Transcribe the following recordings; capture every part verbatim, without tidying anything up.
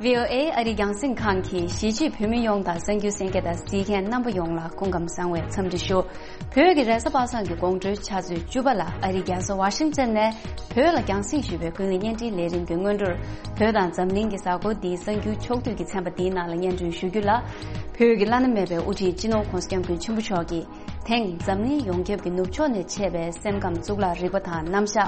ཝི་ཨོ་ཨེ་ཨ་རིའི་རྒྱང་སྲིང་ཁང་གིས་གཞིས་བྱེས་བོད་མི་ཡོངས་དང་གསར་འགྱུར་གསན་མཁན་དང་གཟིགས་མཁན་རྣམ་པ་ཡོངས་ལ་སྐུ་ཁམས་བཟང་བའི་འཚམས་འདྲི་ཞུ། བོད་ཀྱི་རེས་གཟའ་པ་སངས་ཀྱི་དགོང་དྲོའི་ཆུ་ཚོད་བཅུ་པ་ལ་ཨ་རིའི་རྒྱལ་ས་ཝ་ཤིང་ཊོན་ནས་བོད་ལ་རྒྱང་སྲིང་ཞུས་པའི་ཀུན་གླེང་བརྙན་འཕྲིན་ལས་རིམ་གྱི་སྔོན་འགྲོར། བོད་དང་འཛམ་གླིང་གི་གཟའ་འཁོར་འདིའི་གསར་འགྱུར་ཕྱོགས་བསྡུས་ཀྱི་ཚན་པ་འདིའི་ནང་ལ་སྙན་སྒྲོན་ཞུ་རྒྱུ་ལ། བོད་ཀྱི་བླ་ན་མེད་པའི་དབུ་ཁྲིད་སྤྱི་ནོར་༸གོང་ས་༸སྐྱབས་མགོན་ཆེན་པོ་མཆོག་གིས། དེང་འཛམ་གླིང་ཡོངས་ཁྱབ་ཀྱི་ནུབ་ཕྱོགས་ནས་མཆེད་པའི་སེམས་ཁམས་གཙུག་ལག་རིག་པ་དང་རྣམ་གཞག་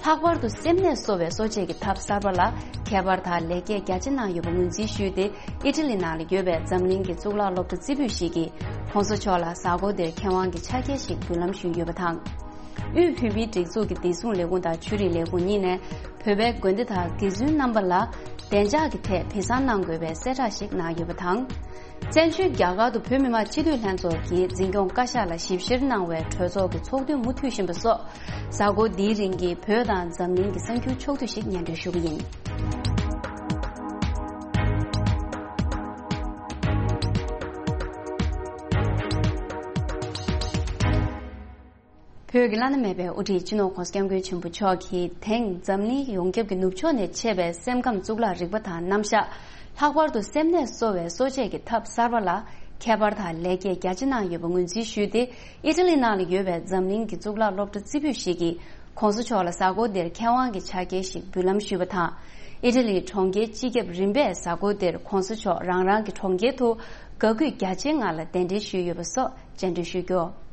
ལྷག་པར་དུ་སེམས་ནད་གསོ་བའི་གསོ་དཔྱད་ཀྱི་ཐབས་གསར་པ་ལ་ཁྱད་པར་དང་ལེགས་སྐྱེས་རྒྱ་ཆེ་གནང་ཡོད་པ་ངོས་འཛིན་ཞུས་ཏེ། ཨི་ཊ་ལི་ནང་ལ་ཡོད་པའི་འཛམ་གླིང་གི་གཙུག་ལག་སློབ་གྲྭ་རྩེ་ཕུད་ཞིག་གིས་༸གོང་ས་མཆོག་ལ་གཟའ་འཁོར་འདིར་མཁས་དབང་གི་ཕྱག་འཁྱེར་ཞིག་འབུལ་ལམ་ཞུས་ཡོད་པ་དང་། དབུས་བོད་མིའི་སྒྲིག་འཛུགས་ཀྱི་བདེ་སྲུང་ལས་ཁུངས་དང་ཆོས་རིག་ལས་ཁུངས་གཉིས་ནས་བོད་པའི་དགོན་སྡེ་དང་དགེ་བཙུན་རྣམ་པ་ལ་བདེ་འཇགས་ཀྱི་ཐད་སྦས་གསང་གནང་དགོས་པའི་གསལ་བསྒྲགས་ཤིག་གནང་ཡོད་པ་དང་། བཙན་བྱོལ་རྒྱ་གར་དུ་བོད་མི་མང་སྤྱི་འཐུས་ལྷན་ཚོགས་ཀྱིས་འཛིན་སྐྱོང་བཀའ་ཤག་ལ་ཞིབ་བཤེར་གནང་བའི་གྲོས་ཚོགས་ཀྱི་ཚོགས་ཐུན་མུ་མཐུད་བཞིན་པ་སོགས། གཟའ་འཁོར་འདིའི་རིང་གི་བོད་དང་འཛམ་གླིང་གི་གསར་འགྱུར་ཕྱོགས་བསྡུས་ཤིག་སྙན་སྒྲོན་ཞུ་གི་ཡིན། བོད་ཀྱི་བླ་ན་མེད་པའི་དབུ་ཁྲིད་སྤྱི་ནོར་༸གོང་ས་༸སྐྱབས་མགོན་ཆེན་པོ་མཆོག་གིས་དེང་འཛམ་གླིང་ཡོངས་ཁྱབ་ཀྱི་ནུབ་ཕྱོགས་ནས་མཆེད་པའི་སེམས་ཁམས་གཙུག་ལག་རིག་པ་དང་རྣམ་གཞག་ལྷག་པར་དུ་སེམས་ནད་གསོ་བའི་གསོ་དཔྱད་ཀྱི་ཐབས་གསར་པ་ལ་ཁྱད་པར་དང་ལེགས་སྐྱེས་རྒྱ་ཆེ་གནང་ཡོད་པ་ངོས་འཛིན་ཞུས་ཏེ། ཨི་ཊ་ལི་ནང་ལ་ཡོད་པའི་འཛམ་གླིང་གི་གཙུག་ལག་སློབ་གྲྭ་རྩེ་ཕུད་ཞིག་གིས་༸གོང་ས་མཆོག་ལ་གཟའ་འཁོར་འདིར་མཁས་དབང་གི་ཕྱག་འཁྱེར་ཞིག་འབུལ་ལམ་ཞུས་པ་དང་། ཨི་ཊ་ལིའི་གྲོང་ཁྱེར་སྤྱི་ཁྱབ་རིམ་པས་གཟའ་འཁོར་འདིར་༸གོང་ས་མཆོག་རང་རང་གི་གྲོང་ཁྱེར་དུ་དགའ་གུས་རྒྱ་ཆེའི་ངང་ལ་གདན་འདྲེན་ཞུས་ཡོད་པ་སོགས་བཅར་འདྲི་ཞུས་རྒྱུ།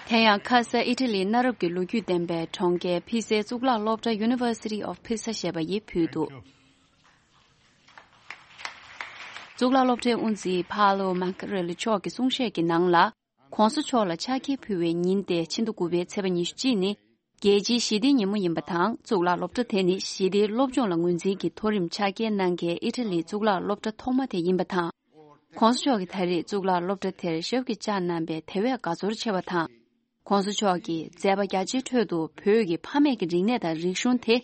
དེ་ཡང་ཁ་ས་ཨི་ཊ་ལིའི་གནའ་རབས་ཀྱི་ལོ་རྒྱུས་ལྡན་པའི་གྲོང་ཁྱེར་ཕི་སའི་གཙུག་ལག་སློབ་གྲྭ་University of Pisa ཞེས་པ་ཡིས་ཕུལ་འདུག། གཙུག་ལག་སློབ་གྲྭའི་དབུ་འཛིན་ཕ་ལོ་མཱ་ཀ་རེ་ལི་མཆོག་གི་གསུང་བཤད་ཀྱི་ནང་ལ། ༸གོང་ས་མཆོག་ལ་ཕྱག་འཁྱེར་ཕུལ་བའི་ཉིན་ཏེ་ཕྱི་ཟླ་དགུ་པའི་ཚེས་པ་ཉི་ཤུ་གཅིག་ནི། རྒྱལ་སྤྱིའི་ཞི་བདེའི་ཉིན་མོ་ཡིན་པ་དང་། གཙུག་ལག་སློབ་གྲྭ་དེ་ནི་ཞི་བདེའི་སློབ་སྦྱོང་ལ་ངོས་འཛིན་གྱི་མཐོ་རིམ་ཕྱག་འཁྱེར་གནང་མཁན་ཨི་ཊ་ལིའི་གཙུག་ལག་སློབ་གྲྭ་ཐོག་མ་དེ་ཡིན་པ་དང་། ༸གོང་ས་མཆོག་གིས་ད་རེས་གཙུག་ལག་སློབ་གྲྭ་དེར་ཞབས་ཀྱིས་བཅགས་གནང་པས་དེ་བས་དགའ་ཚོར་ཆེ་བ་དང་། ༸གོང་ས་མཆོག་གིས་མཛད་པ་རྒྱ་ཆེའི་ཁྲོད་དུ་བོད་ཀྱི་ཕ་མེས་ཀྱི་རིག་གནས་དང་རིག་གཞུང་དེ།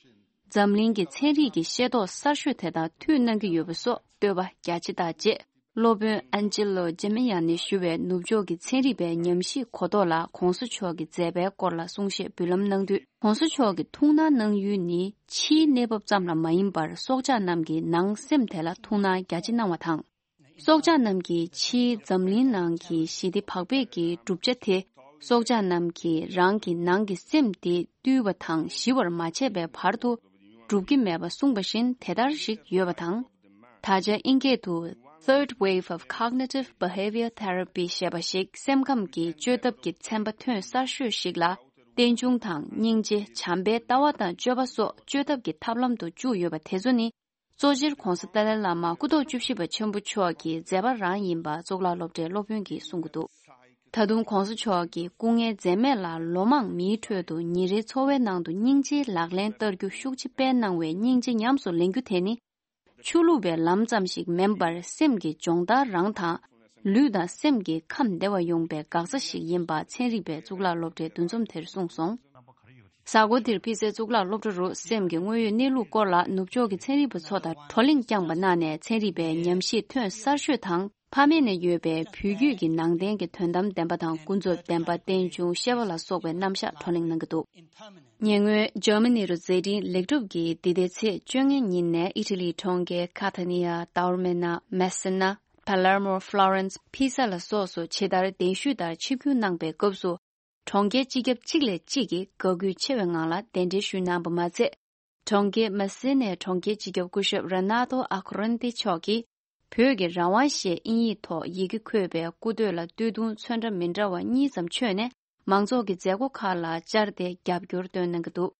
འཛམ་གླིང་གི་ཚན་རིག་གི་ཤེས་རྟོགས་གསར་ཤོས་དེ་དང་མཐུད་གནང་གི་ཡོད་པ་སོགས་བསྟོད་པ་རྒྱ་ཆེ་བཏགས་རྗེས། སློབ་དཔོན་ཨན་ཇེ་ལོ་ཇེ་མི་ཡ་ནི་ཞུ་བའི་ནུབ་ཕྱོགས་ཀྱི་ཚན་རིག་པའི་ཉམས་ཞིབ་གོ་རྟོགས་ལ་༸གོང་ས་མཆོག་གི་མཛད་པའི་སྐོར་ལ་གསུང་བཤད་འབུལ་ལམ་གནང་དུས། ༸གོང་ས་མཆོག་གིས་ཐུགས་སྣང་གནང་ཡུལ་ནི་ཕྱིའི་གནས་བབ་ཙམ་ལ་མ་ཡིན་པར། སྲོག་ཆགས་རྣམས་ཀྱི་ནང་སེམས་དེ་ལ་ཐུགས་སྣང་རྒྱ་ཆེ་གནང་བ་དང་། སྲོག་ཆགས་རྣམས་ཀྱིས་ཕྱིའི་འཛམ་གླིང་ནང་གི་ཞི་བདེ་བག་ཕེབས་ཀྱི་གྲུབ་ཆ་དེ། སྲོག་ཆགས་རྣམས་ཀྱིས་རང་གི་ནང་གི་སེམས་དེ་བཏུལ་བ་དང་ཞི་བར་མ་བྱས་པའི་བར་དུ་འགྲུབ་ཀྱི་མེད་པ་གསུངས་པ་བཞིན་དེ་ལྟར་ཞིག་ཡོད་པ་དང་། ད་ཆ་ཨིན་སྐད་དུ་Third Wave of Cognitive Behavior Therapy ཞེས་པ་ཞིག་སེམས་ཁམས་ཀྱི་བཅོས་ཐབས་ཀྱི་ཚན་པ་ཐོན་གསར་ཤོས་ཤིག་ལ། རྟེན་འབྱུང་དང་། སྙིང་རྗེ། བྱམས་པའི་ལྟ་བ་དང་སྤྱོད་པ་སོགས་བཅོས་ཐབས་ཀྱི་ཐབས་ལམ་དུ་བཅུག་ཡོད་པ་དེ་ཚོ་ནི། གཙོ་ཆེར་༸གོང་ས་ཏཱ་ལའི་བླ་མ་སྐུ་ཐོག་བཅུ་བཞི་པ་ཆེན་པོ་མཆོག་གི་མཛད་པ་རང་ཡིན་པ་གཙུག་ལག་སློབ་གྲྭའི་སློབ་དཔོན་གྱིས་གསུང་གི་འདུག། ད་དུང་༸གོང་ས་མཆོག་གིས་སྐུ་ངལ་འཛེམས་མེད་ལ་ལོ་མང་མིའི་ཁྲོད་དུ་ཉིན་རེའི་འཚོ་བའི་ནང་དུ་སྙིང་རྗེའི་ལག་ལེན་བསྟར་རྒྱུ་ཤུགས་ཆེ་སྤེལ་གནང་བའི་སྙིང་རྗེ་ཉམས་སུ་ལེན་རྒྱུ་དེ་ནི། ཆོས་ལུགས་པའི་ལམ་ཙམ་ཞིག་མིན་པར་སེམས་ཀྱི་སྦྱོང་བརྡར་རང་དང་། ལུས་དང་སེམས་ཀྱི་ཁམས་བདེ་བ་ཡོང་པའི་འགག་རྩ་ཞིག་ཡིན་པ་ཚན་རིག་པའི་གཙུག་ལག་སློབ་གྲྭའི་འདུ་འཛོམས་དེར་གསུངས་སོང་། གཟའ་འཁོར་འདིར་ཕི་སའི་གཙུག་ལག་སློབ་གྲྭ་རུ་སེམས་ཀྱི་དངོས་ཡོད་གནས་ལུགས་སྐོར་ལ་ནུབ་ཕྱོགས་ཀྱི་ཚན་རིག་པ་ཚོ་དང་བགྲོ་གླེང་བསྐྱངས་པ་གནང་ནས་ཚན་རིག་པའི་ཉམས་ཞིབ་ཐོན་གསར་ཤོས་དང་ཕ་མེས་ནས་ཡོད་པའི་བོད་བརྒྱུད་ཀྱི་ནང་བསྟན་གྱི་དོན་དམ་བདེན་པ་དང་ཀུན་རྫོབ་བདེན་པ་རྟེན་འབྱུང་བཤད་པ་ལ་སོགས་པའི་རྣམ་གཞག་བགྲོ་གླེང་གནང་གི་འདུག། ཉེ་སྔོན་འཇར་མ་ནི་རུ་མཛད་འཕྲིན་ལེགས་གྲུབ་ཀྱིས་འདི་ཟླའི་ཚེས་བཅོ་ལྔའི་ཉིན་ནས་ཨི་ཊ་ལིའི་གྲོང་ཁྱེར་ཁ་ཐ་ནི་ཡ། ཏའོར་མེ་ན། མེ་སེ་ན། པ་ལར་མོ། ཧྥ་ལོ་རན་སི། ཕི་ས་ལ་སོགས་སུ་ཇི་ལྟར་གདན་ཞུས་ལྟར་ཆིབས་བསྒྱུར་གནང་པའི་སྐབས་སུ། གྲོང་ཁྱེར་སྤྱི་ཁྱབ་གཅིག་ལས་གཅིག་གིས་དགའ་གུས་ཆེ་བའི་ངང་ལ་གདན་འདྲེན་ཞུས་གནང་པ་མ་ཚད། གྲོང་ཁྱེར་མ་སི་ནའི་གྲོང་ཁྱེར་སྤྱི་ཁྱབ་སྐུ་ཞབས་ར་ནཱ་ཏོ་ཨ་ཁོ་རན་ཏི་མཆོག་གིས། བོད་ཀྱི་རང་དབང་ཞེས་དབྱིན་ཡིག་ཐོག་ཡི་གེ་འཁོད་པའི་སྐུ་སྟོད་ལ་སྟོད་ཐུང་ཚོན་ཁྲ་མི་འདྲ་བ་གཉིས་ཙམ་མཆོད་ནས། མང་ཚོགས་ཀྱི་མཛད་སྒོ་ཁག་ལ་བཅར་ཏེ་རྒྱབ་སྐྱོར་སྟོན་གནང་གི་འདུག།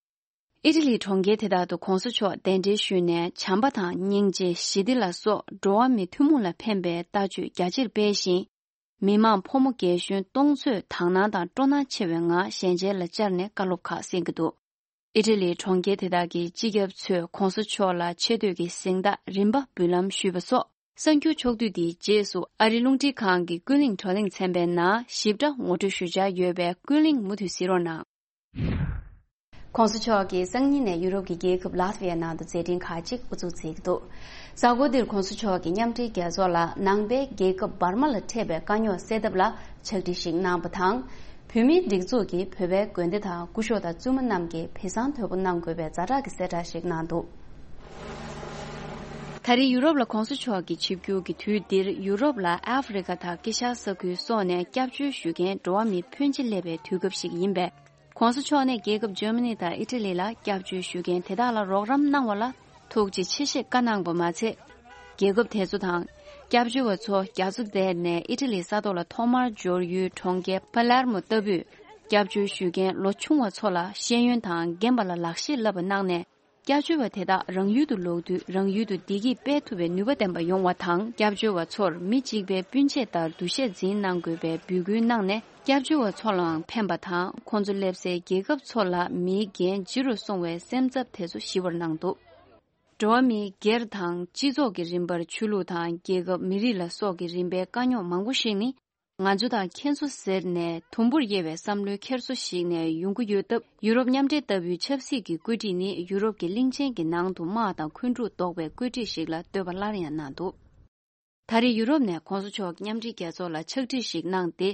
ཨི་ཊ་ལིའི་གྲོང་ཁྱེར་དེ་དག་ཏུ་༸གོང་ས་མཆོག་གདན་འདྲེན་ཞུས་ནས། བྱམས་པ་དང་། སྙིང་རྗེ། ཞི་བདེ་ལ་སོགས་འགྲོ་བ་མིའི་ཐུན་མོང་ལ་ཕན་པའི་ལྟ་སྤྱོད་རྒྱ་ཆེར་སྤེལ་ཞིང་། མི་མང་ཕོ་མོ་རྒན་གཞོན་སྟོང་ཚོས་དག་སྣང་དང་སྤྲོ་སྣང་ཆེ་བའི་ངང་ཞལ་མཇལ་ལ་བཅར་ནས་བཀའ་སློབ་ཁག་གསན་གྱི་འདུག། ཨི་ཊ་ལིའི་གྲོང་ཁྱེར་དེ་དག་གི་སྤྱི་ཁྱབ་ཚོས་༸གོང་ས་མཆོག་ལ་ཆེ་བསྟོད་ཀྱི་གཟེངས་རྟགས་རིམ་པ་འབུལ་ལམ་ཞུས་པ་སོགས། གསར་འགྱུར་ཕྱོགས་བསྡུས་འདིའི་རྗེས་སུ་ཨ་རིའི་རླུང་འཕྲིན་ཁང་གི་ཀུན་གླེང་བགྲོ་གླེང་ཚན་པའི་ནང་ཞིབ་ཕྲ་ངོ་སྤྲོད་ཞུ་འཆར་ཡོད་པས། ཀུན་གླེང་མུ་མཐུད་གཟིགས་རོགས་གནང་། ༸གོང་ས་མཆོག་གིས་སང་ཉིན་ནས་ཡུ་རོབ་ཀྱི་རྒྱལ་ཁབ་ལཱ་ཐི་ཝི་ཡའི་ནང་དུ་མཛད་འཕྲིན་ཁག་ཅིག་དབུ་འཛུགས་མཛད་ཀྱི་འདུག། གཟའ་འཁོར་འདིར་༸གོང་ས་མཆོག་གིས་མཉམ་འབྲེལ་རྒྱལ་ཚོགས་ལ་ནང་པའི་རྒྱལ་ཁབ་འབར་མ་ལ་འཕྲད་པའི་དཀའ་རྙོག་སེལ་ཐབས་ལ་ཕྱག་བྲིས་ཤིག་གནང་བ་དང་། བོད་མིའི་སྒྲིག་འཛུགས་ཀྱིས་བོད་པའི་དགོན་སྡེ་དང་སྐུ་ཞབས་དང་བཙུན་མ་རྣམས་ཀྱིས་སྦས་གསང་དོད་པོ་གནང་དགོས་པའི་ཛ་དྲག་གི་གསལ་བསྒྲགས་ཤིག་གནང་འདུག། ད་རེས་ཡུ་རོབ་ལ་གོང་ས་མཆོག་གི་ཆིབས་བསྒྱུར་གྱི་དུས་འདིར་ཡུ་རོབ་ལ་ཨ་ཧྥེ་རི་ཁ་དང་དཀྱིལ་ཤར་ས་ཁུལ་སོགས་ནས་སྐྱབས་བཅོལ་ཞུ་མཁན་འགྲོ་བ་མིའི་ཕོན་ཆེ་སླེབས་པའི་དུས་སྐབས་ཤིག་ཡིན་པས། གོང་ས་མཆོག་ནས་རྒྱལ་ཁབ་ཇར་མ་ནི་དང་ཨི་ཊ་ལི་ལ་སྐྱབས་བཅོལ་ཞུ་མཁན་དེ་དག་ལ་རོགས་རམ་གནང་བ་ལ་ཐུགས་རྗེ་ཆེ་ཞེས་བཀའ་གནང་བ་མ་ཚད། རྒྱལ་ཁབ་དེ་ཚོ་དང་སྐྱབས་བཅོལ་བ་ཚོ་རྒྱ་མཚོ་བརྡལ་ནས་ཨི་ཊ་ལི་ས་ཐོག་ལ་ཐོག་མར་འབྱོར་ཡུལ་གྲོང་ཁྱེར་པ་ལེར་མོ་ལྟ་བུས་སྐྱབས་བཅོལ་ཞུ་མཁན་ལོ་ཆུང་བ་ཚོ་ལ་ཤེས་ཡོན་དང་རྒན་པ་ལ་ལག་ཤེས་བསླབ་པ་གནང་ནས། སྐྱབས་བཅོལ་བ་དེ་དག་རང་ཡུལ་དུ་ལོག་དུས་རང་ཡུལ་དུ་བདེ་སྐྱིད་སྤེལ་ཐུབ་པའི་ནུས་པ་ལྡན་པ་ཡོང་བ་དང་། སྐྱབས་བཅོལ་བ་ཚོར་མི་གཅིག་པའི་སྤུན་མཆེད་ལྟར་འདུ་ཤེས་འཛིན་གནང་དགོས་པའི་འབོད་སྐུལ་གནང་ནས། སྐྱབས་བཅོལ་བ་ཚོ་ལའང་ཕན་པ་དང་། ཁོང་ཚོ་སླེབས་སའི་རྒྱལ་ཁབ་ཚོ་ལ་མིའི་འགན་ལྗི་རུ་སོང་བའི་སེམས་འཚབ་དེ་ཚོ་ཞི་བར་གནང་འདུག། འགྲོ་བ་མིའི་སྒེར་དང་སྤྱི་ཚོགས་ཀྱི་རིམ་པར་ཆོས་ལུགས་དང་རྒྱལ་ཁབ་མི་རིགས་ལ་སོགས་ཀྱི་རིམ་པའི་དཀའ་རྙོག་མང་པོ་ཞིག་ནི། ང་ཚོ་དང་ཁྱེད་ཚོ་ཟེར་ནས་དུམ་བུར་དབྱེ་བའི་བསམ་བློའི་འཁྱེར་སོ་ཞིག་ནས་ཡོང་གི་ཡོད་སྟབས། ཡུ་རོབ་མཉམ་འབྲེལ་ལྟ་བུའི་ཆབ་སྲིད་ཀྱི་བཀོད་སྒྲིག་ནི་ཡུ་རོབ་ཀྱི་གླིང་ཆེན་གྱི་ནང་དུ་དམག་དང་འཁོན་འཁྲུག་ཟློག་པའི་བཀོད་སྒྲིག་ཞིག་ལ་ལྟོས་པ་སླར་ཡང་གནང་འདུག། ད་རེས་ཡུ་རོབ་ནས་གོང་ས་མཆོག་མཉམ་འབྲེལ་རྒྱལ་ཚོགས་ལ་ཕྱག་བྲིས་ཤིག་གནང་སྟེ།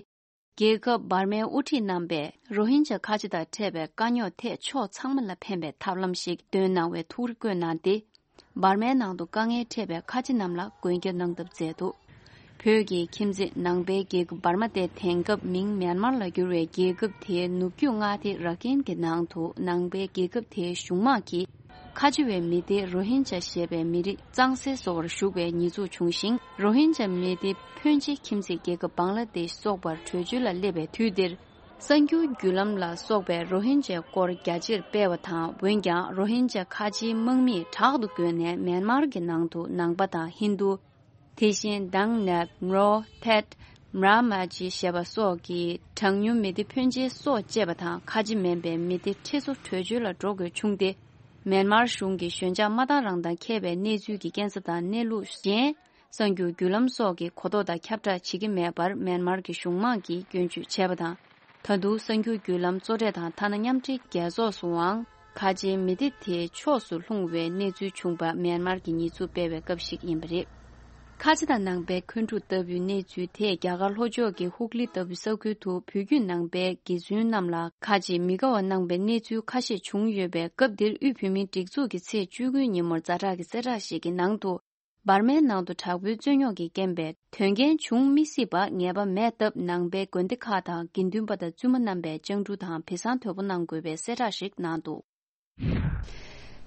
རྒྱལ་ཁབ་འབར་མའི་དབུ་ཁྲིད་རྣམ་པས་རོ་ཧིན་ཇ་ཁ་ཆེ་དང་འཕྲད་པའི་དཀའ་རྙོག་ཐད་ཕྱོགས་ཚང་མ་ལ་ཕན་པའི་ཐབས་ལམ་ཞིག་འདོན་གནང་བའི་ཐུགས་རེ་བཀོད་གནང་སྟེ། འབར་མའི་ནང་དུ་དཀའ་ངལ་འཕྲད་པའི་ཁ་ཆེ་རྣམས་ལ་མགོན་སྐྱབས་གནང་ཐབས་མཛད་འདུག། བོད་ཀྱི་ཁྱིམ་མཚེས་ནང་པའི་རྒྱལ་ཁབ་འབར་མ་སྟེ། དེང་སྐབས་མིང་མེན་མར་ལ་བསྒྱུར་བའི་རྒྱལ་ཁབ་དེའི་ནུབ་རྒྱུད་མངའ་སྡེ་ར་ཁིན་གྱི་ནང་དུ་ནང་པའི་རྒྱལ་ཁབ་དེའི་གཞུང་དམག་གིས། ཁ་ཆེ་བའི་མི་སྡེ་རོ་ཧིན་ཇ་ཞེས་པའི་མི་རིགས་གཙང་སེལ་བཟོ་བར་ཞུགས་པའི་ཉེས་འཛུགས་བྱུང་ཞིང་། རོ་ཧིན་ཇ་མི་སྡེ་ཕོན་ཆེ་ཁྱིམ་མཚེས་རྒྱལ་ཁབ་བང་ལ་དེཤ་སོགས་པར་བྲོས་བྱོལ་ལ་སླེབས་པའི་དུས་འདིར། གསར་འགྱུར་བརྒྱུད་ལམ་ལ་སོགས་པས་རོ་ཧིན་ཇའི་སྐོར་རྒྱ་ཆེར་སྤེལ་བ་དང་། འོན་ཀྱང་རོ་ཧིན་ཇ་ཁ་ཆེའི་དམག་མིས་དྲག་ཏུ་རྒོལ་ནས་མེན་མར་གྱི་ནང་དུ་ནང་པ་དང་ཧིན་རྡུ། དེ་བཞིན་དང་ནེབ། མྲོ། ཐེད། མྲ་མ་ཇི་ཞེས་པ་སོགས་ཀྱི་གྲངས་ཉུང་མི་སྡེ་ཕོན་ཆེ་སོགས་བཅས་པ་དང་། ཁ་ཆེ་མིན་པའི་མི་སྡེ་ཁྲི་ཚོ་བྲོས་བྱོལ་ལ་འགྲོ་དགོས་བྱུང་སྟེ། མེན་མར་གཞུང་གིས་ཞོད་འཇགས་མ་བཏང་རང་དང་འཁེལ་བའི་གནས་ཚུལ་གྱི་སྐྱེན་ས་དང་གནས་ལུགས་གཞན། གསར་འགྱུར་བརྒྱུད་ལམ་སོགས་ཀྱིས་གོ་རྟོགས་དང་ཁྱབ་བསྒྲགས་བྱེད་ཀྱི་མེད་པར་མེན་མར་གྱི་གཞུང་དམངས་ཀྱིས་སྐྱོན་བརྗོད་བྱས་པ་དང་། ད་དུང་གསར་འགྱུར་བརྒྱུད་ལམ་གཙོ་གྲས་དང་། ཐ་ན་མཉམ་འབྲེལ་རྒྱལ་ཚོགས་སུའང་ཁ་ཆེའི་མི་སྡེ་དེའི་ཕྱོགས་སུ་ལྷུང་བའི་གནས་ཚུལ་བྱུང་པ་མེན་མར་གྱིས་ཉེས་འཛུགས་སྤེལ་བའི་སྐབས་ཤིག་ཡིན་པ་རེད། ཁ་ཆེ་དང་ནང་པའི་འཁོན་འཁྲུག་ལྟ་བུའི་གནས་ཚུལ་དེས་རྒྱ་གར་ལྷོ་ཕྱོགས་ཀྱི་ཧུག་ལི་ལྟ་བུའི་ས་ཁུལ་དུ་བོད་བརྒྱུད་ནང་པའི་དགེ་བཙུན་རྣམས་ལ་ཁ་ཆེའི་མི་དགའ་བ་གནང་པའི་གནས་ཚུལ་ཁ་ཤས་བྱུང་ཡོད་པའི་སྐབས་འདིར། དབུས་བོད་མིའི་སྒྲིག་འཛུགས་ཀྱིས་ཚེས་བཅུ་དགུའི་ཉིན་མོར་ཛ་དྲག་གི་གསལ་བསྒྲགས་ཤིག་གི་ནང་དུ། འབར་མའི་ནང་དུ་དྲག་པོའི་རྩོད་རྙོག་གིས་རྐྱེན་པས་དོན་རྐྱེན་འབྱུང་མི་སྲིད་པ་ངེས་པ་མེད་སྟབས། ནང་པའི་དགོན་སྡེ་ཁག་དང་དགེ་འདུན་པ་དང་བཙུན་མ་རྣམ་པས་སྤྱང་གྲུང་དང་བི་སང་དོད་པོ་གནང་དགོས་པའི་གསལ་བསྒྲགས་ཤིག་གནང་འདུག།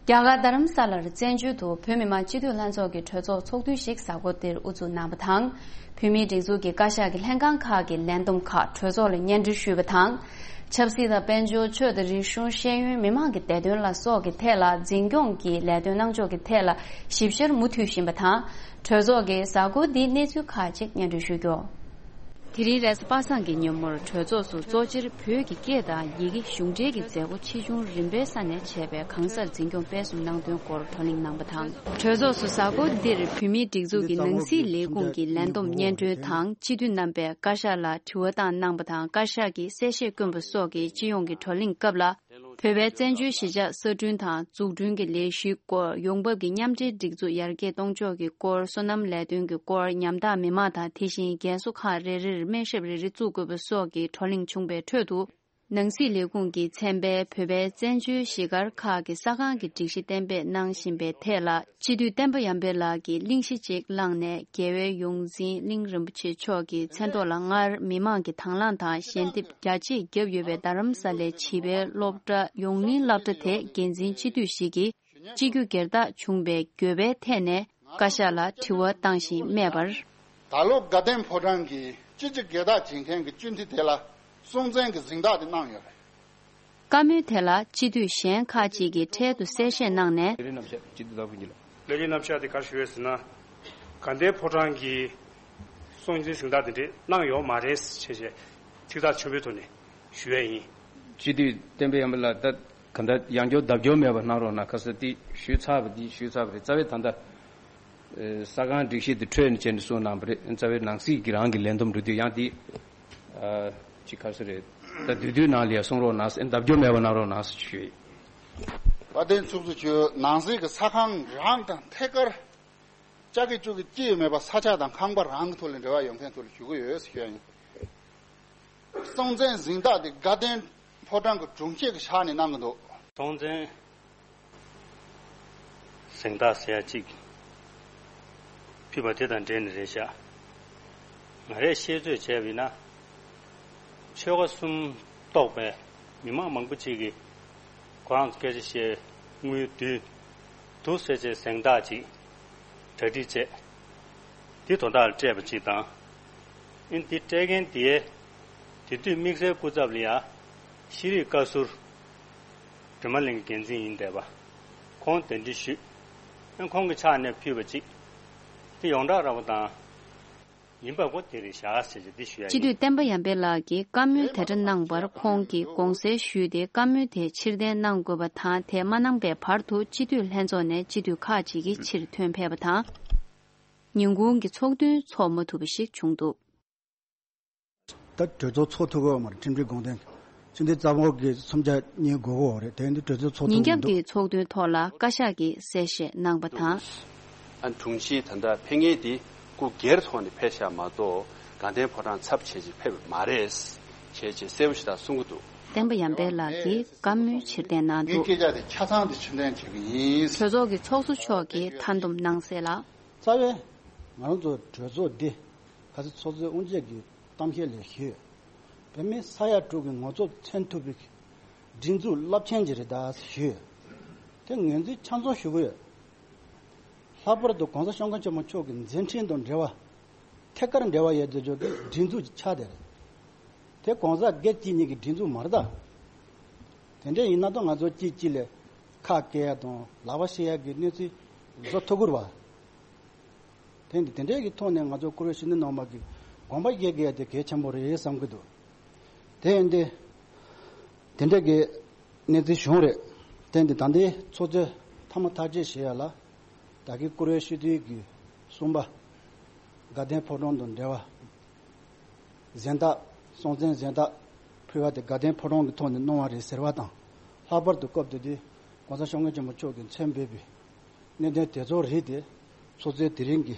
རྒྱ་གར་རྡ་རམ་ས་ལར་བཙན་བྱོལ་དུ་བོད་མི་མང་སྤྱི་འཐུས་ལྷན་ཚོགས་ཀྱི་གྲོས་ཚོགས་ཚོགས་དུས་ཤིག་གཟའ་འཁོར་འདིར་དབུ་འཛུགས་གནང་བ་དང་། བོད་མིའི་སྒྲིག་འཛུགས་ཀྱི་བཀའ་ཤག་གི་ལྷན་ཁང་ཁག་གི་ལས་བསྡོམས་ཁག་གྲོས་ཚོགས་ལ་སྙན་སྒྲོན་ཞུས་པ་དང་། ཆབ་སྲིད་དང་། དཔལ་འབྱོར། ཆོས་དང་རིག་གཞུང་། ཤེས་ཡོན། མི་མང་གི་བདེ་དོན་ལ་སོགས་ཀྱི་ཐད་ལ་འཛིན་སྐྱོང་གི་ལས་དོན་གནང་ཕྱོགས་ཀྱི་ཐད་ལ་ཞིབ་བཤེར་མུ་མཐུད་བཞིན་པ་དང་། གྲོས་ཚོགས་ཀྱིས་གཟའ་འཁོར་འདིའི་གནས་ཚུལ་ཁག་ཅིག་སྙན་སྒྲོན་ཞུ་རྒྱུ། དེ་རིང་རེས་གཟའ་པ་སངས་ཀྱི་ཉིན་མོར་གྲོས་ཚོགས་སུ་གཙོ་ཆེར་བོད་ཀྱི་སྐད་དང་ཡི་གེ་གཞུང་འབྲེལ་གྱི་མཛད་སྒོ་ཆེ་ཆུང་རིམ་པའི་ས་ནས་བྱས་པའི་གང་སར་འཛིན་སྐྱོང་སྤེལ་གསུམ་གནང་དོན་སྐོར་བགྲོ་གླེང་གནང་བ་དང་། གྲོས་ཚོགས་སུ་གཟའ་འཁོར་འདིར་བོད་མིའི་སྒྲིག་འཛུགས་ཀྱི་ནང་སྲིད་ལས་ཁུངས་ཀྱི་ལས་བསྡོམས་སྙན་སྒྲོན་དང་། སྤྱི་འཐུས་རྣམ་པས་བཀའ་ཤག་ལ་དྲི་བ་བཏང་གནང་བ་དང་། བཀའ་ཤག་གིས་གསལ་བཤད་བསྐྱོན་པ་སོགས་ཀྱི་སྤྱི་ཡོངས་ཀྱི་བགྲོ་གླེང་སྐབས་ལ། བོད་པའི་བཙན་བྱོལ་གཞིས་ཆགས་གསར་སྐྲུན་དང་འཛུགས་སྐྲུན་གྱི་ལས་གཞིའི་སྐོར། ཡོང་འབབ་ཀྱི་མཉམ་འབྲེལ་སྒྲིག་འཛུགས་ཡར་རྒྱས་གཏོང་ཕྱོགས་ཀྱི་སྐོར། སོ་ནམ་ལས་དོན་གྱི་སྐོར། ཉམ་ཐག་མི་མང་དང་། དེ་བཞིན་རྒན་གསོ་ཁང་རེ་རེར་སྨན་ཞབས་རེ་རེ་བཙུགས་དགོས་པ་སོགས་ཀྱི་བགྲོ་གླེང་བྱུང་བའི་ཁྲོད་དུ། ནང་སྲིད་ལས་ཁུངས་ཀྱི་ཚན་པས་བོད་པའི་བཙན་བྱོལ་གཞིས་སྒར་ཁག་གི་ས་ཁང་གི་སྒྲིག་གཞི་གཏན་འབེབས་གནང་བཞིན་པའི་ཐད་ལ། སྤྱི་འཐུས་བསྟན་པ་ཡར་འཕེལ་ལགས་ཀྱིས་གླེང་གཞི་ཅིག་བླངས་ནས། རྒྱལ་བའི་ཡོངས་འཛིན་གླིང་རིན་པོ་ཆེ་མཆོག་གི་མཚན་ཐོག་ལ་སྔར་མི་མང་གི་དང་བླངས་དང་ཞལ་འདེབས་རྒྱ་ཆེ་བརྒྱབ་ཡོད་པའི་རྡ་རམ་ས་ལའི་བྱིས་པའི་སློབ་གྲྭ་ཡོངས་གླིང་སློབ་གྲྭ་དེ་འགན་འཛིན་སྤྱི་འཐུས་ཤིག་གིས་སྤྱི་རྒྱུ་སྒེར་བདག་བྱུང་བའི་འགྱོད་པའི་ཐད་ནས་བཀའ་ཤག་ལ་དྲི་བ་བཏང་བཞིན་སྨྲས་པར། ད་ལོ་དགའ་ལྡན་ཕོ་བྲང་གིས་སྤྱི་རྒྱུ་སྒེར་བདག་བྱེད་མཁན་གྱི་སྤྱི་འཐུས་དེ་ལ་སྲུང་བཙན་གྱི་གཟེངས་རྟགས་དེ་གནང་ཡོད་རེད། བཀའ་མོལ་དེ་ལ་སྤྱི་འཐུས་གཞན་ཁག་ཅིག་གིས་འཕྲལ་དུ་གསལ་བཤད་གནང་ནས། ལས་རིམ་རྣམ་གཞག་སྤྱི་འཐུས་བདག་པོ་གཉིས་ལ། ལས་རིམ་རྣམ་གཞག་དེ་ག་རེ་ཞུ་ཡོད་ཟེར་ན། དགའ་ལྡན་ཕོ་བྲང་གིས་སྲུང་བརྩིའི་གཟེངས་རྟགས་དེ་འདྲས་གནང་ཡོད་མ་རེད་ཅེས་ཚིག་ཐག་ཆོད་པོའི་ཐོག་ནས་ཞུ་ཡས་ཡིན། སྤྱི་འཐུས་བསྟན་པ་ཡར་འཕེལ་ལགས། ད་ག་འདྲ་ཡང་བསྐྱར་ལྡབ་སྐྱོར་མེད་པ་གནང་རོགས་གནང་། ཁ་ས་དེ་ཞུས་ཚར་བ་དེ་ཞུས་ཚར་བ་རེད། རྩ་བའི་ད་ལྟ་ས་ཁང་སྒྲིག་གཞི་དེ་འཕྲོས་ནས་བྱས་ནས་གསུངས་གནང་བ་རེད། རྩ་བའི་ནང་སྲིད་ཀྱི་རང་གི་ལས་བསྡོམས་འགྲོ་དུས་ཡང་དེ། ཨ། ཅིག་ག་རེ་ཟེར་རེད། ད་དུས་དུས་ནང་ལ་ཡ་གསུང་རོགས་གནང་ཟེར། ལྡབ་སྐྱོར་མེད་པ་གནང་རོགས་གནང་ཟེར་ཞུ་ཡིན། དཔལ་ལྡན་ཚོགས་གཙོ་མཆོག་ནང་སྲིད་ཀྱི་ས་ཁང་རང་དང་ཐད་ཀར་ལྕགས་ཀྱི་ཅུ་གི་སྐྱེས་མེད་པ་ས་ཆ་དང་ཁང་པ་རང་གི་ཐོག་ལ་འབྲེལ་བ་ཡོད་མཁན་ཐོག་ལ་ཞུ་གི་ཡོད་ཟེར་ཞུ་ཡ་ཡིན། སྲུང་བཙན་གཟེངས་རྟགས་དེ་དགའ་ལྡན་ཕོ་བྲང་གི་དྲུང་ཆེ་གི་ཕྱག་ནས་གནང་གི་འདུག། སྲུང་བཙན་གཟེངས་རྟགས་ཟེར་ཡ་གཅིག་ ཕུལ་བ་དེ་དང་འབྲེལ་ནས་རེད་ཤག་ང་རས་ཤེས་ཚོད་བྱས་པ་ཡིན་ན། ཆོལ་ཁ་གསུམ་གཏོགས་པའི་མི་མང་མང་པོ་ཅིག་གིས་ཁོ་རང་ཚོ་སྐད་ཆ་བཤད་དངུལ་བསྡུས་འདུག་ཟེར་བྱས་གཟེངས་རྟགས་ཅིག་གྲ་སྒྲིག་བྱས། འདི་དོ་བདག་ལ་སྤྲད་པ་ཅིག་དང་། ཨིན་འདི་སྤྲད་མཁན་དེས་དེ་དུས་དམིགས་བསལ་སྐུ་ཚབ་ལ་ཡང་ཤེས་རིག་བཀའ་ཟུར་སྒྲོལ་མ་གླིང་གི་འགན་འཛིན་ཡིན་བསྡད་པ། ཁོང་གདན་འདྲེན་ཞུས། ཨ་ཁོང་གི་ཕྱག་ནས་ཕུལ་བ་ཅིག་དེ་ཡོངས་གྲགས་ར་བ་དང་། ཡིན་པ་གོ་དེ་རེད་བཞག་ཟེར་གྱི་འདི་ཞུ་ཡ་སྤྱི་འཐུས་ཡིན། བསྟན་པ་ཡར་འཕེལ་ལགས་ཀྱིས་བཀའ་མོལ་དེ་འདྲ་གནང་བར་ཁོང་གིས་དགོངས་སེལ་ཞུས་ཏེ། བཀའ་མོལ་དེ་ཕྱིར་འཐེན་གནང་དགོས་པ་དང་། དེ་མ་གནང་པའི་བར་དུ་སྤྱི་འཐུས་ལྷན་ཚོགས་ནས་སྤྱི་འཐུས་ཁག་ཅིག་གིས་ཕྱིར་ཐོན་ཕེབས་པ་དང་། ཉིན་གུང་གི་ཚོགས་འདུ་འཚོགས་མ་ཐུབ་པ་ཞིག་བྱུང་འདུག་ད་གྲོས་ཚོགས་ཚོགས་ཐུབ་ཀྱི་ཡོད་མ་རེད། ཁྲིམས་སྒྲིག་དགོངས་དོན་སྤྱི་འཐུས་རྩ་འབོར་གྱི་སུམ་ཆ་གཉིས་དགོས་ཀྱི་ཡོད་རེད། དེ་ཡིན་དུས་གྲོས་ཚོགས་ཚོགས་ཉིན་ཐུབ་མི་རྒྱབ་འདུག་ཀྱི་ཚོགས་འདུའི་ཐོག་ལ་བཀའ་ཤག་གིས་གསལ་བཤད་གནང་པ་དང་། ཨ་དྲུང་ཆེ་ད་ལྟ་ཕེབས་མཁན་དེ་སྐུ་སྒེར་ཐོག་ནས་ཕེབས་ཤག་མ་གཏོགས་དགའ་ལྡན་ཕོ་བྲང་ཚབ་བྱས་ཅིག་ཕེབས་པ་མ་རེད། བྱས་ཅིག་གསལ་པོ་ཞིག་ད་གསུང་གི་འདུག་བསྟན་པ་ཡར་འཕེལ་ལགས་ཀྱིས་བཀའ་མོལ་ཕྱིར་འཐེན་གནང་འདུག་སྐད་ཆ་དེ་ཆ་ཚང་དེ་ཕྱིར་འཐེན་བྱེད་ཀྱི་ཡིན། གྲོས་ཚོགས་ཀྱི་ཚོགས་གཙོ་མཆོག་གིས་མཐའ་འདོམས་གནང་གསལ་ལ། རྩ་བའི་ང་རང་ཚོ་གྲོས་ཚོགས་འདི་ག་ཚོད་ཚོགས་གཙོའི་དབུ་འབྱེད་ཀྱི་གཏམ་བཤད་ལས་ཞུས། བོད་མི་ས་ཡ་དྲུག་གི་ངོ་ཚབ་མཚོན་ཐུབ་པའི་སྒྲིག་འཛུགས་རླབས་ཆེན་ཅིག་རེད་ད་ཞུས། དེ་ངོས་འཛིན་ཆ་ཚང་ཞུ་གི་ཡོད། ལྷག་པར་དུ་༸གོང་ས་༸སྐྱབས་མགོན་ཆེན་པོ་མཆོག་གི་མཛད་འཕྲིན་དང་འབྲེལ་བ། ཐད་ཀར་འབྲེལ་བ་ཡོད་དེ་ཆོག་གི་སྒྲིག་འཛུགས་ཀྱི་ཆ་དེ་རེད། དེ་༸གོང་ས་སྒེར་གཅིག་གཉིས་ཀྱི་སྒྲིག་འཛུགས་མ་རེད་ད། དེ་འདྲ་ཡིན་ན་ད་ང་ཚོ་གཅིག་གཅིག་ལ་ཁ་སྐད་ཡ་དང་ལག་པ་བཤེད་ཡ་གི་གནས་ཚུལ་བཟོ་ཐུབ་ཀྱི་རེད་བ། དེ་འདི་དེ་འདྲའི་གི་ཐོག་ནས་ང་ཚོ་བཀུར་འོས་ཕྱི་ནང་མ་གི་དགོངས་པ་བཞེས་དགོས་ཡ་དེ་གལ་ཆེན་པོ་རེད་བསམ་གྱི་འདུག་དེ་ཡིན་དེ། དེ་འདྲ་གི་གནས་ཚུལ་བྱུང་རེད། དེ་འདི་ད་ལྟའི་ཚོགས་གཙོས་མཐའ་མ་ཐག་གཅོད་བྱེད་ཡ་ལ། ད་གི་བཀུར་འོས་སྤྱི་འཐུས་ཀྱི་གསུམ་པ། དགའ་ལྡན་ཕོ་བྲང་དང་འབྲེལ་བ། གཟེངས་རྟགས། སྲོང་བཙན་གཟེངས་རྟགས་ཕུལ་བ་དེ་དགའ་ལྡན་ཕོ་བྲང་གི་ཐོག་ནས་གནང་བ་རེད་ཟེར་བ་དང་། ལྷག་པར་དུ་སྐབས་དེ་དུས་༸གོང་ས་༸སྐྱབས་མགོན་ཆེན་པོ་མཆོག་གིས་མཚན་འབོད་པའི་གནད་དོན་དེ་ཚོ་རིགས་དེ་ཚོགས་གཙོས་དེ་རིང་གི་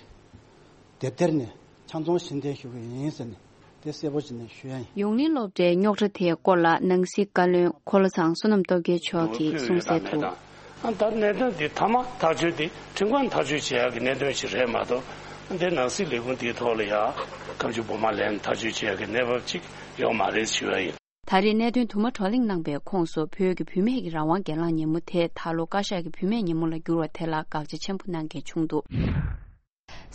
དེབ་ཐེར་ནས་ཆ་ཚང་ཕྱིར་འཐེན་ཞུ་གི་ཡིན་ཟེར་ནས་དེ་གསལ་པོ་བྱས་ནས་ཞུ་ཡ་ཡིན། ཡོངས་གླིང་སློབ་གྲྭའི་རྙོག་དྲ་དེའི་སྐོར་ལ་ནང་སྲིད་བཀའ་བློན་འཁོར་ལོ་ཚང་བསོད་ནམས་སྟོབས་རྒྱལ་མཆོག་གིས་གསུངས་གསལ་དུ། ཨ་ད་གནད་དོན་འདི་མཐའ་མ་ཐག་གཅོད་དེ་ཁྲིམས་ཁང་ཐག་གཅོད་བྱེད་ཡག་གི་གནད་དོན་ཞིག་རེད་མ་གཏོགས། འདི་ནང་སྲིད་ལས་ཁུངས་འདིའི་ཐོག་ལ་ཡ་སྐབས་བཅུ་བོ་མ་ལེན་ཐག་གཅོད་བྱེད་ཡག་གི་གནས་བབ་ཅིག་ཡོད་མ་རེད་ཞུ་ཡ་ཡིན། ད་རེས་གནད་དོན་དུ་མ་བགྲོ་གླེང་གནང་པའི་ཁོངས་སུ་བོད་ཀྱི་བུད་མེད་ཀྱི་རང་དབང་སྒེར་ལངས་ཉིན་མོ་དེ་ད་ལོ་བཀའ་ཤག་གི་བུད་མེད་ཉིན་མོ་ལ་བསྒྱུར་བ་དེ་ལ་དགག་བྱ་ཆེན་པོ་གནང་མཁན་བྱུང་འདུག་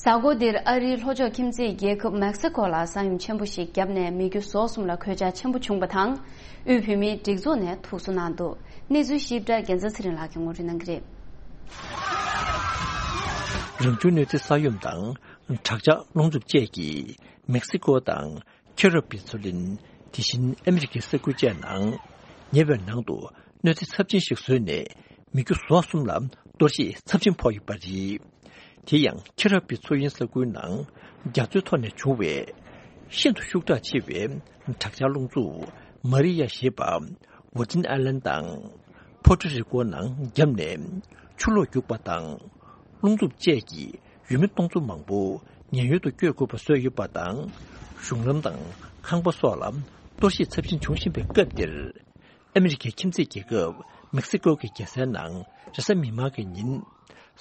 གཟའ་འཁོར་འདིར་ཨ་རིའི་ལྷོ་ཕྱོགས་ཁྱིམ་མཚེས་རྒྱལ་ཁབ་མེག་སི་ཀོ་ལ་ས་ཡོམ་ཆེན་པོ་ཞིག་བརྒྱབ་ནས་མི་རྒྱུ་ཟོག་གསུམ་ལ་གོད་ཆག་ཆེན་པོ་བྱུང་བ་དང་། དབུས་བོད་མིའི་སྒྲིག་འཛུགས་ནས་ཐུགས་གསོ་གནང་འདུག་གནས་ཚུལ་ཞིབ་ཕྲ་རྒྱལ་མཚན་ཚེ་རིང་ལགས་ཀྱིས་ངོ་སྤྲོད་གནང་གི་རེད། རང་བྱུང་གནོད་འཚེ་ས་ཡོམ་དང་དྲག་ཆར་རླུང་འཚུབ་བཅས་ཀྱིས་མེག་སི་ཀོ་དང་ཁེ་རབ་ཀྱི་མཚོ་གླིང་། དེ་བཞིན་ཨ་མི་རི་ཀའི་ས་ཁུལ་བཅས་ནང་ཉེ་བའི་ནང་དུ་གནོད་འཚེ་ཚབས་ཆེན་ཞིག་བཟོས་ནས་མི་རྒྱུ་ཟོག་གསུམ་ལ་གཏོར་བཤིག་ཚབས་ཆེན་ཕོག་ཡོད་པ་རེད། དེ་ཡང་ཁེ་རབ་ཀྱི་མཚོ་དབྱིངས་ས་ཁུལ་ནང་རྒྱ་མཚོའི་ཐོག་ནས་བྱུང་བའི་ཤིན་ཏུ་ཤུགས་དྲག་ཆེ་བའི་དྲག་ཆར་རླུང་འཚུབ་མ་རི་ཡ་ཞེས་པ་ཝར་ཇིན་ཨའི་ལན་དང་ཕོ་ཊ་རི་ཀོ་ནང་བརྒྱབ་ནས་ཆུ་ལོག་རྒྱུག་པ་དང་། རླུང་འཚུབ་བཅས་ཀྱིས་ཡུལ་མི་སྟོང་ཚོ་མང་པོ་ཉེན་གཡོལ་དུ་བསྐྱོད་དགོས་པ་བཟོས་ཡོད་པ་དང་། གཞུང་ལམ་དང་ཁང་པ་སོགས་ལ་གཏོར་བཤིག་ཚབས་ཆེན་བྱུང་བཞིན་པའི་སྐབས་འདིར། ཨ་མི་རི་ཀའི་ཁྱིམ་མཚེས་རྒྱལ་ཁབ་མེག་སི་ཀོ་གི་རྒྱལ་སའི་ནང་རེས་གཟའ་མིག་དམར་གྱི་ཉིན་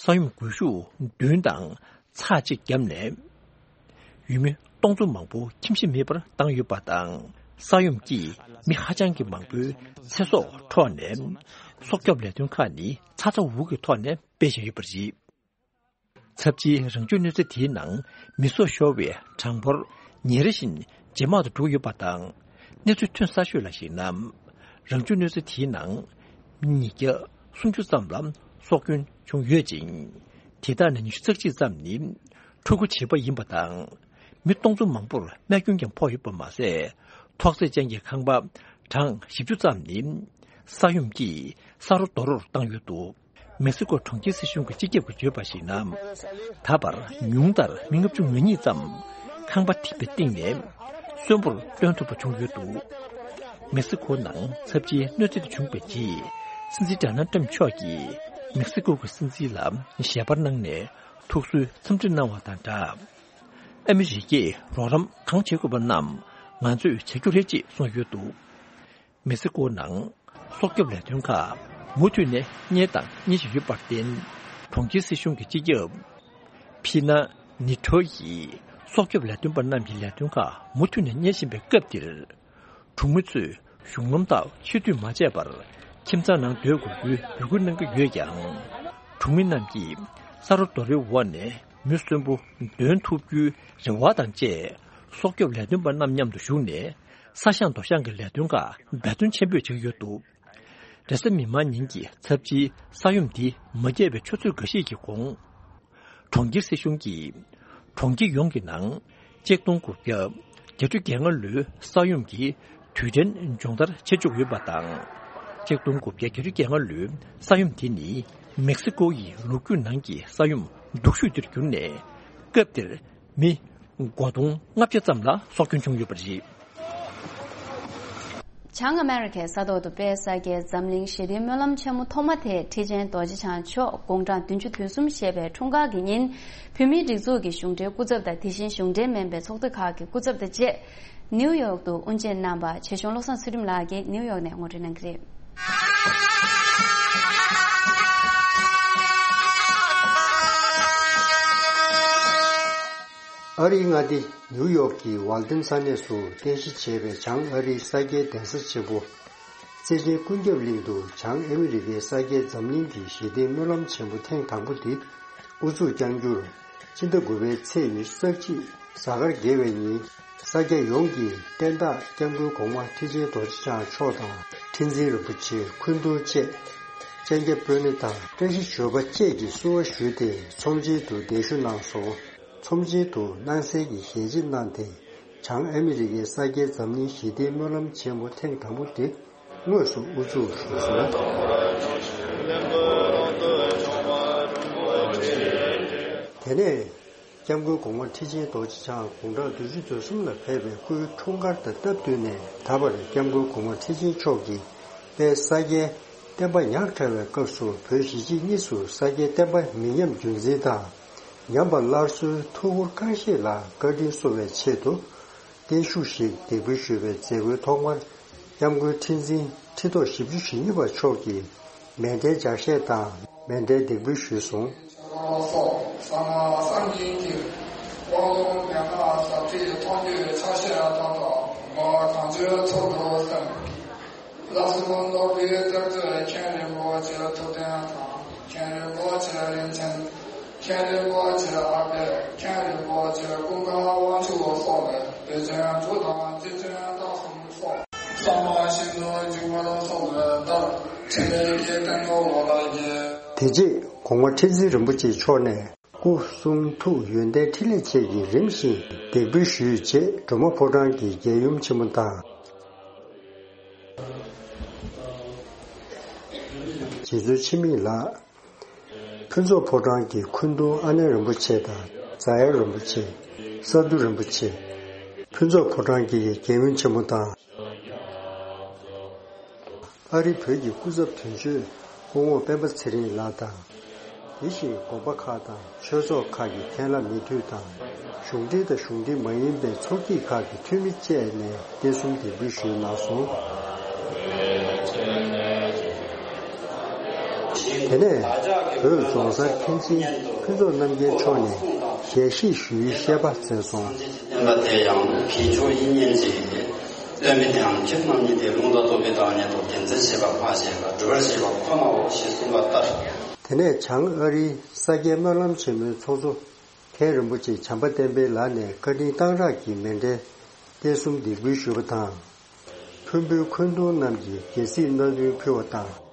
ས་ཡོམ་རྒུད་ཤུགས་བདུན་དང་ཚེག་གཅིག་བརྒྱབ་ནས། ཡུལ་མི་སྟོང་ཚོ་མང་པོ་ཁྱིམ་གཞིས་མེད་པར་བཏང་ཡོད་པ་དང་། ས་ཡོམ་གྱིས་མི་ཧ་ཅང་གི་མང་པོའི་ཚེ་སྲོག་འཕྲོག་ནས། སྲོག་སྐྱོབ་ལས་དོན་ཁག་ནི་ཚ་ཚ་འུར་འུར་གྱི་ཐོག་ནས་སྤེལ་བཞིན་ཡོད་པ་རེད། ཚབས་ཆེའི་རང་བྱུང་གནོད་འཚེ་དེའི་ནང་མི་སྲོག་ཤོར་བའི་གྲངས་འབོར་ཉིན་རེ་བཞིན་ཇེ་དམའ་དུ་འགྲོ་ཡོད་པ་དང་། གནས་ཚུལ་ཐོན་གསར་ཤོས་ལ་གཞིགས་ན། རང་བྱུང་གནོད་འཚེ་དེའི་ནང་མི་ཉིས་བརྒྱ་སུམ་ཅུ་ཙམ་ལ་སྲོག་སྐྱོན་བྱུང་ཡོད་ཅིང་། དེ་དག་ནས་ཉི་ཤུ་རྩ་གཅིག་ཙམ་ནི་ཕྲུ་གུ་བྱིས་པ་ཡིན་པ་དང་། མི་སྟོང་ཚོ་མང་པོར་རྨས་སྐྱོན་ཀྱང་ཕོག་ཡོད་པ་མ་ཟད། ཐོག་བརྩེགས་ཅན་གྱི་ཁང་པ་གྲངས་བཞི་བཅུ་ཙམ་ནི་ས་ཡོམ་གྱིས་ས་རོ་རྡོ་རོར་བཏང་ཡོད་འདུག་མེག་སི་ཀོ་གྲོང་ཁྱེར་སྲིད་གཞུང་གི་སྤྱི་ཁྱབ་ཀྱིས་བརྗོད་པར་གཞིགས་ན། ད་བར་ཉུང་མཐར་མི་ལྔ་བཅུ་ང་གཉིས་ཙམ་ཁང་པ་ཐིམ་པའི་སྟེང་ནས་གསོན་པོར་ཐོན་ཐུབ་པ་བྱུང་ཡོད་འདུག་མེག་སི་ཀོ་ནང་ཚབས་ཆེའི་གནོད་འཚེ་དེ་བྱུང་བའི་རྗེས། སྲིད་འཛིན་ཌོ་ནལ་ཊམ་མཆོག་གིས་མེག་སི་ཀོ་གི་སྲིད་འཛིན་ལ་ཞལ་པར་གནང་ནས་ཐུགས་གསོའི་འཚམས་འདྲི་གནང་བ་དང་སྦྲགས། ཨ་མི་རི་ཀས་རོགས་རམ་གང་བྱེད་དགོས་པ་རྣམས་ང་ཚོས་བྱ་རྒྱུ་རེད་ཅེས་གསུངས་ཡོད་འདུག་མེག་སི་ཀོ་ནང་སྲོག་སྐྱོབ་ལས་དོན་ཁག་མུ་མཐུད་ནས་གཉེར་དང་གཉེར་བཞིན་ཡོད་པར་བརྟེན། གྲོང་ཁྱེར་སྲིད་གཞུང་གི་སྤྱི་ཁྱབ་ཕི་ན་ ནི་ཁྲོ་ཡིས་སྲོག་སྐྱོབ་ལས་དོན་པ་རྣམས་ཀྱི་ལས་དོན་ཁག་མུ་མཐུད་ནས་གཉེར་བཞིན་པའི་སྐབས་འདིར། གྲོང་མི་ཚོས་གཞུང་ལམ་དག་ཕྱིར་བསྡུ་མ་བྱས་པར་ཁྱིམ་ཚང་ནང་སྡོད་དགོས་རྒྱུའི་འབོད་སྐུལ་གནང་གི་ཡོད་ཀྱང་། གྲོང་མི་རྣམས་ཀྱིས་ས་རོ་རྡོ་རེའི་འོག་ནས་མི་གསོན་པོ་འདོན་ཐུབ་རྒྱུའི་རེ་བ་དང་བཅས། སྲོག་སྐྱོབ་ལས་དོན་པ་རྣམས་མཉམ་དུ་བཞུགས་ནས། ས་ཞིང་རྡོ་ཞིང་གི་ལས་དོན་ཁག་འབད་བརྩོན་ཆེན་པོས་བྱེད་ཀྱི་ཡོད་འདུག་རེས་གཟའ་མིག་དམར་ཉིན་གྱི་ཚབས་ཆེའི་ས་ཡོམ་འདི་མ་སྐྱེས་པའི་ཆུ་ཚོད་འགའ་ཤས་ཀྱི་གོང་། གྲོང་ཁྱེར་སྲིད་གཞུང་གིས། གྲོང་ཁྱེར་ཡོངས་ཀྱི་ནང་། ཆིག་སྟོང་དགུ་བརྒྱ་བརྒྱད་ཅུ་གྱ་ལྔ་ལོའི་ས་ཡོམ་གྱི་དུས་དྲན་སྦྱོང་བརྡར་བྱེད་བཅུག་ཡོད་པ་དང་། ཆིག་སྟོང་དགུ་བརྒྱ་བརྒྱད་ཅུ་གྱ་ལྔ་ལོའི་ས་ཡོམ་དེ་ནི། མེག་སི་ཀོ་ཡི་ལོ་རྒྱུས་ནང་གི་ས་ཡོམ་སྡུག་ཤོས་དེར་གྱུར་ནས། སྐབས་དེར། མི་སྒོར་དུང་ལྔ་བརྒྱ་ཙམ་ལ་སྲོག་སྐྱོན་བྱུང་ཡོད་པ་རེད། བྱང་ཨ་མེ་རི་ཁའི་ས་ཐོག་ཏུ་དཔལ་ས་སྐྱའི་འཛམ་གླིང་ཞི་བདེའི་སྨོན་ལམ་ཆེན་མོ་ཐོག་མ་དེ་ཁྲི་ཆེན་རྡོ་རྗེ་འཆང་མཆོག་དགུང་གྲངས་བདུན་ཅུ་དོན་གསུམ་བཞེས་པའི་འཁྲུངས་སྐར་གྱི་ཉིན། བོད་མིའི་སྒྲིག་འཛུགས་ཀྱི་གཞུང་འབྲེལ་སྐུ་ཚབ་དང་། དེ་བཞིན་གཞུང་འབྲེལ་མིན་པའི་ཚོགས་སྡེ་ཁག་གི་སྐུ་ཚབ་དང་བཅས། ནིའུ་ཡོག་ཏུ་དབུ་འབྱེད་གནང་བ། ཆེ་ཆུང་བློ་བཟང་ཚུལ་ཁྲིམས་ལགས་ཀྱིས་ནིའུ་ཡོག་ནས་ངོ་སྤྲོད་གནང་གི་རེད། ཨ་རིའི་མངའ་སྡེ་ནིའུ་ཡོག་གི་ཝལ་ཏན་ས་གནས་སུ་རྟེན་གཞི་བྱས་པའི་བྱང་ཨ་རིའི་ས་སྐྱའི་གདན་ས་ཆེན་པོ། བརྩེ་ཆེན་ཀུན་ཁྱབ་གླིང་དུ་བྱང་ཨ་མི་རི་ཀའི་ས་སྐྱའི་འཛམ་གླིང་གི་ཞི་བདེའི་སྨོན་ལམ་ཆེན་པོ་ཐེངས་དང་པོ་འདི་དབུ་འཛུགས་བསྐྱང་རྒྱུར། ཕྱི་ཟླ་དགུ་པའི་ཚེས་ཉི་ཤུ་རྩ་གཅིག་གཟའ་སྐར་དགེ་བའི་ཉིན། ས་སྐྱ་ཡོངས་ཀྱི་བསྟན་བདག་སྐྱབས་མགོན་གོང་མ་ཁྲི་ཆེན་རྡོ་རྗེ་འཆང་མཆོག་དང་། ཁྲི་འཛིན་རིན་པོ་ཆེ། སྐུ་མདུན་བཅས་སྤྱན་རྒྱ་དཔོན་སློབ་དང་བཀྲ་ཤིས་ཞབས་པ་བཅས་ཀྱིས་བསུ་བ་ཞུས་ཏེ་ཚོམས་ཆེན་དུ་གདན་ཞུ་གནང་སོང་། ཚོམས་ཆེན་དུ་སྣང་གསལ་གྱི་ཞལ་འབྱེད་གནང་སྟེ། བྱང་ཨ་མི་རི་ཀའི་ས་སྐྱའི་འཛམ་གླིང་ཞི་བདེའི་སྨོན་ལམ་ཆེན་མོ་ཐེངས་དང་པོ་དེ་དངོས་སུ་དབུ་འཛུགས་ཞུས་སོང་། དེ་ནས་སྐྱབས་མགོན་གོང་མ་ཁྲི་ཆེན་རྡོ་རྗེ་འཆང་དགུང་གྲངས་བདུན་ཅུ་དོན་གསུམ་ལ་ཕེབས་པའི་སྐུའི་འཁྲུངས་སྐར་དང་སྟབས་བསྟུན་ནས། ད་བར་སྐྱབས་མགོན་གོང་མ་ཁྲི་ཆེན་མཆོག་གིས་དཔལ་ས་སྐྱའི་བསྟན་པ་ཉག་ཕྲ་བའི་སྐབས་སུ་བོད་གཞིས་བྱེས་གཉིས་སུ་ས་སྐྱའི་བསྟན་པ་མི་ཉམས་རྒྱུན་འཛིན་དང་། ཉམས་པ་སླར་གསོའི་ཐུགས་ཁུར་གང་ཤེས་ལ་བཀའ་དྲིན་གསོ་བའི་ཆེད་དུ། བརྟན་བཞུགས་ཤིག་འདེགས་འབུལ་ཞུས་པའི་མཛད་སྒོའི་ཐོག་མར། སྐྱབས་མགོན་ཁྲི་འཛིན་ཁྲི་ཐོག་བཞི་བཅུ་ཞེ་གཉིས་པ་མཆོག་གིས་མཎྜལ་ལྗགས་བཤད་དང་མཎྜལ་འདེགས་འབུལ་ཞུས་སོང་། སོགས་གསང་སྔགས་སངས་རྒྱས་ཀྱི། དབང་ལུང་མན་ངག་ཟབ་ཁྲིད་མཐོང་རྒྱུད་ཕྱག་བཞེས་དང་། མ་གང་ཆོས་ཚོགས་འདུ་གསན། ལགས་སོ། མདོ་དབུས་གཙང་གཙོས་མཁན་རིན་པོ་ཆེ་ཐུབ་བསྟན་དང་། མཁན་རིན་པོ་ཆེ་རིན་ཆེན། མཁན་རིན་པོ་ཆེ་ཨ་པད། མཁན་རིན་པོ་ཆེ་ཀུན་དགའ་དབང་ཕྱུག་སོགས་ལས་སྡེ་ཚན་དྲུག་དང་སྡེ་ཚན་རྟགས་གསུམ་སོགས། གསང་བ་ཤིན་ཏུ་འཇུག་པར་སོགས་པའི་ལྟར་ཕྲིན་ལས་ཀྱི་སྟེང་དུ་འོ་ལ་བརྒྱན། དེ་རྗེས་གོང་མ་ཁྲི་འཛིན་རིན་པོ་ཆེ་མཆོག་ནས། སྐུ་གསུང་ཐུགས་ཡོན་ཏན་ཕྲིན་ལས་བཅས་ཀྱིས་རིམ་བཞིན་འདེགས་འབུལ་ཞུས་རྗེས། སྒྲོལ་མ་ཕོ་བྲང་གི་རྒྱལ་ཡུམ་ཆེན་མོ་དང་། རྗེ་བཙུན་འཆི་མེད་ལགས། ཕུན་ཚོགས་ཕོ་བྲང་གི་སྐུ་མདུན་ཨ་ནེ་རིན་པོ་ཆེ་དང་། རྫ་གཡག་རིན་པོ་ཆེ། ས་འདུ་རིན་པོ་ཆེ། ཕུན་ཚོགས་ཕོ་བྲང་གི་རྒྱལ་ཡུམ་ཆེན་མོ་དང་། ཨ་རི་བོད་ཀྱི་སྐུ་ཚབ་དོན་གཅོད་སྐུ་ངོ་སྤེན་པ་ཚེ་རིང་ལགས་དང་། དེ་བཞིན་དགོན་པ་ཁག་དང་ཆོས་ཚོགས་ཁག་གི་མཁན་བླ་མི་འཐུས་དང་། གཞུང་འབྲེལ་དང་གཞུང་འབྲེལ་མ་ཡིན་པའི་ཚོགས་སྐྱིད་ཁག་གི་འཐུས་མི་བཅས་ནས་རྟེན་གསུམ་འདེགས་འབུལ་ཞུས་གནང་སོང་། དེ་ནས་བོད་རྫོང་སར་མཁན་ཆེན་ཕུན་ཚོགས་རྣམ་རྒྱལ་མཆོག་ནས་ཞལ་བཞེས་ཞུ་ཡུལ་བཤད་པ་མཛད་སོང་། བསྟན་པ་དེ་ཡང་མཁས་མཆོག་དབྱིག་གཉེན་གྱིས་སྟོན་པའི་དེའང་ཁྱེད་རྣམ་གཉིས་ཏེ། ལུང་དང་རྟོགས་པའི་བདག་ཉིད་དོ། དེ་འཛིན་བྱེད་པ་སྨྲ་བྱེད་པ། སྒྲུབ་པར་བྱེད་པ་ཁོ་ནའོ་ཞེས་གསུངས་པ་ལྟར། དེ་ནས་བྱང་ཨ་རིའི་ས་སྐྱའི་སྨོན་ལམ་ཆེན་མོའི་ཚོགས་གཙོ་མཁན་རིན་པོ་ཆེ་བྱམས་པ་བསྟན་འཕེལ་ལགས་ནས་བཀའ་དྲིན་གཏང་རག་གི་མཎྜལ་རྟེན་གསུམ་འདེགས་འབུལ་ཞུས་པ་དང་། ཕུར་བུའི་འཁོན་འདུང་རྣམས་ཀྱིས་རྒྱལ་སྲིད་སྣ་བདུན་ཕུལ་བ་དང་།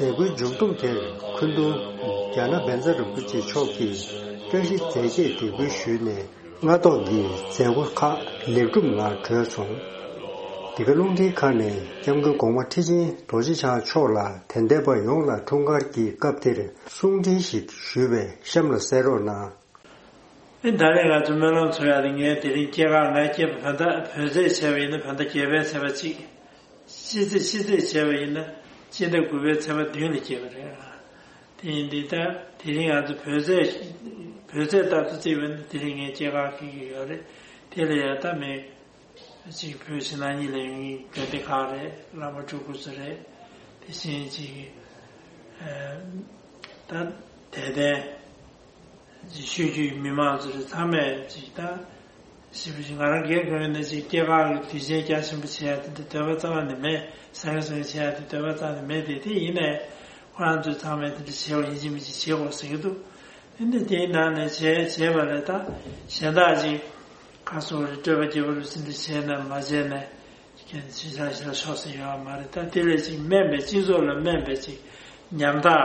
མཛད་སྒོའི་མཇུག་བསྡོམས་དེར་འཁོན་འདུང་རྒྱ་ནག་བཛྲ་རིན་པོ་ཆེ་མཆོག་གིས་བཀྲ་ཤིས་རྫས་བརྒྱད་འདེགས་འབུལ་ཞུས་ནས། སྔ་ཐོག་གི་མཛད་སྒོ་ཁག་ལེགས་གྲུབ་ངང་གྲོལ་སོང་། འདི་ག་རླུང་འཕྲིན་ཁང་ནས་སྐྱབས་མགོན་གོང་མ་ཁྲི་ཆེན་རྡོ་རྗེ་འཆང་མཆོག་ལ་དད་ལྡན་པ་ཡོངས་ལ་འཁྲུངས་སྐར་གྱི་སྐབས་དེར་གསུང་འཕྲིན་ཞིག་ཞུས་པས་གཤམ་ལ་གསན་རོགས་གནང་། ཨེ། ད་རེས་ང་ཚོ་སྨོན་ལམ་ཚོགས་ཡག་དེ་ངས་དེ་རིང་སྐྱེས་སྐར་ང་སྐྱེས་པ་བོད་ཟླ་བོད་ཟླ་བྱས་པ་ཡིན་ན་བོད་ཟླ་བརྒྱད་པའི་ཚེས་པ་གཅིག་ཤི་ཚེས་ཤི་ཚེས་བྱས་པ་ཡིན་ན། སྤྱི་ཟླ་དགུ་པའི་ཚེས་པ་བདུན་ལ་སྐྱེས་པ་རེད། དེ་ཡིན་དུས་ད་དེ་རིང་ང་ཚོ་བོད་ཚེས་བོད་ཚེས་ལྟར་དུ་བརྩིས་པ་ན་དེ་རིང་ངས་སྐྱེས་སྐར་འཁེལ་གྱི་ཡོད་རེད། དེ་ལ་ཡང་ད་མི་ཅིག་བོད་ཕྱི་ནང་གཉིས་ལ་ཡོང་མཁན་དགོན་སྡེ་ཁག་རེད། བླ་མ་སྤྲུལ་སྐུ་ཚོ་རེད། དེ་བཞིན་ཅིག་ཨ་ད་དད་ལྡན་ཅིག་ཤོད་རྒྱུའི་མི་མང་ཚོ་རེད། ཚང་མས་ཅིག་ད་ཞིབ་པོ་ཅིག་ང་རང་སྒེར་གྱི་ངོས་ནས་ཅིག་སྐྱེས་སྐར་གྱི་དུས་ཆེན་རྒྱ་ཆེན་པོ་བྱེད་ཡ་དེ་འདྲ་འདོད་པ་རྩ་བ་ནས་མེད། བཟང་ངན་བཟང་ངན་བྱེད་ཡ་དེ་འདོད་པ་རྩ་ནས་མེད་དེ། དེ་ཡིན་ནའི་ཁོ་རང་ཚོས་ཚང་མས་དེ་འདྲ་བྱེད་དགོས། ཡིན་གཅིག་མིན་གཅིག་བྱེད་དགོས་ཟེར་གྱི་འདུག་དེ་འདྲ་དེའི་ནང་ནས་བྱས་བྱས་པ་ལས་ད་གཞན་དག་ཅིག་ཁ་སོ་རེ་སྤྲོས་པ་རྒྱས་པ་རུ་ཟིན་དེ་བྱས་ན་མ་བྱས་ན་ཁྱེད་ཤི་ཆ་ཤི་ལ་ཤོག་ཟེར་ཡོད་མ་རེད། ད་དེ་ལས་ཅིག་སྨན་པའི་སྤྱི་ཚོགས་ལ་སྨན་པའི་ཅིག་ཉམ་ཐག་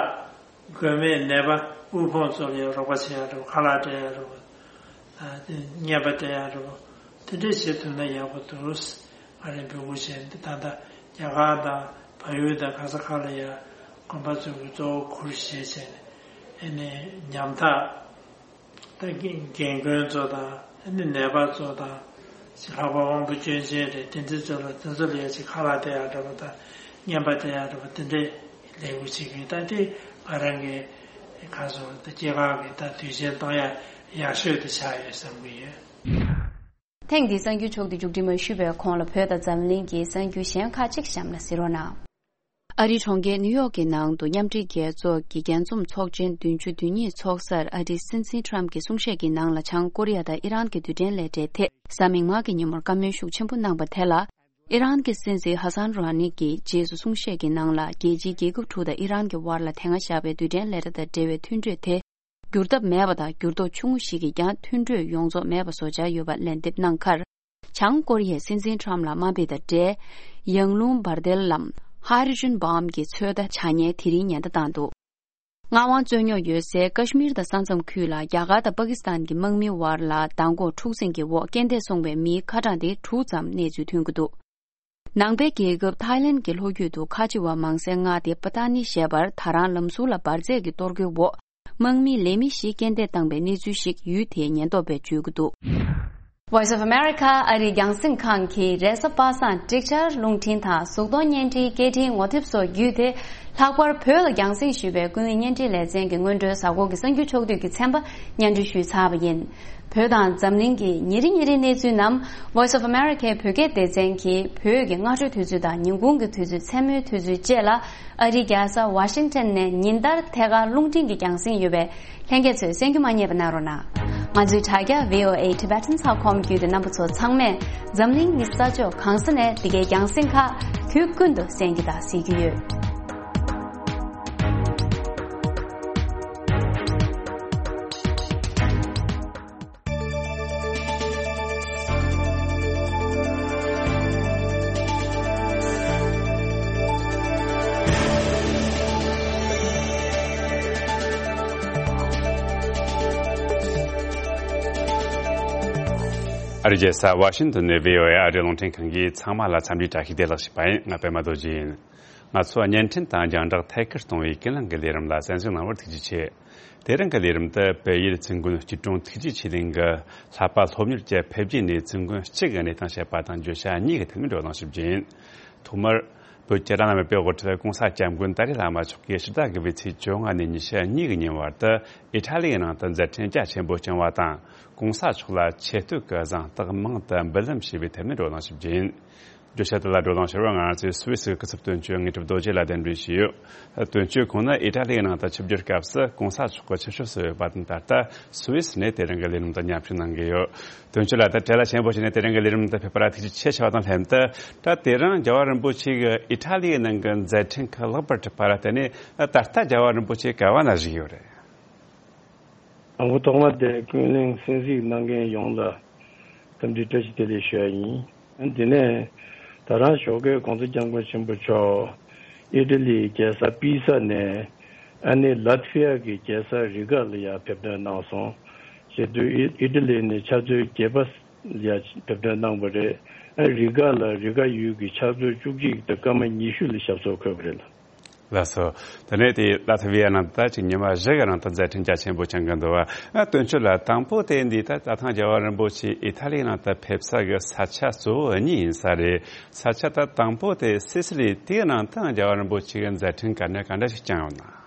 མགོན་མེད་ནད་པ་དབུལ་ཕོངས་ཚོ་ལ་ཡང་རོགས་པ་བྱེད་ཡ་རེད་པ། ཁ་ལག་སྤྲད་ཡ་རེད་པ། ཨ་དེ་རྔན་པ་སྤྲད་ཡ་རེད་པ། དེ་འདྲས་བྱེད་ཐུབ་ན་ཡག་པོ་འདུག་ང་རང་འབོད་སྐུལ་བྱས་འདི་ད་ལྟ་རྒྱ་གར་དང་བལ་ཡུལ་དང་ག་ས་ག་ལ་ཡང་དགོན་པ་ཚོས་གཙོ་བོ་གུར་བཞེས་བྱས་ནས་ཨ་ནི་ཉམ་ཐག་ད་རྒན་རྒན་རྒོན་ཚོ་དང་ཨ་ནི་ནད་པ་ཚོ་དང་ཅིག་ལྷག་པར་དབང་པོ་སྐྱོན་ཅན་རེད། དེ་འདྲ་ཚོ་ལ་དེ་ཚོ་ལ་ཡ་ཅིག་ཁ་ལག་སྟེར་ཡག་འདྲ་པོ་དང་རྔན་པ་སྟེར་ཡག་འདྲ་པོ་དེ་འདྲའི་ལས་འགུལ་བྱེད་ཀྱི་ཡོད། ད་དེ་ང་རང་གི་ཁ་སོ་ད་སྐྱེས་སྐར་གྱི་ད་དུས་ཆེན་གཏོང་ཡག་ཡག་ཤོས་དེ་ཆགས་ཡོད་བསམ་གྱི་ཡོད། ཐེངས་འདིའི་གསར་འགྱུར་ཕྱོགས་བསྡུས་མཇུག་སྒྲིལ་མ་ཞུས་པའི་གོང་ལ་བོད་དང་འཛམ་གླིང་གི་གསར་འགྱུར་གཞན་ཁག་ཅིག་གཤམ་ལ་གཟིགས་རོགས་གནང་། ཨ་རིའི་གྲོང་ཁྱེར་ནིའུ་ཡོག་གི་ནང་དུ་མཉམ་འབྲེལ་རྒྱལ་ཚོགས་ཀྱི་རྒྱས་འཛོམས་ཚོགས་ཆེན་བདུན་ཅུ་དོན་གཉིས་ཚོགས་སར་ཨ་རིའི་སྲིད་འཛིན་ཁྲམ་གྱི་གསུང་བཤད་ཀྱི་ནང་ལ་བྱང་ཀོ་རི་ཡ་དང་ཨི་རན་གྱི་རྡུལ་ཕྲན་ལས་གྲྭའི་ཐད་གཟའ་མིག་དམར་གྱི་ཉིན་མོར་བཀའ་མོལ་ཤུགས་ཆེན་པོ་གནང་པ་དེ་ལ། ཨི་རན་གྱི་སྲིད་འཛིན་ཧ་སན་རུ་ཧ་ནི་གྱིས་རྗེས་སུ་གསུང་བཤད་ཀྱི་ནང་ལ་རྒྱལ་སྤྱིའི་རྒྱལ་ཁབ་དྲུག་དང་ཨི་རན་གྱི་དབར་ལ་དེ་སྔ་བཞག་པའི་རྡུལ་ཕྲན་ལས་གྲྭ་དང་འབྲེལ་བའི་མཐུན་གྲོས་དེ། འགྱུར་ཐབས་མེད་པ་དང་འགྱུར་ལྡོག་ཆུང་ངུ་ཞིག་གིས་ཀྱང་མཐུན་གྲོས་ཡོངས་རྫོགས་མེད་པ་བཟོ་འཆར་ཡོད་པ་ལན་འདེབས་གནང་ཁར། བྱང་ཀོ་རི་ཡའི་སྲིད་འཛིན་ཁྲམ་ལ་དམའ་འབེབས་དང་འབྲེལ། ཡང་རླུང་འབར་མདེལ་ལམ་ཧའི་ཌྲོ་ཇན་བྷོམ་གྱི་ཚོད་ལྟ་བྱ་ངན་དེ་རིང་ཉེན་བརྡ་བཏང་འདུག་ངག་དབང་རྩོད་རྙོག་ཡོད་སའི་ཀ་ཤི་མིར་དང་ས་མཚམས་ཁུལ་ལ་རྒྱ་གར་དང་པ་ཀི་སི་ཐན་གྱི་དམག་མིའི་དབར་ལ་མདང་དགོང་འཁྲུག་འཛིང་གི་འོག་རྐྱེན་འདས་སོང་བའི་མིའི་ཁ་གྲངས་དེ་དྲུག་ཙམ་གནས་ཚུལ་ཐོན་གྱི་འདུག་ནང་པའི་རྒྱལ་ཁབ་ཐའི་ལེན་གྱི་ལྷོ་རྒྱུད་དུ་ཁ་ཆེ་བ་མང་སའི་མངའ་སྡེ་པ་ཏ་ནི་ཞེས་པར་ད་རང་ལམ་ཟུར་ལ་འབར་རྫས་ཀྱི་གཏོར་རྒོལ་འོག་དམག་མིའི་ལས་མི་བཞི་རྐྱེན་འདས་བཏང་པའི་གནས་ཚུལ་ཞིག་ཡུལ་དེའི་ཉེན་རྟོག་པས་བརྗོད་ཀྱི་འདུག Voice of America ཨ་རིའི་རྒྱང་སྲིང་ཁང་གིས་རེས་གཟའ་པ་སངས་འགྲིག་ཆར་རླུང་འཕྲིན་དང་གཟུགས་མཐོང་བརྙན་འཕྲིན་སྐད་འཕྲིན་ངོ་དེབ་སོགས་བརྒྱུད་དེ། ལྷག་པར་བོད་ལ་རྒྱང་སྲིང་ཞུས་པའི་ཀུན་གླེང་བརྙན་འཕྲིན་ལེ་ཚན་གྱི་སྔོན་འགྲོའི་གཟའ་འཁོར་གྱི་གསར་འགྱུར་ཕྱོགས་བསྡུས་ཀྱི་ཚན་པ་སྙན་སྒྲོན་ཞུས་ཚར་བ་ཡིན། བོད་དང་འཛམ་གླིང་གི་ཉིན་རེ་ཉིན་རེའི་གནས་ཚུལ་རྣམས་Voice of America བོད་སྐད་སྡེ་ཚན་གྱིས་བོད་ཀྱི་སྔ་དྲོའི་དུས་ཚོད་དང་ཉིན་གུང་གི་དུས་ཚོད། མཚན་མོའི་དུས་ཚོད་བཅས་ལ་ཨ་རིའི་རྒྱལ་ས་ཝ་ཤིང་ཊོན་ནས་ཉིན་ལྟར་ཐད་ཀར་རླུང་འཕྲིན་གྱི་རྒྱང་སྲིང་ཡོད་པས། ལྷན་རྒྱས་ཚོས་གསན་རྒྱུ་མ་བསྙེལ་བ་གནང་རོགས་གནང་། ང་ཚོའི་དྲ་རྒྱ་V O A Tibetan ཚགས་ཁོམ་བརྒྱུད་དེ་རྣམ་པ་ཚོ་ཚང་མས་འཛམ་གླིང་གི་ས་ཕྱོགས་གང་ས་ནས་འདི་གའི་རྒྱང་སྲིང་ཁག་དུས་ཀུན་ཏུ་གསན་རྒྱུ་དང་གཟིགས་རྒྱུ་ཡོད། ཨ་རིའི་རྒྱལ་ས་ཝ་ཤིང་ཏོན་ནས་V O A ཨ་རིའི་རླུང་འཕྲིན་ཁང་གིས་ཚང་མ་ལ་འཚམས་འདྲིའི་བཀྲ་ཤིས་བདེ་ལེགས་ཞུས་པ་ཡིན། ང་པད་མ་རྡོ་རྗེ་ཡིན། ང་ཚོ་བརྙན་འཕྲིན་དང་རྒྱང་བསྒྲགས་ཐད་ཀར་གཏོང་བའི་ཀུན་གླེང་གི་ལས་རིམ་ལ་གསན་གཟིགས་གནང་བར་ཐུགས་རྗེ་ཆེ། དེ་རིང་གི་ལས་རིམ་དུ་བལ་ཡུལ་ཙིན་དགོན་སྐྱིད་གྲོང་ཐུགས་རྗེ་ཆོས་གླིང་གི་ལྷ་པ་སློབ་གཉེར་གྱི་ཕེབས་རྗེས་ནས་ཙིན་དགོན་སྤྱི་གི་གནས་སྟངས་བཤད་པ་དང་བརྗོད་བྱ་གཉིས་ཀྱི་ཐད་ནས་བགྲོ་གླེང་ཞུ་རྒྱུ་ཡིན། ཐོག་མར་བོད་ཀྱི་བླ་ན་མེད་པའི་དབུ་ཁྲིད་༸གོང་ས་༸སྐྱབས་མགོན་ཏཱ་ལའི་བླ་མ་མཆོག་གིས་ཕྱི་ཟླ་དགུ་པའི་ཚེས་བཅོ་ལྔ་ནས་ཉི་ཤུ་གཉིས་ཀྱི་ཉིན་བར་དུ་ཨི་ཊ་ལི་ཡི་ནང་དུ་མཛད་འཕྲིན་རྒྱ་ཆེན་པོ་བསྐྱངས་བ་དང་། ༸གོང་ས་མཆོག་ལ་ཆེ་བསྟོད་ཀྱི་གཟེངས་རྟགས་མང་དུ་འབུལ་ལམ་ཞུས་པའི་ཐད་ནས་བགྲོ་གླེང་ཞུ་རྒྱུ་ཡིན། བརྗོད་བྱ་དེ་ལ་བགྲོ་གླེང་ཞུ་བར་ང་རང་ཚོའི་སུད་སི་སྐུ་ཚབ་དོན་གཅོད་དངོས་གྲུབ་རྡོ་རྗེ་ལ་གདན་འདྲེན་ཞུས་ཡོད། དོན་གཅོད་ཁོང་ནི་ཨི་ཊ་ལི་ཡི་ནང་དུ་ཆིབས་བསྒྱུར་སྐབས་སུ་༸གོང་ས་མཆོག་གི་ཆིབས་ཞབས་སུ་ཡོད་པ་དང་། ད་ལྟ་སུད་སི་ནས་དེ་རིང་གི་ལས་རིམ་དུ་མཉམ་ཞུགས་གནང་གི་ཡོད། དོན་གཅོད་ལགས། ད་བྲེལ་བ་ཆེན་པོ་བྱས་ནས་དེ་རིང་གི་ལས་རིམ་དུ་ཕེབས་པ་ལ་ཐུགས་རྗེ་ཆེ་ཞུ་བ་དང་ལྷན་དུ། ད་དེ་རིང་རྒྱལ་བ་རིན་པོ་ཆེ་གི་ཨི་ཊ་ལི་ཡི་ནང་གི་མཛད་འཕྲིན་ཁག་ལེགས་པར་གྲུབ་པ་ལ་བརྟེན་ནས། ད་ལྟ་རྒྱལ་བ་རིན་པོ་ཆེ་ག་བ་ན་བཞུགས་ཡོད་རེད། དང་པོ་ཐོག་མ་དེ་ཀུན་གླེང་གསན་གཟིགས་གནང་མཁན་ཡོངས་ལ་འཚམས་འདྲི་བཀྲ་ཤིས་བདེ་ལེགས་ཞུ་ཡ་ཡིན། དེ་ནས་ད་རང་ཞོགས་ཀས་༸གོང་ས་༸སྐྱབས་མགོན་ཆེན་པོ་མཆོག་ཨི་ཊ་ལིའི་རྒྱལ་ས་པི་ས་ནས་ཨ་ནི་ལཱ་ཐི་ཝི་ཡ་གི་རྒྱལ་ས་རི་ག་ལ་ཡར་ཕེབས་ཐོན་གནང་སོང་། བྱེད་དུས་ཨི་ཨི་ཊ་ལི་ནས་ཕྱག་མཛོད་བརྒྱད་པ་ལ་ཡར་ཕེབས་ཐོན་གནང་བ་རེད། ཨ་རི་ག་ལ་རི་ག་ཡུལ་གྱི་ཕྱག་མཛོད་བཅུ་གཅིག་དང་སྐར་མ་ཉི་ཤུ་ལ་ཞབས་སོར་འཁོད་པ་རེད་ལ། ལགས་སོ། དེ་ནས་དེ་ལ་ཐི་བི་ཡ་ནང་ད་ཅིག་ཉི་མ་བཞི་གི་རིང་དུ་མཛད་འཕྲིན་རྒྱ་ཆེན་པོ་བསྐྱངས་གི་འདུག་བ། ཨ་དོན་གཅོད་ལགས། དང་པོ་དེ་འདི་ད་ད་ཐེངས་རྒྱལ་བ་རིན་པོ་ཆེ་ཨི་ཐ་ལིའི་ནང་དུ་ཕེབས་ས་གི་ས་ཆ་གཙོ་བོ་གཉིས་ཡིན་ས་རེད། ས་ཆ་ད་དང་པོ་དེ་སི་སི་ལི། དེའི་ནང་ད་རྒྱལ་བ་རིན་པོ་ཆེ་གི་མཛད་འཕྲིན་ག་འདྲ་ག་འདྲ་ཞིག་བསྐྱངས་ཡོད་ན།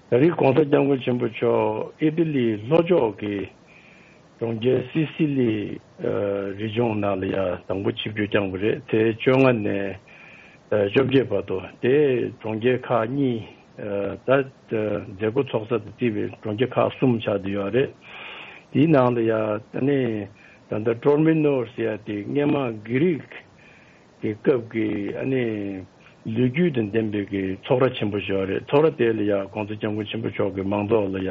ད་རེས་༸གོང་ས་༸སྐྱབས་མགོན་ཆེན་པོ་མཆོག་ཨི་ཏི་ལིའི་ལྷོ་ཕྱོགས་ཀྱི་གྲོང་ཁྱེར་སི་སི་ལི་ཨ་རི་ལྗོངས་ནང་ལ་ཡ་དང་པོ་ཆིབས་བསྒྱུར་བསྐྱངས་པ་རེད། དེ་བཅོ་ལྔ་ནས་ཨ་བཅོ་བརྒྱད་བར་དུ། དེ་གྲོང་ཁྱེར་ཁག་གཉིས། ཨ་ད་མཛད་སྒོ་ཚོགས་ས་དང་བརྩིས་པའི་གྲོང་ཁྱེར་ཁག་གསུམ་ཆགས་བསྡད་ཡོད་རེད། དེའི་ནང་ལ་ཡ་ཨ་ནི་ད་ལྟ་ཀྲོར་མི་ནོར་ཟེར་ཡ་དེ་སྔས་མ་གྷི་རིག་གི་སྐབས་ཀྱི་ཨ་ནི་ལོ་རྒྱུས་དང་ལྡན་པའི་གི་ཚོགས་ར་ཆེན་པོ་ཞིག་ཡོད་རེད། ཚོགས་ར་དེ་ལ་ཡ་༸གོང་ས་༸སྐྱབས་མགོན་ཆེན་པོ་མཆོག་གི་མང་ཚོགས་ལ་ཡ་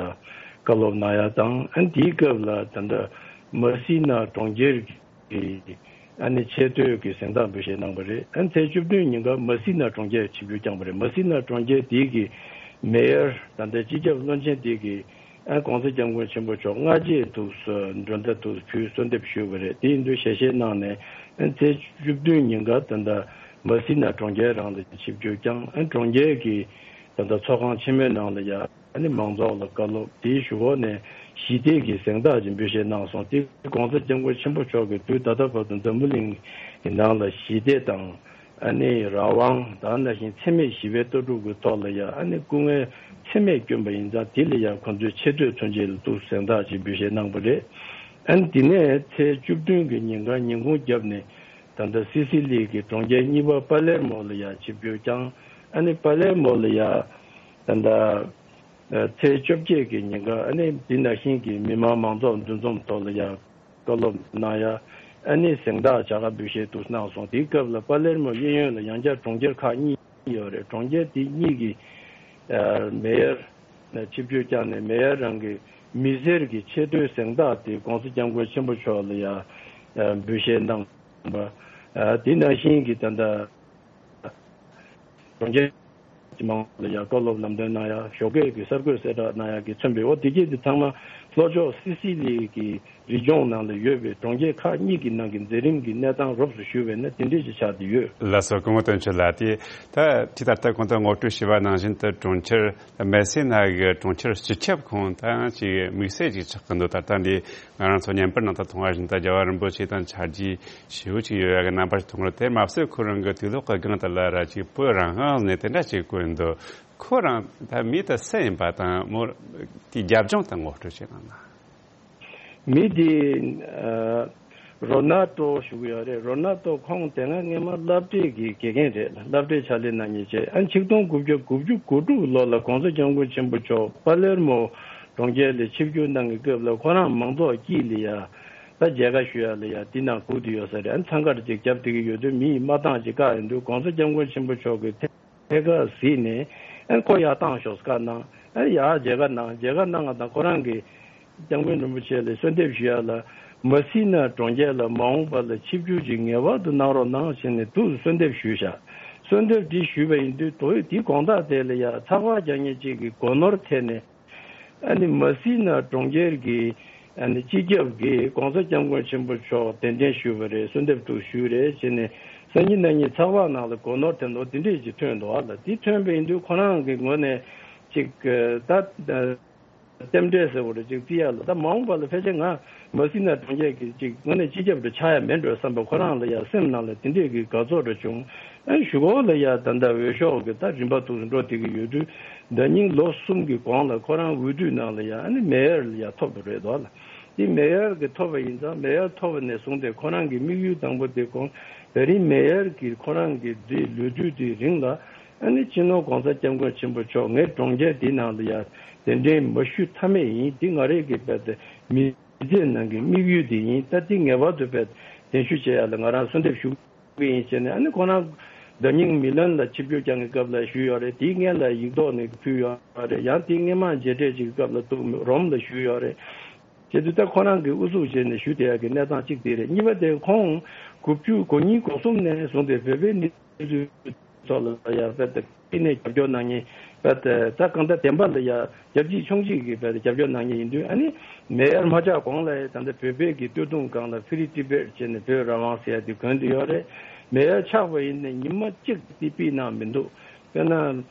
བཀའ་སློབ་གནང་ཡ་དང་། ཨ་ནི་དེའི་སྐབས་ལ་ད་ལྟ་མ་སི་ན་གྲོང་ཁྱེར་གྱི་ཨ་ནི་ཆེས་མཐོའི་གི་གཟེངས་རྟགས་འབུལ་བཞེས་གནང་པ་རེད། ཨ་ནི་ཚེས་བཅུ་བདུན་ཉིན་ཀ་མ་སི་ན་གྲོང་ཁྱེར་ཆིབས་བསྒྱུར་བསྐྱངས་པ་རེད། མ་སི་ན་གྲོང་ཁྱེར་དེའི་གི་མེ་ཡར་ད་ལྟ་སྤྱི་ཁྱབ་བློན་ཆེན་དེ་གི་ཨ་༸གོང་ས་༸སྐྱབས་མགོན་ཆེན་པོ་མཆོག་སྔ་རྗེས་དུས་སུ་མགྲོན་བརྡ་དུ་ཕུལ་གསོལ་འདེབས་ཞུས་པ་རེད། དེ་ཡིན་དུས་ཞལ་བཞེས་གནང་ནས་ཨ་ཚེས་བཅུ་བདུན་ཉིན་ཀ་ད་ལྟ་མ་སི་ན་གྲོང་ཁྱེར་རང་ལ་ཆིབས་བསྒྱུར་བསྐྱངས། ཨ་གྲོང་ཁྱེར་གྱི་ད་ལྟ་ཚོགས་ཁང་ཆེན་མོའི་ནང་ལ་ཡ་ཨ་ནི་མང་ཚོགས་ལ་བཀའ་སློབ། དེའི་གཞུག་གུ་ནས་ཞི་བདེ་གི་གཟེངས་རྟགས་ཅིག་འབུལ་བཞེས་གནང་སོང་། དེ་༸གོང་ས་༸སྐྱབས་མགོན་ཆེན་པོ་མཆོག་གིས་དུས་ད་ལྟ་བར་དུ་འཛམ་བུ་གླིང་གི་ནང་ལ་ཞི་བདེ་དང་ཨ་ནི་རང་དབང་དང་ནང་བཞིན་འཚེ་མེད་ཞི་བའི་ལྟ་གྲུབ་ཀྱི་ཐོག་ལ་ཡ་ཨ་ནི་སྐུ་ངལ་ཚད་མེད་བསྐྱོན་པ་ཡིན་ཙང་། དེ་ལ་ཡ་ཁོང་ཚོའི་ཆེ་བསྟོད་མཚོན་བྱེད་ལ་དུ་གཟེངས་རྟགས་ཅིག་འབུལ་བཞེས་གནང་པ་རེད། ཨ་ནི་དེ་ནས་ཚེས་བཅུ་བདུན་གྱི་ཉིན་ཀ་ཉིན་གུང་རྒྱབ་ནས་ད་ལྟ་སི་སི་ལི་གི་གྲོང་ཁྱེར་གཉིས་པ་པ་ལེར་མོ་ལ་ཡ་ཆིབས་བསྒྱུར་བསྐྱངས། ཨ་ནི་པ་ལེར་མོ་ལ་ཡ་ད་ལྟ་ཚེས་བཅོ་བརྒྱད་ཀྱི་ཉིན་ཀ་ཨ་ནི་དེ་ནང་བཞིན་གྱི་མི་མང་མང་ཚོགས་འདུ་འཛོམས་ཐོག་ལ་ཡ་བཀའ་སློབ་གནང་ཡ། ཨ་ནི་གཟེངས་རྟགས་བྱ་དགའ་འབུལ་བཞེས་དུ་གནང་སོང་། དེའི་སྐབས་ལ་པ་ལེར་མོ་གཡས་གཡོན་ལ་ཡང་བསྐྱར་གྲོང་ཁྱེར་ཁག་གཉིས་ཡོད་རེད། གྲོང་ཁྱེར་དེ་གཉིས་ཀྱི་ཨ་མེ་ཡར་ཆིབས་བསྒྱུར་བསྐྱངས་ནས། མེ་ཡར་རང་གི་མི་སེར་གྱི་ཆེས་མཐོའི་གཟེངས་རྟགས་དེ་༸གོང་ས་༸སྐྱབས་མགོན་ཆེན་པོ་མཆོག་ལ་ཡ་ཨ་འབུལ་བཞེས་གནང་བ། ཨ་དེ་ནང་བཞིན་གྱི་ད་ལྟ་གྲོང་ཁྱེར་གྱི་མང་ཚོགས་ལ་ཡང་བཀའ་སློབ་ལམ་སྟོན་གནང་ཡ། ཞོགས་ཀས་ཀྱི་གསར་འགོད་གསལ་བསྒྲགས་གནང་ཡ་གིས་མཚོན་པའི། འོ་དེ་གྱད་དེ་ཚང་མ་ལྷོ་ཕྱོགས་སི་སི་ལི་གི་རི་ལྗོངས་ནང་ལ་ཡོད་པའི་གྲོང་ཁྱེར་ཁག་གཉིས་ཀྱི་ནང་གི་མཛད་རིམ་གྱི་གནས་སྟངས་རོབ་ཙམ་ཞུས་པས་ན་དེ་འདྲས་ཅིག་ཆགས་བསྡད་ཡོད། ལགས་སོ། སྐུ་ངོ་དོན་གཅོད་ལགས། དེ་ད་ཅི་ད་ལྟ་གོང་དུ་ངོ་སྤྲོད་ཞུས་པ་ནང་བཞིན་དུ་གྲོང་ཁྱེར་མེ་སི་ན་གི་གྲོང་ཁྱེར་སྤྱི་ཁྱབ་ཁོངས་ད་ཅིག་དམིགས་བསལ་ཅིག་ཆགས་ཀྱི་འདུག་ད་ལྟ་འདི་ང་རང་ཚོ་བརྙན་པར་ནང་དུ་མཐོང་བ་བཞིན་དུ་རྒྱལ་བ་རིན་པོ་ཆེ་དང་ཆ་རྒྱུས་ཞེ་པོ་ཅིག་ཡོད་ཡ་གི་རྣམ་པ་ཞིག་མཐོང་གི་རེད། དེ་མ་ཟད་ཁོ་རང་གི་དུས་ལོག་གི་སྒང་དེ་ལ་ར་ཅིག་བོད་རང་དབང་ནས་དེ་འདྲ་ཅིག་བཀོད་འདུག་ཁོ་རང་ད་མི་དེ་སུ་ཡིན་པ་དང་མོ་དེའི་རྒྱབ་ལྗོངས་དེ་ངོ་སྤྲོད་བྱེད་གནང་ན། མི་དེ་ཨ་རོ་ནལ་ཏོ་ཞུ་གི་ཡོད་རེད། རོ་ནལ་ཏོ་ཁོང་དེ་སྔ་སྔས་མ་སློབ་གྲྭའི་གི་དགེ་རྒན་རེད། སློབ་གྲྭའི་ཕྱག་ལས་གནང་མཁན་བྱས། ཨ་ཆིག་སྟོང་དགུ་བརྒྱ་དགུ་བཅུ་གོ་དྲུག་ལོ་ལ་༸གོང་ས་༸སྐྱབས་མགོན་ཆེན་པོ་མཆོག་པ་ལེར་མོ་གྲོང་ཁྱེར་ལ་ཆིབས་བསྒྱུར་གནང་གི་སྐབས་ལ་ཁོ་རང་མང་ཚོགས་དཀྱིལ་ལ་ཡ་ད་མཇལ་ཁ་ཞུ་ཡ་ལ་ཡ་དེ་ནང་སྒུག་བསྡད་ཡོད་ས་རེད། ཨ་འཚང་ཁ་ཅིག་བརྒྱབ་བསྡད་ཀྱི་ཡོད་དུས་མི་ཡི་མ་བཏང་ཅིག་བཀག་ཡོང་དུས་༸གོང་ས་༸སྐྱབས་མགོན་ཆེན་པོ་མཆོག་གིས་ཐད་ཐད་ཀར་གཟིགས་ནས་ཨ་ཁོ་ཡར་བཏང་ཤོག་བཀའ་གནང་། ཨ་ཡར་མཇལ་ཁ་གནང་། མཇལ་ཁ་གནང་བ་དང་ཁོ་རང་གིས་༸སྐྱབས་མགོན་རིན་པོ་ཆེ་ལ་གསོལ་འདེབས་ཞུ་ཡ་ལ་མ་སི་ན་གྲོང་ཁྱེར་ལ་མ་འོངས་པ་ལ་ཆིབས་བསྒྱུར་ཅིག་ངེས་པར་དུ་གནང་རོགས་གནང་ཞེས་ནས་དུ་གསོལ་འདེབས་ཞུས་བཞག་གསོལ་འདེབས་འདི་ཞུས་པ་ཡིན་དུས་དོ་དེའི་དགོང་དག་དེ་ལ་ཡ་ཚགས་པར་རྒྱག་མཁན་གཅིག་གིས་སྒོ་ནོར་ཐད་ནས། ཨ་ནི་མ་སི་ན་གྲོང་ཁྱེར་གྱི་ཨ་ནི་སྤྱི་ཁྱབ་ཀྱིས་༸གོང་ས་༸སྐྱབས་མགོན་ཆེན་པོ་མཆོག་གདན་འདྲེན་ཞུས་པ་རེད། གསོལ་འདེབས་ཐུགས་ཞུས་རེད་ཅེས་ནས་སང་ཉིན་གནངས་ཉིན་ཚགས་པར་ནང་ལ་སྒོ་ནོར་དེ་འདྲ་འདི་འདྲས་ཅིག་ཐོན་འདུག་ཨ་ལ་འདི་ཐོན་པ་ཡིན་དུས་ཁོ་རང་གི་ངོས་ནས་ཅིག་ད་རྟེན་འབྲེལ་ཟེར་བ་རེད་ཅིག་བརྩི་ཡ་ལ། ད་མ་འོངས་པ་ལ་ཕལ་ཆེར་ང་མ་སི་ན་གྲོང་ཁྱེར་གྱི་ཅིག་ངོས་ནས་སྤྱི་ཁྱབ་ཏུ་ཆགས་ཡ་མེད་འགྲོ་བསམ་པ་ཁོ་རང་ལ་ཡ་སེམས་ནང་ལ་དེ་འདྲས་ཀྱི་དགའ་ཚོར་འདྲ་བྱུང་། ཨ་གཞུག་གུ་ལ་ཡ་ད་ལྟ་འོས་ཤོག་གི་ད་རིམ་པ་འདུག་འགྲོ་བསྡད་ཀྱི་ཡོད་དུས། ད་ཉིན་ལོ་གསུམ་གྱི་གོང་ལ་ཁོ་རང་འོས་བསྡུ་ནང་ལ་ཡ་ཨ་ནི་མེ་ཡར་ལ་ཡ་ཐོབ་པ་རེད་དོ་ལ། དེ་མེ་ཡར་གྱི་ཐོབ་པ་ཡིན་ཙང་མེ་ཡར་ཐོབ་པ་ནས་བཟུང་སྟེ་ཁོ་རང་གི་དམིགས་ཡུལ་དང་པོ་དེ་ཁོང་ད་རིང་མེ་ཡར་གྱི་ཁོ་རང་གི་དེ་ལོ་དུས་དེའི་རིང་ལ་ཨ་ནི་སྤྱི་ནོར་༸གོང་ས་༸སྐྱབས་མགོན་ཆེན་པོ་མཆོག་ངའི་གྲོང་ཁྱེར་འདི་ནང་ལ་ཡ་གདན་འདྲེན་མ་ཞུ་ཐབས་མེད་ཡིན། འདི་ང་རེ་གི་བལ་ཏེ་མི་ཚེ་ནང་གི་དམིགས་ཡུལ་དེ་ཡིན། ད་འདི་ངེས་པར་དུ་བལ་གདན་ཞུ་བྱེད་ཡ་ལ་ང་རང་གསོལ་འདེབས་ཞུ། གི་ཡིན་ཞེས་ནས། ཨ་ནི་ཁོ་རང་ཟླ་ཉིན་མི་ལན་ལ་ཆིབས་བསྒྱུར་བསྐྱངས་ཀྱི་སྐབས་ལ་ཞུས་ཡོད་རེད། དེའི་སྔན་ལ་ཡིག་ཐོག་ནས་ཕུལ་ཡོད་རེད། ཡང་དེའི་སྔན་མ་མཇལ་འཕྲད་ཅིག་གི་སྐབས་ལ་འདུག་རོམ་ལ་ཞུས་ཡོད་རེད། བྱས་དུས་ད་ཁོ་རང་གིས་ཨུ་ཚུགས་བྱས་ནས་ཞུ་བསྡད་ཡག་གི་གནས་སྟངས་གཅིག་དེ་རེད། གཉིས་པ་དེ་ཁོང་དགུ་བཅུ་གོ་གཉིས་གོ་གསུམ་ནས་བཟུང་སྟེ་བོད་པའི་གནས་ཚུལ་ཐོག་ལ་ཡར་བལྟས་ཏེ། དེ་ནས་རྒྱབ་སྐྱོར་གནང་མཁན་བལྟས་ཏེ་ད་གང་ལྟར་བདེན་པ་ལ་ཡ་རྒྱབ་གཅིག་མཆོང་གཅིག་གིས་བལྟས་ཏེ་རྒྱབ་སྐྱོར་གནང་མཁན་ཡིན་དུས། ཨ་ནི་མེ་ཡར་མ་ཆགས་གོང་ལ་ཡ་ད་ལྟ་བོད་པའི་གི་སྟོད་ཐུང་སྒང་ལ་Free Tibet་བྱས་ནས་བོད་རང་དབང་ཟེར་ཡ་དེ་གོན་དེ་ཡོད་རེད། མེ་ཡར་ཆགས་པ་ཡིན་ནའི་ཉི་མ་གཅིག་དེ་ཕུད་གནང་མི་འདུག་དཔེར་ན། ཨ།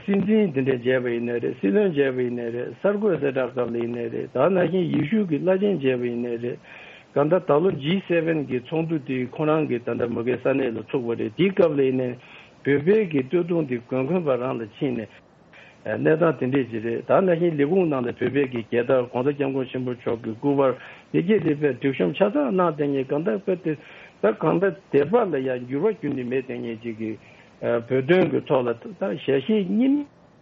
སྲིད་འཛིན་དེ་འདྲས་མཇལ་བ་ཡིན་ནའི་རེད། སྲིད་བློན་མཇལ་བ་ཡིན་ནའི་རེད། གསར་འགོད་གསལ་བསྒྲགས་སྐབས་ལ་ཡིན་ནའི་རེད། ད་ནང་བཞིན་ཡེ་ཤུ་གི་བླ་ཆེན་མཇལ་བ་ཡིན་ནའི་རེད། གང་ལྟར་ད་ལོ་ཇི་སེ་བེན་གི་ཚོགས་འདུ་དེ་ཁོ་རང་གི་ད་ལྟ་མ་གི་ས་གནས་ལ་ཚུགས་པ་རེད། དེའི་སྐབས་ལ་ཡིན་ནའི་བོད་པའི་གི་སྟོད་ཐུང་དེ་མགོན་དགོན་པ་རང་ལ་ཕྱིན་ནས། ཨ། གནས་སྟངས་དེ་འདྲས་ཅིག་རེད། ད་ནང་བཞིན་ལས་ཁུངས་ནང་ལ་བོད་པའི་གི་རྒྱལ་དར། གོང་ས་སྐྱབས་མགོན་ཆེན་པོ་མཆོག་གི་སྐུ་པར། དེ་གས་དེ་དཔེ་སྒྲིག་གཤོམ་ཆ་ཚང་གནང་བསྡད་མཁན། གང་ལྟར་དཔེ་དེ་ད་གང་ལྟར་དད་པ་ལ་ཡང་འགྱུར་བ་ཁྱོན་ནས་མེད་བསྡད་མཁན་ཅིག་གི། ཨ། བོད་དོན་གྱི་ཐོག་ལ་ད་ཞལ་བཞེས་གཉིས་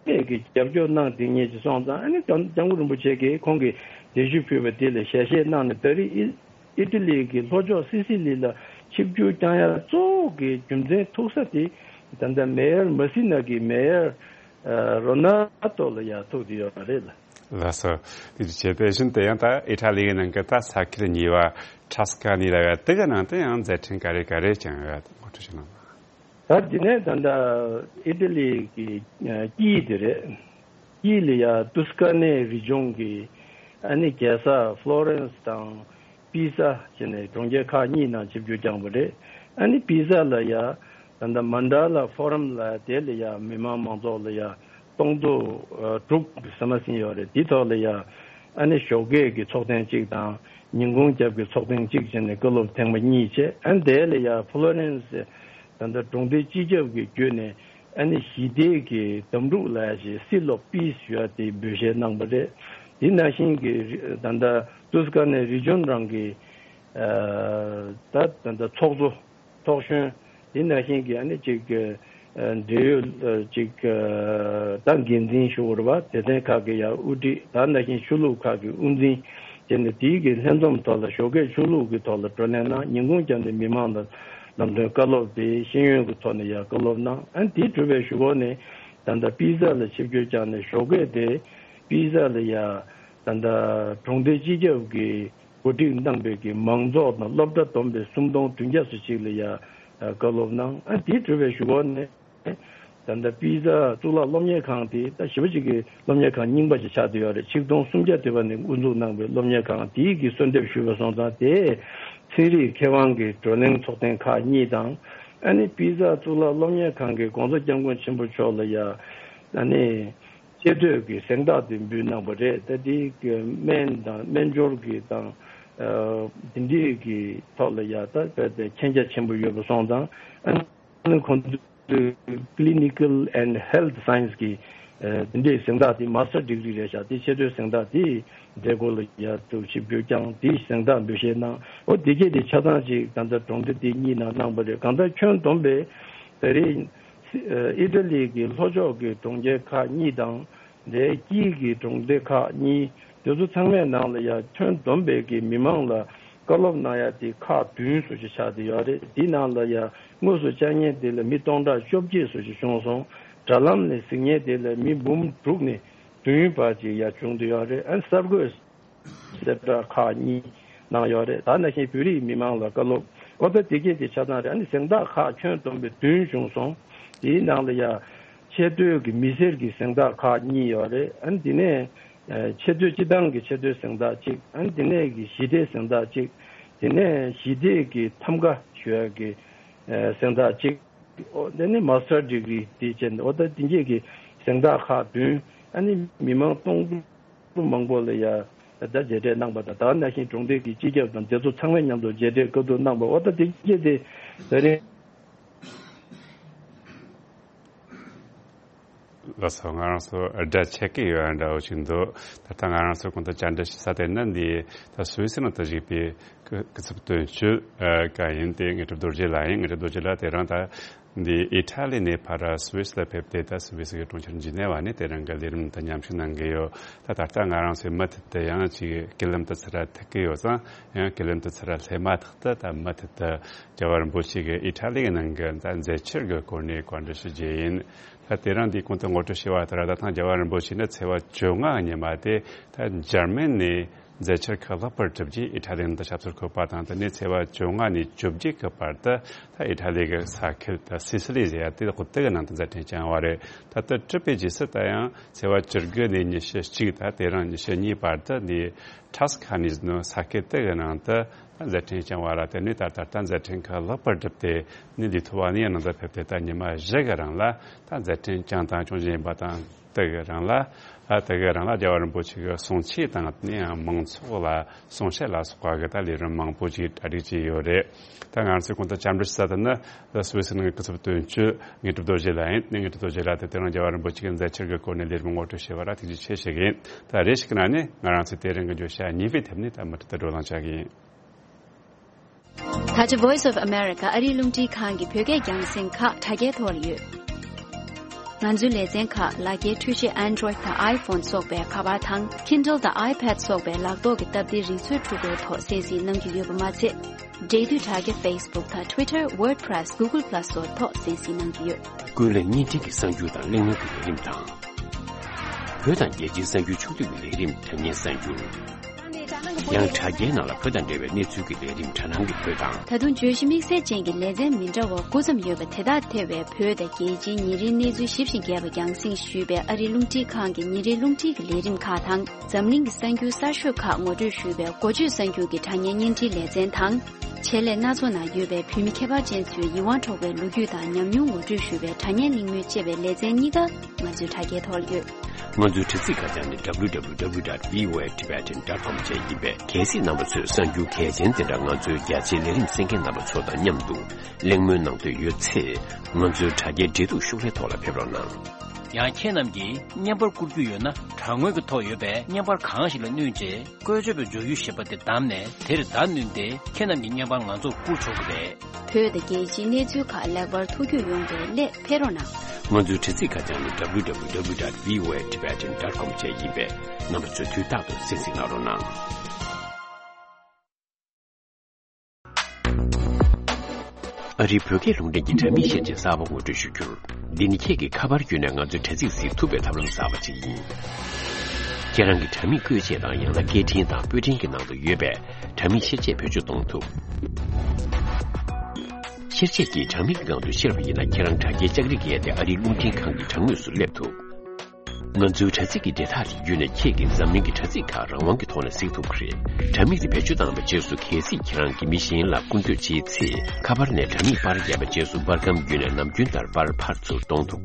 མེད་ཀྱི་རྒྱབ་སྐྱོར་གནང་བསྡད་མཁན་ཅིག་སོང་ཙང་། ཨ་ནི་སྐྱབས་སྐྱབས་མགོན་རིན་པོ་ཆེ་གིས་ཁོང་གི་གདན་ཞུ་ཕུལ་བ་དེ་ལ་ཞལ་བཞེས་གནང་ནས། ད་རེས་ཨི་ཨི་ཊ་ལི་གི་ལྷོ་ཕྱོགས་སི་སི་ལི་ལ་ཆིབས་བསྒྱུར་བསྐྱངས་ཡ་གཙོ་བོ་གི་རྒྱུ་མཚན་ཐུག་ས་དེ། ད་ལྟ་མེ་ཡར་མ་སི་ན་གི་མེ་ཡར། ཨ། རོ་ན་ཏོ་ལ་ཡ་ཐུག་བསྡད་ཡོད་པ་རེད་ལ། ལགས་སོ། དེ་བྱས་དེ་བཞིན་དུ་ཡང་ད་ཨི་ཊ་ལི་ཡི་ནང་གི་ད་ས་ཁུལ་གཉིས་པ་ཊ་སི་ཀ་ནི་ལ་ཡ་དེ་ག་ནང་དུ་ཡང་མཛད་འཕྲིན་ག་རེ་ག་རེ་བསྐྱངས་ཡོད། ངོ་སྤྲོད་ཞུ་གནང་། ད་དེ་ནས་ད་ལྟ་ཨི་ཊ་ལི་གི། ཨ། དཀྱིལ་དེ་རེད། དཀྱིལ་ལ་ཡ་ཏུ་སི་ཀ་ནེ་རི་ཇོན་གྱི། ཨ་ནི་རྒྱལ་ས་ཕློ་རེན་སི་དང་པི་ཛ་བྱས་ནས་གྲོང་ཁྱེར་ཁག་གཉིས་ནང་ཆིབས་བསྒྱུར་བསྐྱངས་པ་རེད། ཨ་ནི་པི་ཛ་ལ་ཡ་ད་ལྟ་མན་ཌ་ལ་ཕོ་རམ་ལ། དེ་ལ་ཡ་མི་མང་མང་ཚོགས་ལ་ཡ་སྟོང་ཕྲག་ཨ་དྲུག་ཟིན་མ་ཟིན་ཡོད་རེད། དེ་ཐོག་ལ་ཡ་ཨ་ནི་ཞོགས་ཀས་ཀྱི་ཚོགས་ཐེངས་གཅིག་དང་ཉིན་གུང་རྒྱབ་ཀྱི་ཚོགས་ཐེངས་གཅིག་བྱས་ནས་བཀའ་སློབ་ཐེངས་མ་གཉིས་བྱས། ཨ་ནི་དེ་ལ་ཡ་ཕློ་རེན་སི་ད་ལྟ་གྲོང་སྡེ་སྤྱི་ཁྱབ་ཀྱི་བརྒྱུད་ནས། ཨ་ནི་ཞི་བདེ་གི་དམ་ཕྲུག་ལབ་ཡ་ཞིག། སི་ལོབ་པིས་ཞུ་ཡ་དེ་འབོད་སྐུལ་གནང་པ་རེད། དེ་ནང་བཞིན་གྱི་ད་ལྟ་ཏུ་སི་ཀ་ནེ་རི་ཇོན་རང་གི། ཨ། ད་ད་ལྟ་ཚོགས་གཙོ། ཚོགས་གཞོན། དེ་ནང་བཞིན་གྱི་ཨ་ནི་ཅིག་ཨ། འབྲེལ་ཡོད་ཅིག་ཨ། ད་འགན་འཛིན་ཞུ་དགོས་རེད་པ། སྡེ་ཚན་ཁག་གི་ཡ་དབུ་ཁྲིད། ད་ནང་བཞིན་ཆོས་ལུགས་ཁག་གི་དབུ་འཛིན་བྱས་ནས། དེའི་གི་ལྷན་འཛོམས་ཐོག་ལ་ཞོགས་ཀས་ཆོས་ལུགས་ཀྱི་ཐོག་ལ་བགྲོ་གླེང་གནང་། ཉིན་གུང་རྒྱབ་ནས་མི་མང་ལ་ལམ་སྟོན་བཀའ་སློབ་དེ་ཤེས་ཡོན་གྱི་ཐོག་ནས་ཡ་བཀའ་སློབ་གནང་། ཨ་ནི་དེ་གྲུབ་པའི་གཞུག་གུ་ནས་ད་ལྟ་པི་ཛ་ལ་ཆིབས་བསྒྱུར་བསྐྱངས་ནས། ཞོགས་ཀས་དེ་པི་ཛ་ལ་ཡ་ད་ལྟ་གྲོང་སྡེ་སྤྱི་ཁྱབ་ཀྱི་གོ་སྒྲིག་གནང་བའི་གི་མང་ཚོགས་དང་སློབ་གྲྭ་བསྡོམས་པས་སུམ་སྟོང་བདུན་བརྒྱ་ཙམ་ཅིག་ལ་ཡ་བཀའ་སློབ་གནང་། ཨ། དེ་གྲུབ་པའི་གཞུག་གུ་ནས་ད་ལྟ་པི་ཛ་གཙུག་ལག་སློབ་གཉེར་ཁང་དེ་ད་ཞེ་པོ་ཅིག་གི་སློབ་གཉེར་ཁང་རྙིང་པ་ཅིག་ཆགས་བསྡད་ཡོད་རེད། ཆིག་སྟོང་སུམ་བརྒྱ་དུ་བ་ནས་དབུ་འཛུགས་གནང་བའི་སློབ་གཉེར་ཁང་དེའི་གི་གསོལ་འདེབས་ཞུས་པ་སོང་ཙང་། དེ་ཚན་རིག་མཁས་དབང་གི་བགྲོ་གླེང་ཚོགས་ཐེངས་ཁག་གཉིས་དང་། ཨ་ནི་པི་ཛ་གཙུག་ལག་སློབ་གཉེར་ཁང་གིས་གོང་ས་སྐྱབས་མགོན་ཆེན་པོ་མཆོག་ལ་ཡ་ཨ་ནི་ཆེ་བསྟོད་ཀྱི་གཟེངས་རྟགས་དེ་འབུལ་གནང་པ་རེད། ད་དེ་གི་སྨན་དང་སྨན་སྦྱོར་གྱི་དང་། ཨ། དེ་འདྲའི་གི་ཐོག་ལ་ཡ་ད་དཔེ་དེ་མཁྱེན་རྒྱ་ཆེན་པོ་ཡོད་པ་སོང་ཙང་། ཨ་ནི་ཁོང་ཚོས་Clinical and Health Science གི་ཨ་དེ་འདྲའི་གཟེངས་རྟགས་དེ། མ་སི་ཊར་ཌི་གི་རི་རེད་ཤག་དེ་ཆེ་བསྟོད་གཟེངས་རྟགས་དེ་མཛད་སྒོ་ལ་ཡ་ཐུགས་ཆིབས་བསྒྱུར་བསྐྱངས། དེ་གཟེངས་རྟགས་འབུལ་བཞེས་གནང་། འོ་དེ་གས་དེ་ཆ་ཚང་ཅིག་ད་ལྟ་གྲོང་སྡེ་དེ་གཉིས་ནང་གནང་པ་རེད། གང་ལྟར་ཁྱོན་བསྡོམས་པས་ད་རེས་ཨི་ཊ་ལི་གི་ལྷོ་ཕྱོགས་ཀྱི་གྲོང་ཁྱེར་ཁག་གཉིས་དང་། དེའི་དཀྱིལ་གྱི་གྲོང་སྡེ་ཁག་གཉིས། དེ་ཚོ་ཚང་མའི་ནང་ལ་ཡ་ཁྱོན་བསྡོམས་པའི་གི་མི་མང་ལ་བཀའ་སློབ་གནང་ཡ་དེ་ཁག་བདུན་བཟོ་ཅིག་ཆགས་བསྡད་ཡོད་རེད། དེའི་ནང་ལ་ཡ་དངོས་སུ་བཅར་མཁན་དེ་ལ་མི་སྟོང་ཕྲག་བཅོ་བརྒྱད་བཟོ་ཅིག་བྱུང་སོང་། དྲ་ལམ་ནས་གཟིགས་མཁན་དེ་ལ་མི་འབུམ་དྲུག་ནས་བདུན་བར་ཅིག་ཡ་བྱུང་བསྡད་ཡོད་རེད། ཨ་ནི་གསར་འགོད་གསལ་བསྒྲགས་ཁག་གཉིས་གནང་ཡོད་རེད། ད་ནང་བཞིན་བོད་རིགས་མི་མང་ལ་བཀའ་སློབ། འོ་ད་དེ་གས་དེ་ཆ་ཚང་རེད། ཨ་ནི་གཟེངས་རྟགས་ཁག་ཁྱོན་བསྡོམས་པས་བདུན་བྱུང་སོང་། དེའི་ནང་ལ་ཡ་ཆེ་བསྟོད་ཀྱི་མི་སེར་གྱི་གཟེངས་རྟགས་ཁག་གཉིས་ཡོད་རེད། ཨ་ནི་དེ་ནས་ཨ་ཆེ་བསྟོད་སྤྱི་བཏང་གི་ཆེ་བསྟོད་གཟེངས་རྟགས་གཅིག། ཨ་ནི་དེ་ནས་ཀྱི་ཞི་བདེའི་གཟེངས་རྟགས་གཅིག། དེ་ནས་ཞི་བདེ་གི་ཐམ་ག་ཞུ་ཡ་གི་ཨ་གཟེངས་རྟགས་གཅིག། འོ་དེ་ནས་མ་སི་ཊར་ཌི་གི་རི་དེ་བྱས་ནས། འོ་ད་དེ་གས་ཀྱི་གཟེངས་རྟགས་ཁག་བདུན། ཨ་ནི་མི་མང་སྟོང་ཕྲག་མང་པོ་ལ་ཡ་ད་མཇལ་འཕྲད་གནང་པ་དང་། ད་ནང་བཞིན་གྲོང་སྡེ་གི་སྤྱི་ཁྱབ་དང་དེ་ཚོ་ཚང་མ་མཉམ་དུ་མཇལ་འཕྲད་བཀའ་བསྡུར་གནང་པ། འོ་ད་དེ་གས་དེ་ད་རེས། ལགས་སོ། ང་རང་ཚོ་སྒྲ་ཆད་ཀྱི་ཡོད་འདྲ་བོ་ཞིག་འདུག་ད་ལྟ་ང་རང་ཚོ་གོང་དུ་བཅར་འདྲི་ཞུ་ས་དེ་ནི་འདི་ད་སུད་སི་ནང་དུ་བཞུགས་པའི་སྐུ་སྐུ་ཚབ་དོན་གཅོད་ཨ་ག་ཡིན་ཏེ། དངོས་གྲུབ་རྡོ་རྗེ་ལགས་ཡིན། དངོས་གྲུབ་རྡོ་རྗེ་ལགས་དེ་རིང་ད་འདི་ཨི་ཊ་ལི་ནས་ཕར་སུད་སི་ལ་ཕེབས་ཏེ། ད་སུད་སི་གི་གྲོང་ཁྱེར་ཇི་ནེ་ཝ་ནས་དེ་རིང་གི་ལས་རིམ་དང་མཉམ་ཞུགས་གནང་གི་ཡོད། ད་ད་ལྟ་ང་རང་ཚོའི་མུ་མཐུད་དུ་ཡང་ཅིག་ཀི་ལམ་དུ་ཚུར་ཐུག་གི་ཡོད་ཙང་། ཡང་ཀི་ལམ་དུ་ཚུར་སླེབས་མ་ཐག་ཏུ་ད་མུ་མཐུད་དུ་རྒྱལ་བ་རིན་པོ་ཆེ་གི་ཨི་ཊ་ལི་གི་ནང་གི་ད་མཛད་འཆར་གི་སྐོར་ནས་བཀའ་འདྲི་ཞུ་རྒྱུ་ཡིན། ད་དེ་རིང་འདིའི་གོང་དུ་ངོ་སྤྲོད་ཞུས་པ་ལྟར། ད་ཐེངས་རྒྱལ་བ་རིན་པོ་ཆེ་ནི་ཚེས་པ་བཅོ་ལྔ་ཉི་མ་དེ་ད་འཇར་མན་ནས་ མཛད་འཆར་ཁག་ལེགས་པར་གྲུབ་རྗེས་ཨི་ཊ་ལི་ནང་དུ་ཞབས་སོར་འཁོད་པ་དང་། དེ་ནས་ཚེས་པ་བཅོ་ལྔ་ནས་བཅོ་བརྒྱད་ཀྱི་བར་དུ་ད་ཨི་ཊ་ལི་གི་ས་ཁུལ་ད་སི་སི་ལི་ཟེར་ཡ་དེ་དག་དེ་གི་ནང་དུ་མཛད་འཕྲིན་བསྐྱངས་པ་རེད། ད་ལྟ་གྲུབ་པའི་རྗེས་སུ་ད་ཡང་ཚེས་པ་བཅུ་དགུ་ནས་ཉི་ཤུ་གཅིག་ད་དེ་རིང་ཉི་ཤུ་གཉིས་བར་དུ་ནི་ཁྲ་སི་ཁ་ནི་ཟེར་ནོ་ས་ཁུལ་དེ་གི་ནང་དུ་ད་མཛད་འཕྲིན་བསྐྱངས་པ་ར། དེ་ནས་ད་ད་ལྟ་མཛད་འཕྲིན་ཁག་ལེགས་པར་གྲུབ་སྟེ་ནི་ལི་ཐུ་ཝ་ནི་ཡ་ནང་དུ་ཕེབས་ཏེ་ད་ཉི་མ་བཞི་གི་རིང་ལ་ད་མཛད་འཕྲིན་བསྐྱངས་དང་སྐྱོང་བཞིན་ཡིན་པ་དང་། དེ་གི་རིང་ལ། ཨ། དེ་གི་རིང་ལ་རྒྱལ་བ་རིན་པོ་ཆེ་གི་གསུང་ཆོས་དང་ནི་ཡང་མང་ཚོགས་ལ་གསུང་བཤད་ལ་སོགས་པ་གི་ད་ལས་རིམ་མང་པོ་ཅིག་གྲ་སྒྲིག་བྱས་ཡོད་རེད། ད་ང་རང་ཚོས་གོང་དུ་བཅར་འདྲི་ཞུ་ས་དེ་ནི་ད་སུད་སི་ནང་གི་སྐུ་ཚབ་དོན་གཅོད་དངོས་གྲུབ་རྡོ་རྗེ་ལགས་ཡིན། ནི་དངོས་གྲུབ་རྡོ་རྗེ་ལགས་དེ་དེ་རིང་རྒྱལ་བ་རིན་པོ་ཆེ་གི་མཛད་འཆར་གི་སྐོར་ནས་ལས་རིམ་ངོ་སྤྲོད་བྱས་པ་ར་ཐུགས་རྗེ་ཆེ་ཞུ་གི་ཡིན། ད་རེ་ཞིག་གི་ནང་ནས་ང་རང་ཚོས་དེ་རིང་གི་བརྗོད་བྱ་གཉིས་པའི་ཐད་ནས་ད་མུ་མཐུད་དུ་བགྲོ་གླེང་བྱ་གི་ཡིན། ད་ཆ་Voice of America ཨ་རིའི་རླུང་འཕྲིན་ཁང་གི་བོད་སྐད་རྒྱང་སྲིང་ཁག་དྲ་རྒྱའི་ཐོག་ལ་ཡོད། ང་ཚོའི་ལེ་ཚན་ཁག་ལག་འཁྱེར་འཕྲུལ་ཆས་Android དང་iPhone སོགས་པའི་ཁ་པར་དང་Kindle དང་iPad སོགས་པའི་ལག་ཐོག་གི་སྟབས་བདེའི་རིག་མཛོད་འཕྲུལ་འཁོར་ཐོག་གསན་གཟིགས་གནང་རྒྱུ་ཡོད་པ་མ་ཚད། འབྲེལ་མཐུད་དྲ་རྒྱ་Facebook དང་Twitter, WordPress, Google Plus སོགས་ཐོག་གསན་གཟིགས་གནང་རྒྱུ་ཡོད། ཀུན་གླེང་བརྙན་འཕྲིན་གྱི་གསར་འགྱུར་དང་གླེང་མོལ་གྱི་ལས་རིམ་དང་། བོད་དང་རྒྱལ་སྤྱིའི་གསར་འགྱུར་ཕྱོགས་བསྡུས་ཀྱི་ལས་རིམ་དྲ་བརྙན་གསར་འགྱུར། ཡང་དྲ་རྒྱའི་ནང་ལ་བོད་དང་འབྲེལ་བའི་གནས་ཚུལ་གྱི་ལས་རིམ་དྲ་སྣང་གི་བོད་དང་། ད་དུང་བརྗོད་གཞི་དམིགས་བསལ་ཅན་གྱི་ལེ་ཚན་མི་འདྲ་བ་དགུ་ཙམ་ཡོད་པ་དེ་དག་ཐེ་བའི་བོད་དང་རྒྱལ་སྤྱིའི་ཉིན་རེའི་གནས་ཚུལ་ཞིབ་ཅིང་རྒྱས་པ་རྒྱང་སྲིང་ཞུས་པའི་ཨ་རིའི་རླུང་འཕྲིན་ཁང་གི་ཉིན་རེའི་རླུང་འཕྲིན་གྱི་ལས་རིམ་ཁག་དང་། འཛམ་གླིང་གི་གསར་འགྱུར་གསར་ཤོས་ཁག་ངོ་སྤྲོད་ཞུས་པའི་འགོ་བརྗོད་གསར་འགྱུར་གྱི་དྲ་བརྙན་བརྙན་འཕྲིན་ལེ་ཚན་དང་། ཆེད་ལས་སྣ་ཚོགས་ནང་ཡོད་པའི་བོད་མི་ཁྱད་པར་ཅན་ཚོའི་ཡིད་དབང་འཕྲོག་པའི་ལོ་རྒྱུས་དང་ཉམས་མྱོང་ངོ་སྤྲོད་ཞུས་པའི་དྲ་བརྙན་གླེང་མོལ་བཅས་པའི་ལེ་ཚན་གཉིས་ཀ་ང་ཚོའི་དྲ་རྒྱའི་ཐོག་ལ་ཡོད། ང་ཚོའི་དྲ་ཚིགས་ཁ་བྱང་ནི་W W W dot V O A Tibetan dot com བཅས་ཡིན་པས། གལ་སྲིད་རྣམ་པ་ཚོས་གསར་འགྱུར་གལ་ཆེན་དེ་འདྲ་ང་ཚོའི་རྒྱ་ཆེའི་ལས་རིམ་གསན་མཁན་རྣམ་པ་ཚོ་དང་མཉམ་དུ་གླེང་མོལ་གནང་འདོད་ཡོད་ཚེ། ང་ཚོའི་དྲ་རྒྱའི་འབྲེལ་གཏུག་ཤོག་ལྷེ་ཐོག་ལ་ཕེབས་རོགས་གནང་། ཡང་ཁྱེད་རྣམས་ཀྱིས་བརྙན་པར་བསྐུར་རྒྱུ་ཡོད་ན། དྲ་ངོས་ཀྱི་ཐོག་ཡོད་པའི་བརྙན་པར་གང་ཞིག་ལ་བསྣུན་རྗེས། བཀོལ་སྤྱོད་པའི་འབྱོར་ཡུལ་ཞེས་པ་དེ་བདམས་ནས། དེར་བརྡ་བསྣུན་ཏེ། ཁྱེད་རྣམས་ཀྱི་བརྙན་པར་ང་ཚོར་བསྐུར་ཆོག་གི་རེད། བོད་དང་རྒྱལ་སྤྱིའི་གནས་ཚུལ་ཁག་ལེགས་པར་ཐུགས་རྒྱུས་ཡོང་བའི་སླད་ཕེབས་རོགས་གནང་། ང་ཚོའི་དྲ་ཚིགས་ཁ་བྱང་ནི་W W W dot V O A Tibetan dot com བཅས་ཡིན་པས། རྣམ་པ་ཚོས་དུས་རྟག་ཏུ་གསན་གཟིགས་གནང་རོགས་གནང་། ཨ་རིའི་བོད་སྐད་རླུང་འཕྲིན་གྱི་དྲ་མིག་བཤེར་ཆས་གསར་པ་ངོ་སྤྲོད་ཞུ་རྒྱུར། འདི་ནི་ཁྱེད་ཀྱིས་ཁ་པར་བརྒྱུད་ནས་ང་ཚོའི་དྲ་ཚིགས་གཟིགས་ཐུབ་པའི་ཐབས་ལམ་གསར་པ་ཅིག་ཡིན། ཁྱེད་རང་གི་དྲ་མིག་བཀོལ་ཆས་དང་ཡང་ན་སྐད་འཕྲིན་དང་པོད་འཕྲིན་གྱི་ནང་དུ་ཡོད་པའི་དྲ་མིག་བཤེར་ཆས་བེད་སྤྱོད་གཏོང་ཐུབ། བཤེར་ཆས་ཀྱིས་དྲ་མིག་གི་སྒང་དུ་བཤེར་བ་ཡིན་ན། ཁྱེད་རང་དྲ་རྒྱའི་ལྕགས་རིགས་བརྒལ་ཏེ་ཨ་རིའི་རླུང་འཕྲིན་ཁང་གི་དྲ་ངོས་སུ་སླེབས་ཐུབ། ང་ཚོའི་དྲ་ཚིགས་ཀྱི་འབྲེལ་ཐག་དེ་བརྒྱུད་ནས་ཁྱེད་ཀྱིས་འཛམ་གླིང་གི་དྲ་ཚིགས་ཁག་རང་དབང་གི་ཐོག་ནས་གཟིགས་ཐུབ་ཀྱི་རེད། དྲ་མིག་དེ་བེད་སྤྱོད་བཏང་བའི་རྗེས་སུ། གལ་སྲིད་ཁྱེད་རང་གིས་མི་གཞན་ལ་སྐུར་འདེབས་བྱེད་ཚེ། ཁ་པར་ནས་དྲ་མིག་པར་བརྒྱབ་པའི་རྗེས་སུ། པར་སྒམ་བརྒྱུད་ནས་ནམ་རྒྱུན་ལྟར་པར་ཕར་ཚུར་གཏོང་ཐུབ།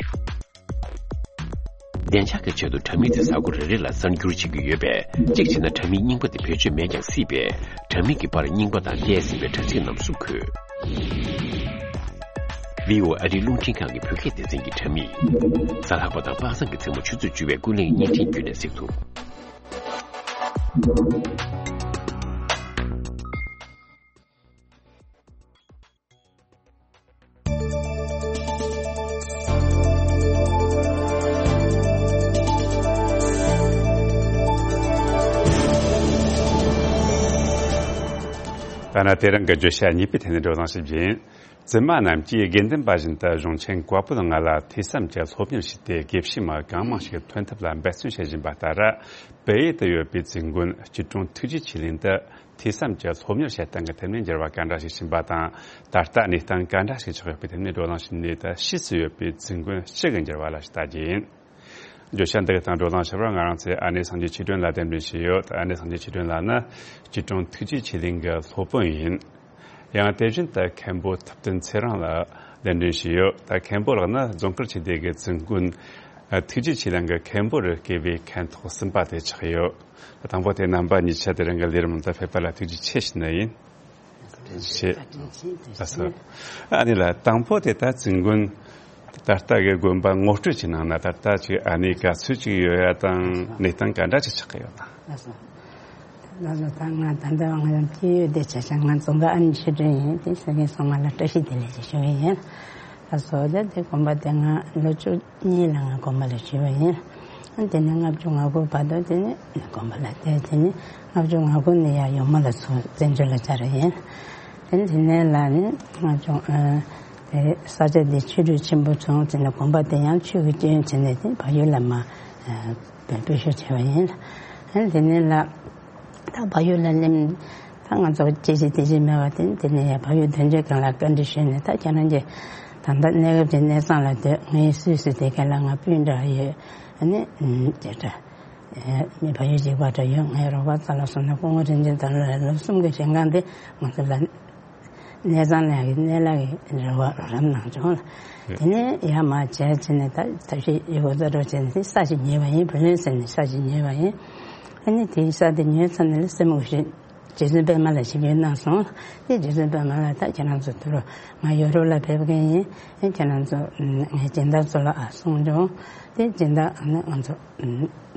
བདེ་འཇགས་ཀྱི་ཆེད་དུ་དྲ་མིག་དེ་གཟའ་འཁོར་རེ་རེ་ལ་གསར་འགྱུར་བྱེད་ཀྱི་ཡོད་པས། གཅིག་བྱས་ན་དྲ་མིག་རྙིང་པ་དེ་བེད་སྤྱོད་མེད་ཀྱང་སྲིད་པས། དྲ་མིག་གི་པར་རྙིང་པ་དང་བལྟས་ཟིན་པའི་དྲ་ཚིགས་རྣམས་སུ་འཁོད། བྷི་ཨོ་ཨེ་ཨ་རིའི་རླུང་འཕྲིན་ཁང་གི་བོད་སྐད་སྡེ་ཚན་གྱི་དྲ་མིག། གཟའ་ལྷག་པ་དང་པ་སངས་ཀྱི་མཚན་མོ་ཆུ་ཚོད་བཅུ་པའི་ཀུན་གླེང་བརྙན་འཕྲིན་བརྒྱུད་ནས་གཟིགས་ཐུབ། ཐ་ན་དེ་རིང་གི་བརྗོད་བྱ་གཉིས་པའི་ཐད་ནས་བགྲོ་གླེང་ཞིག་བྱེད། བཙུན་མ་རྣམས་ཀྱིས་དགེ་འདུན་པ་བཞིན་དུ་གཞུང་ཆེན་བཀའ་པོད་ལྔ་ལ་ཐོས་བསམ་གྱི་སློབ་གཉེར་ཞུས་ཏེ། དགེ་བཤེས་མ་གང་མང་ཞིག་ཐོན་ཐབས་ལ་འབད་བརྩོན་བྱེད་བཞིན་པ་ལྟར། བལ་ཡུལ་དུ་ཡོད་པའི་བཙུན་དགོན་སྐྱིད་གྲོང་ཐུགས་རྗེ་ཆོས་གླིང་དུ་ཐོས་བསམ་གྱི་སློབ་གཉེར་བྱེད་སྟངས་ཀྱི་ཐད་ནས་འགྱུར་བ་ག་འདྲ་ཞིག་ཕྱིན་པ་དང་། ད་ལྟ་གནས་སྟངས་ག་འདྲ་ཞིག་ཆགས་ཡོད་པའི་ཐད་ནས་བགྲོ་གླེང་ཞུས་ནས། ད་ཕྱིས་སུ་ཡོད་པའི་བཙུན་དགོན་སྤྱི་གི་འགྱུར་བ་ལ་ཞིག་ལྟ་རྒྱུ་ཡིན། བརྗོད་བྱ་འདི་དང་བགྲོ་གླེང་བྱེད་པར་ང་རང་ཚོའི་ཨ་ནེ་སངས་རྒྱས་ཆོས་སྒྲོན་ལགས་གདན་འདྲེན་བྱས་ཡོད། ཨ་ནེ་སངས་རྒྱས་ཆོས་སྒྲོན་ལགས་ནི་སྐྱིད་གྲོང་ཐུགས་རྗེ་ཆོས་གླིང་གི་སློབ་དཔོན་ཡིན། ཡང་དེ་བཞིན་དུ་མཁན་པོ་ཐུབ་བསྟན་ཚེ་རིང་ལགས་གདན་འདྲེན་བྱས་ཡོད། ད་མཁན་པོ་ལགས་ནི་རྫོང་དཀར་ཆོས་སྡེ་གི་བཙུན་དགོན་ཐུགས་རྗེ་ཆོས་གླིང་གི་མཁན་པོ་རུ་བསྐོས་པའི་མཁན་ཐོག་གསུམ་པ་དེ་ཆགས་ཡོད། དང་པོ་དེ་རྣམ་པ་གཉིས་ཆ་དེ་རིང་གི་ལས་རིམ་དུ་ཕེབས་པ་ལ་ཐུགས་རྗེ་ཆེ་ཞུ་ནི་ཡིན། ཆེ། ལགས་སོ། ཨ་ནི་ལགས། དང་པོ་དེ་ད་བཙུན་དགོན་ད་ལྟ་གི་དགོན་པ་ངོ་སྤྲོད་ཀྱི་ནང་ན་ད་ལྟ་ཅིག་ཨ་ནི་ག་ཚོད་ཅིག་ཡོད་ཡ་དང་། གནས་སྟངས་ག་འདྲ་ཅིག་ཆགས་ཀྱི་ཡོད་དང་། ལགས་སོ། ལགས་སོ། ད་ང་ད་ལྟ་ང་རང་སྐྱེས་ཡུལ་དེ་བྱས་ཙང་ང་རྫོང་དཀར་ཨ་ནེ་ཆོས་སྒྲོན་ཡིན། དེ་སོ་སོའི་སོང་ང་ལ་བཀྲ་ཤིས་བདེ་ལེགས་ཞེས་ཞུ་གི་ཡིན། ལགས་སོ། ད་དེ་དགོན་པ་དེ་ང་ལོ་བཅུ་གཉིས་ལ་ང་དགོན་པ་ལ་ཞུས་པ་ཡིན། དེ་ནས་ལྔ་བཅུ་ང་དགུ་བར་དུ་དེ་ནས་དགོན་པ་ལ་བསྡད། དེ་ནས་ལྔ་བཅུ་ང་དགུ་ནས་ཡར་ཡོལ་མོ་ལ་ཚུར་བཙན་བྱོལ་ལ་བཅར་བ་ཡིན། དེ་ནས་དེ་ནས་ལ་ནི་ལྔ་བཅུ་ཨ་དེ་ས་ཆ་དེ་ཆོས་རུ་ཆེན་པོ་བྱུང་། དེ་ནས་དགོན་པ་དེ་ཡང་ཆོས་ཀྱི་སྐྱོན་བྱས་ནས་དེ་བལ་ཡུལ་ལ་མར་ཨ་སྤོས་ཤོག་བྱས་པ་ཡིན། དེ་ནས་ལ་ད་ ད་བལ་ཡུལ་ལ་སླེབས། ད་ང་ཚོ་སྐྱེ་ཤི་དེ་ཅི་མེད་པ་དེ་དེ་ནས་ཡང་བལ་ཡུལ་དོན་གཅོད་ཁང་ལ་བཀའ་འདྲི་ཞུས་ནས། ད་ཁྱེད་རང་གི་ད་ལྟ་གནས་སྐབས་ཀྱི་གནས་ཚང་ལ་སྡོད། ངའི་སུད་སི་དེ་ག་ལ་ང་སྤུན་འདྲ་ཡོད། ཨ་ནི་དེ་འདྲ་མི་བལ་ཡུལ་གཅིག་པ་འདྲ་ཡོད། ངའི་རོགས་པ་རྩ་ལ་སོང་ན་སྐུ་ངོ་དྲིན་ཅན་དང་ལོ་ལོ་གསུམ་གྱི་རིང་གང་དེ་ང་ཚོ་ལ་གནས་ཚང་ལ་གི་གནས་ལ་གི་རེ་བ་རོགས་རམ་གནང་བྱུང་ལ། དེ་ནས་ཡར་མར་བྱས་བྱས་ནས་ད་ཐབས་ཤེས་ཡོད་དགུ་རྩ་འགྲོ་བྱས་ནས་ས་ཞིག་ཉོས་པ་ཡིན། བུ་ལོན་ཟེར་ནས་ས་ཞིག་ཉོས་པ་ཡིན། ཨ་ནི་དེའི་ས་དེ་ཉོས་ཚར་ནས་ལ་སེམས་ཁུ་ཤེས། རྗེ་བཙུན་པད་མ་ལ་ཞིབ་འཇུག་གནང་སོང་། དེ་རྗེ་བཙུན་པད་མ་ལ་ད་ཁྱེད་རང་ཚོ་དུ་རུ་ང་ཡོ་རོབ་ལ་ཕེབས་མཁན་ཡིན། ཨེ་ཁྱེད་རང་ཚོ་ངའི་སྦྱིན་བདག་ཚོ་ལ་ཨ་གསུངས་བྱུང་། དེ་སྦྱིན་བདག་ཨ་ནི་ང་ཚོ་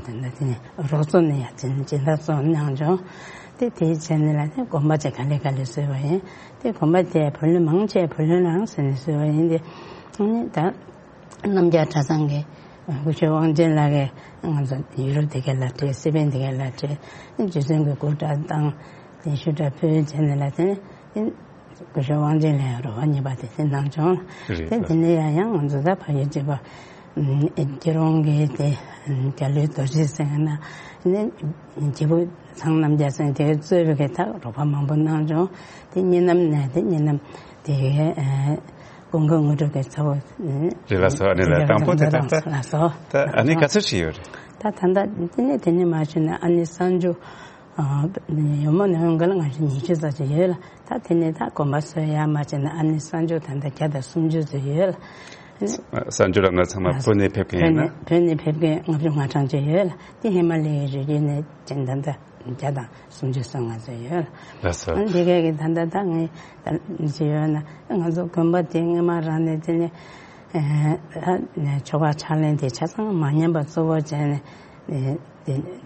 དེ་འདྲ་དེ་ནས་རོགས་ཚོ་ནས་ཡང་སྦྱིན་སྦྱིན་བདག་ཚོ་གནང་བྱུང་། དེ་དེའི་ཆེད་ནས་ལ་དེ་དགོན་པ་ཅིག་ག་ལེ་ག་ལེ་བཟོས་པ་ཡིན། དེ་དགོན་པ་དེ་བུ་ལོན་མང་ཆེ་བུ་ལོན་རང་ཟེར་ནས་བཟོས་པ་ཡིན། དེ་ཨ་ནི་ད། རྣམ་རྒྱལ་གྲྭ་ཚང་གི་སྐུ་ཞབས་དབང་ཆེན་ལགས་ཀྱིས་ང་ཚོ་ཡུ་རོབ་དེ་ག་ལ་སྤྲད། སི་པན་དེ་ག་ལ་སྤྲད། རྗེ་བཙུན་གྱི་སྐུ་འདྲ་བཏང་། དེ་ཞུ་འདྲ་ཕུལ་བྱས་ནས་ལ་དེ་ནས་སྐུ་ཞབས་དབང་ཆེན་ལགས་རོགས་པ་གཉིས་པ་དེ་དེ་གནང་བྱུང་། རེད། དེ་དེ་ནས་ཡང་ཡང་ང་ཚོ་ད་བལ་ཡུལ་གཅིག་པ་སྐྱིད་རོང་གི་དེ་རྒྱ་ལོའི་རྡོ་རྗེ་སེང་ན་ནས་སྐྱིད་པོ་ཚང་རྣམ་རྒྱལ་སེང་དེ་གཙོས་པའི་གི་ད་རོགས་པ་མང་པོ་གནང་བྱུང་། དེ་གཉིས་ནམ་ནས་དེ་གཉིས་ནམ་དེ་གའི། ཀུན་དགའ་དངོས་གྲུབ་ཀྱི་ཚ་བོ། རེད་ལགས་སོ། ཨ་ནི་ལགས། དང་པོ་དེ་ད་ལགས་སོ། ད་ཨ་ནི་ག་ཚོད་ཞིག་ཡོད་རེད། ད་ད་ལྟ་དེ་ནས་དེ་ནས་མ་ཞུས་ན་ཨ་ནི་གསར་འབྱོར་ཡོད་མ་ནས་འོང་ག་ལ་ང་ཚོ་ཉི་ཤུ་ཙམ་ཞིག་ཡོད་ལ། ད་དེ་ནས་ད་དགོན་པ་བཟོ་ཡ་མ་བྱས་ན་ཨ་ནི་གསར་འབྱོར་ད་ལྟ་བརྒྱ་དང་སུམ་ཅུ་ཙམ་ཡོད་ལ། གསར་འབྱོར་ལ་ང་ཚང་མ་བོད་ནས་ཕེབས་མཁན་ཡིན་ན། བོད་ནས་ཕེབས་མཁན་ལྔ་བཅུ་ང་གྲངས་ཅིག་ཡོད་ལ། དེ་ཧི་མ་ལ་ཡའི་རི་རྒྱུད་ནས་ཅན་ད་ལྟ་བརྒྱ་དང་སུམ་ཅུ་སོ་ལྔ་ཙམ་ཡོད། ལགས་སོ། ཨ་འདི་གས་ཀྱི་ད་ལྟ་ད་ངས་ཅི་ཡོད་ན་ང་ཚོ་དགོན་པ་དེ་སྔ་མ་རང་ནས་དེ་ནས་ཆོ་ག་ཕྱག་ལེན་དེ་ཆ་ཚང་མ་ཉམས་པ་གཙོ་བོ་བྱས་ནས་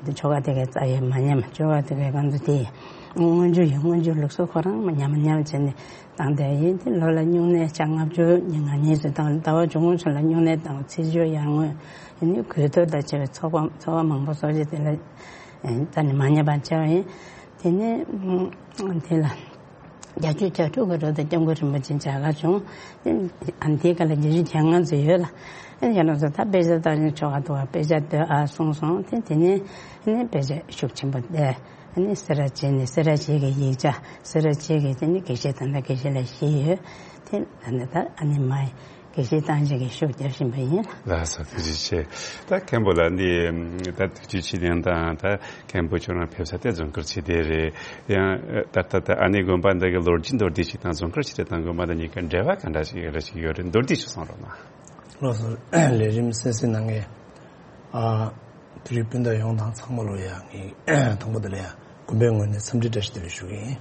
དེ་ཆོ་ག་དེ་གའི་རྩ་ཡས་མ་ཉམས། ཆོ་ག་དེ་གའི་གང་དུ་དེ་སྔོན་འཇུག་ཡིན། སྔོན་འཇུག་ལུགས་སྲོལ་ཁོ་རང་མ་ཉམས་མ་ཉམས་བྱས་ནས་བཏང་བསྡད་ཡིན། དེ་ལོ་ལ་སྨྱུང་གནས་ལྔ་བཅུ་ང་གཉིས་སུ་བཏང་། ཟླ་བ་བཅུ་གསུམ་ཚོ་ལ་སྨྱུང་གནས་བཏང་། ཚེས་བཅུ་ཡར་ངོ་ཡིན་ནི་གོས་ཐུར་དང་བཅས་པའི་ཚོགས་པ་ཚོགས་པ་མང་པོ་གསོ་བྱེད་དེ་ལ། རྩ་ནས་མ་ཉམས་པ་བྱས་པ་ཡིན། དེ་ནས་དེ་ལ་བརྒྱད་ཅུ་གྱ་དྲུག་གི་རོལ་དུ་སྐྱབས་མགོན་རིན་པོ་ཆེ་མཇལ་ཁ་བྱུང་། དེ་ཨ་དེའི་སྐབས་ལ་བརྒྱད་ཅུ་གྱ་ལྔ་ཙམ་ཡོད་ལ། ཨ་ནི་ཡང་ན་ད་དཔེ་ཆ་ལྟ་ནས་ཆོ་ག་འདུག་པ། དཔེ་ཆ་ལྟོས་ཨ་གསུངས་སོང་། དེ་དེ་ནས་ཨ་ནི་དཔེ་ཆ་ཤུགས་ཆེན་པོ་བལྟས། ཨ་ནི་སེ་ར་བྱེས་ནས་སེ་ར་བྱེས་ཀྱི་ཡིག་ཆ། སེ་ར་བྱེས་ཀྱི་དེ་ནི་དགེ་བཤེས་ད་ལྟ་དགེ་བཤེས་ལ་བཞི་ཡོད། དེ་ད་ནི་ད་ཨ་ནི་མ་ཡི་དགེ་བཤེས་བཏང་བྱེད་ཀྱི་ཤུགས་རྒྱབ་བཞིན་པ་ཡིན། ལགས་སོ། ཐུགས་རྗེ་ཆེ། ད་མཁན་པོ་ལགས་འདི་ད་ཐུགས་རྗེ་ཆེ་ལན་དང་། ད་མཁན་པོ་ཁྱོད་རང་ཕེབས་ས་དེ་རྫོང་དཀར་ཆོས་སྡེ་རེད། ཡང་ད་ལྟ་ད་ཨ་ནི་དགོན་པ་འདི་གི་ལོ་རྒྱུས་མདོར་བསྡུས་ཤིག་དང་རྫོང་དཀར་ཆོས་སྡེ་དང་དགོན་པ་འདི་གཉིས་ཀ་འབྲེལ་བ་ག་འདྲ་ཞིག་རེ་ཞིག་ཡོད་རེད། མདོར་བསྡུས་ཤིག་གསུང་རོགས་གནང་། ལགས་སོ། ལས་རིམ་གསན་གཟིགས་གནང་མཁན་ཨ་དེ་རིང་སྤུན་ཟླ་ཡོངས་དང་ཚང་མ་ལོ་ཡ་ངས་དང་པོ་དེ་ལ་ཡ་དགོན་པའི་ངོས་ནས་འཚམས་འདྲི་བཀྲ་ཤིས་བདེ་ལེགས་ཞུ་གི་ཡིན།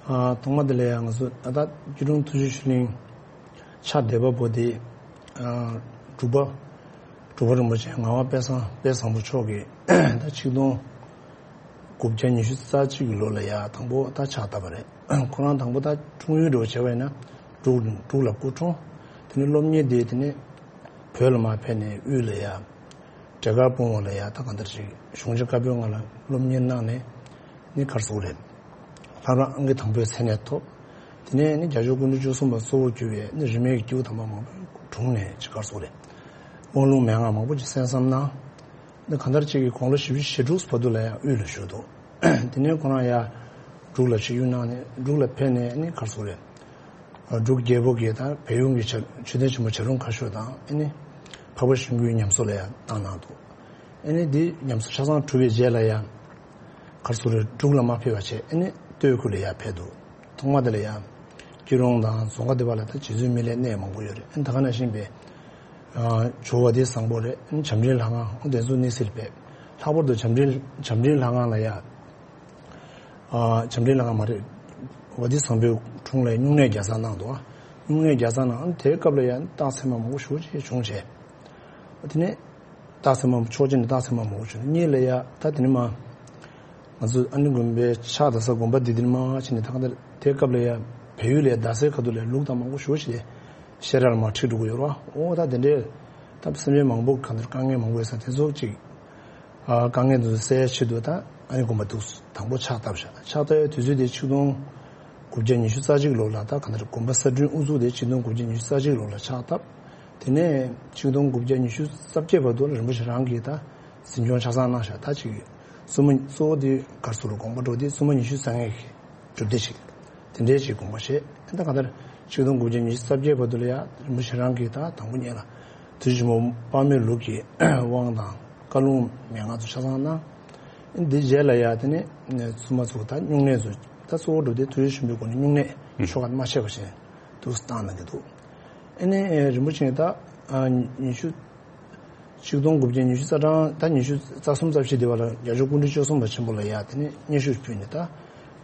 ཨ་ཐོག་མ་དེ་ལ་ཡ་ང་ཚོ་ད་ལྟ་སྐྱིད་གྲོང་ཐུགས་རྗེ་ཆོས་གླིང་ཕྱག་འདེབས་པ་པོ་དེ་ཨ་འབྲུག་པ་འབྲུག་པ་རིན་པོ་ཆེ་ངག་དབང་དཔལ་བཟང་དཔལ་བཟང་པོ་མཆོག་གིས་ད་ཆིག་སྟོང་དགུ་བརྒྱ་ཉི་ཤུ་རྩ་གཅིག་གི་ལོ་ལ་ཡ་དང་པོ་ད་ཕྱག་བཏབ་པ་རེད། ཁོ་རང་དང་པོ་ད་འཁྲུངས་ཡུལ་འདྲ་བོ་བྱས་པ་ཡིན་ན་འབྲུག་འབྲུག་ལ་སྐུ་འཁྲུངས། དེ་ནས་སློབ་གཉེར་དེ་དེ་ནས་བོད་ལ་མར་ཕེབས་ནས་དབུས་ལ་ཡ་འབྲས་དཀར་སྤུངས་པ་ལ་ཡ་ད་གང་ལྟར་ཅིག་གཞུང་ཆེན་བཀའ་པོད་ལྔ་ལ་སློབ་གཉེར་གནང་ནས་ནི་ག་རེ་ཟེར་དགོས་རེད། ལྷ་རམས་ཨང་ཀི་དང་པོའི་མཚན་གནས་ཐོབ། དེ་ནས་ནི་རྒྱལ་མཆོག་སྐུ་ཕྲེང་བཅུ་གསུམ་པ་གཙོ་བོར་གྱུར་པའི་ནི་རིས་མེད་ཀྱི་སྐྱེས་བུ་དམ་པ་མང་པོ་གྲོངས་ནས་ཅིག་ག་རེ་ཟེར་དགོས་རེད། དབང་ལུང་མན་ངག་མང་པོ་ཅིག་གསན་བསམ་གནང་། འདི་གང་ལྟར་ཅིག་གིས་དགུང་ལོ་བཞི་བཅུ་ཞེ་དྲུག་བར་དུ་ལ་ཡང་དབུས་ལ་བཞུགས་འདུག་དེ་ནས་ཁོ་རང་ཡང་འབྲུག་ལ་ཆིབས་བསྒྱུར་གནང་ནས་འབྲུག་ལ་ཕེབས་ནས་ནི་ག་རེ་ཟེར་དགོས་རེད། འབྲུག་རྒྱལ་པོ་གིས་དང་བལ་ཡུལ་གྱི་མཆོད་མཆོད་རྟེན་ཆེན་པོ་བྱ་རུང་ཁ་ཤོར་དང་ཨ་ནི་འཕགས་པ་ཤིང་ཀུན་ཉམས་གསོ་ལ་ཡང་བཏང་གནང་འདུག་ཨ་ནི་འདི་ཉམས་གསོ་ཆ་ཚང་གྲུབ་པའི་རྗེས་ལ་ཡང་ག་རེ་ཟེར་དགོས་རེད། འབྲུག་ལ་མར་ཕེབས་པ་བྱས་ཨ་ནི་སྟོད་ཁུལ་ལ་ཡང་ཕེབས་འདུག་ཐོག་མ་དེ་ལ་ཡང་སྐྱིད་གྲོང་དང་རྫོང་ཁ་དེ་བ་ལ་ད་རྗེ་བཙུན་མི་ལའི་གནས་མང་པོ་ཡོད་རེད། ཨ་ནི་ད་ག་ནང་བཞིན་པའི་ཇོ་བོ་དེ་བཟང་པོ་རེད། ཨ་ནི་བྱམས་སྤྲིན་ལྷ་ཁང་དེ་ཚོ་གནས་གཟིགས་ཕེབས། ལྷག་པར་དུ་བྱམས་སྤྲིན་བྱམས་སྤྲིན་ལྷ་ཁང་ལ་ཡང་བྱམས་སྤྲིན་ལྷ་ཁང་མ་རེད། བ་ཏི་བཟང་པོའི་དྲུང་ལ་སྨྱུང་གནས་བརྒྱ་རྩ་གནང་འདུག་སྨྱུང་གནས་བརྒྱ་རྩ་གནང་། དེའི་སྐབས་ལ་ཡང་རྟགས་མཚན་མ་མང་པོ་ཞེ་པོ་ཅིག་བྱུང་བྱས། དེ་ནས་རྟགས་མཚན་མ་ཕྱོགས་གཅིག་ནས་རྟགས་མཚན་མ་མང་པོ་བྱུང་། གཉིས་ལ་ཡ་ད་དེ་ནས་མ་ང་ཚོ་ཨ་ནི་དགོན་པའི་ཕྱག་དེབ་ས་དགོན་པ་འདི་དེ་ནས་མ་ཕྱིན་ནས་ད་ག་དེ་དེའི་སྐབས་ལ་ཡ་བལ་ཡུལ་ལ་ཡ་རྡ་སའི་ཁ་ཐུག་ལ་ལུགས་དང་མང་པོ་ཞེ་པོ་ཅིག་ཤེས་རབ་ལ་མ་ཁྲིད་འགྲོ་གི་ཡོད་རེད་བ། འོ་ད་དེ་འདྲའི་ད་སེམས་ཅན་མང་པོ་ག་འདིར་དཀའ་ངལ་མང་པོ་ཡོད་ས་དེ་ཚོ་ཅིག་དཀའ་ངལ་དེ་ཚོ་སེལ་ཡ་ཆེད་དུ་ད་ཨ་ནི་དགོན་པ་འདུག་དང་པོ་ཕྱག་བཏབ་བཞག་ཕྱག་བཏབ་ཡ་དུས་ཚོད་དེ་ཆིག་སྟོང་དགུ་བརྒྱ་ཉི་ཤུ་རྩ་གཅིག་ལོ་ལ་ད་ག་འདིར་དགོན་པ་གསར་སྐྲུན་དབུ་འཛུགས་དེ་ཆིག་སྟོང་དགུ་བརྒྱ་ཉི་ཤུ་རྩ་གཅིག་ལོ་ལ་ཕྱག་བཏབ། དེ་ནས་ཆིག་སྟོང་དགུ་བརྒྱ་ཉི་ཤུ་རྩ་བརྒྱད་བར་དུ་རིན་པོ་ཆེ་རང་གིས་ད་འཛིན་སྐྱོང་ཆ་ཚང་གནང་བཞག་ད་ཅིག་ བཙུན་མོ་གཙོ་བོ་དེ་ག་རེ་ཟེར་དགོངས་པ་འགྲོ་དེ་བཙུན་མོ་ཉི་ཤུ་རྩ་ལྔའི་གྲུབ་སྡེ་ཞིག་དེ་འདྲའི་ཅིག་དགོངས་པ་བཞེས། ད་གང་ལྟར་ཆིག་སྟོང་དགུ་བརྒྱ་ཉི་ཤུ་རྩ་བརྒྱད་བར་དུ་ལ་ཡ་རིན་པོ་ཆེ་རང་གིས་ད་དང་པོ་ཉིད་ལ་ཐུགས་རྗེ་ཆེན་པོ་དཔག་མེད་ལུགས་ཀྱི་དབང་དང་བཀའ་ལུང་མན་ངག་ཚོ་ཆ་ཚང་གནང་། འདི་རྗེས་ལ་ཡ་དེ་ནས་བཙུན་མ་ཚོ་ད་སྨྱུང་གནས་ཚོ་ད་གཙོ་བོ་འགྲོ་དེ་ཐུགས་རྗེ་ཆེན་པོའི་སྒོ་ནས་སྨྱུང་གནས་ཆོ་ག་མ་ཆད་པ་བཞིན་དུ་བཏང་གནང་གི་འདུག་ཨ་ནི་རིན་པོ་ཆེ་ད་ཉི་ཤུ་ཆིག་སྟོང་དགུ་བརྒྱ་ཉི་ཤུ་རྩ་གྲངས་ད་ཉི་ཤུ་རྩ་གསུམ་རྩ་བཞི་དེ་བར་ལ་རྒྱལ་མཆོག་སྐུ་ཕྲེང་བཅུ་གསུམ་པ་ཆེན་པོ་ལ་ཡ་དེ་ནས་སྙན་ཞུ་ཕུལ་ནས་ད་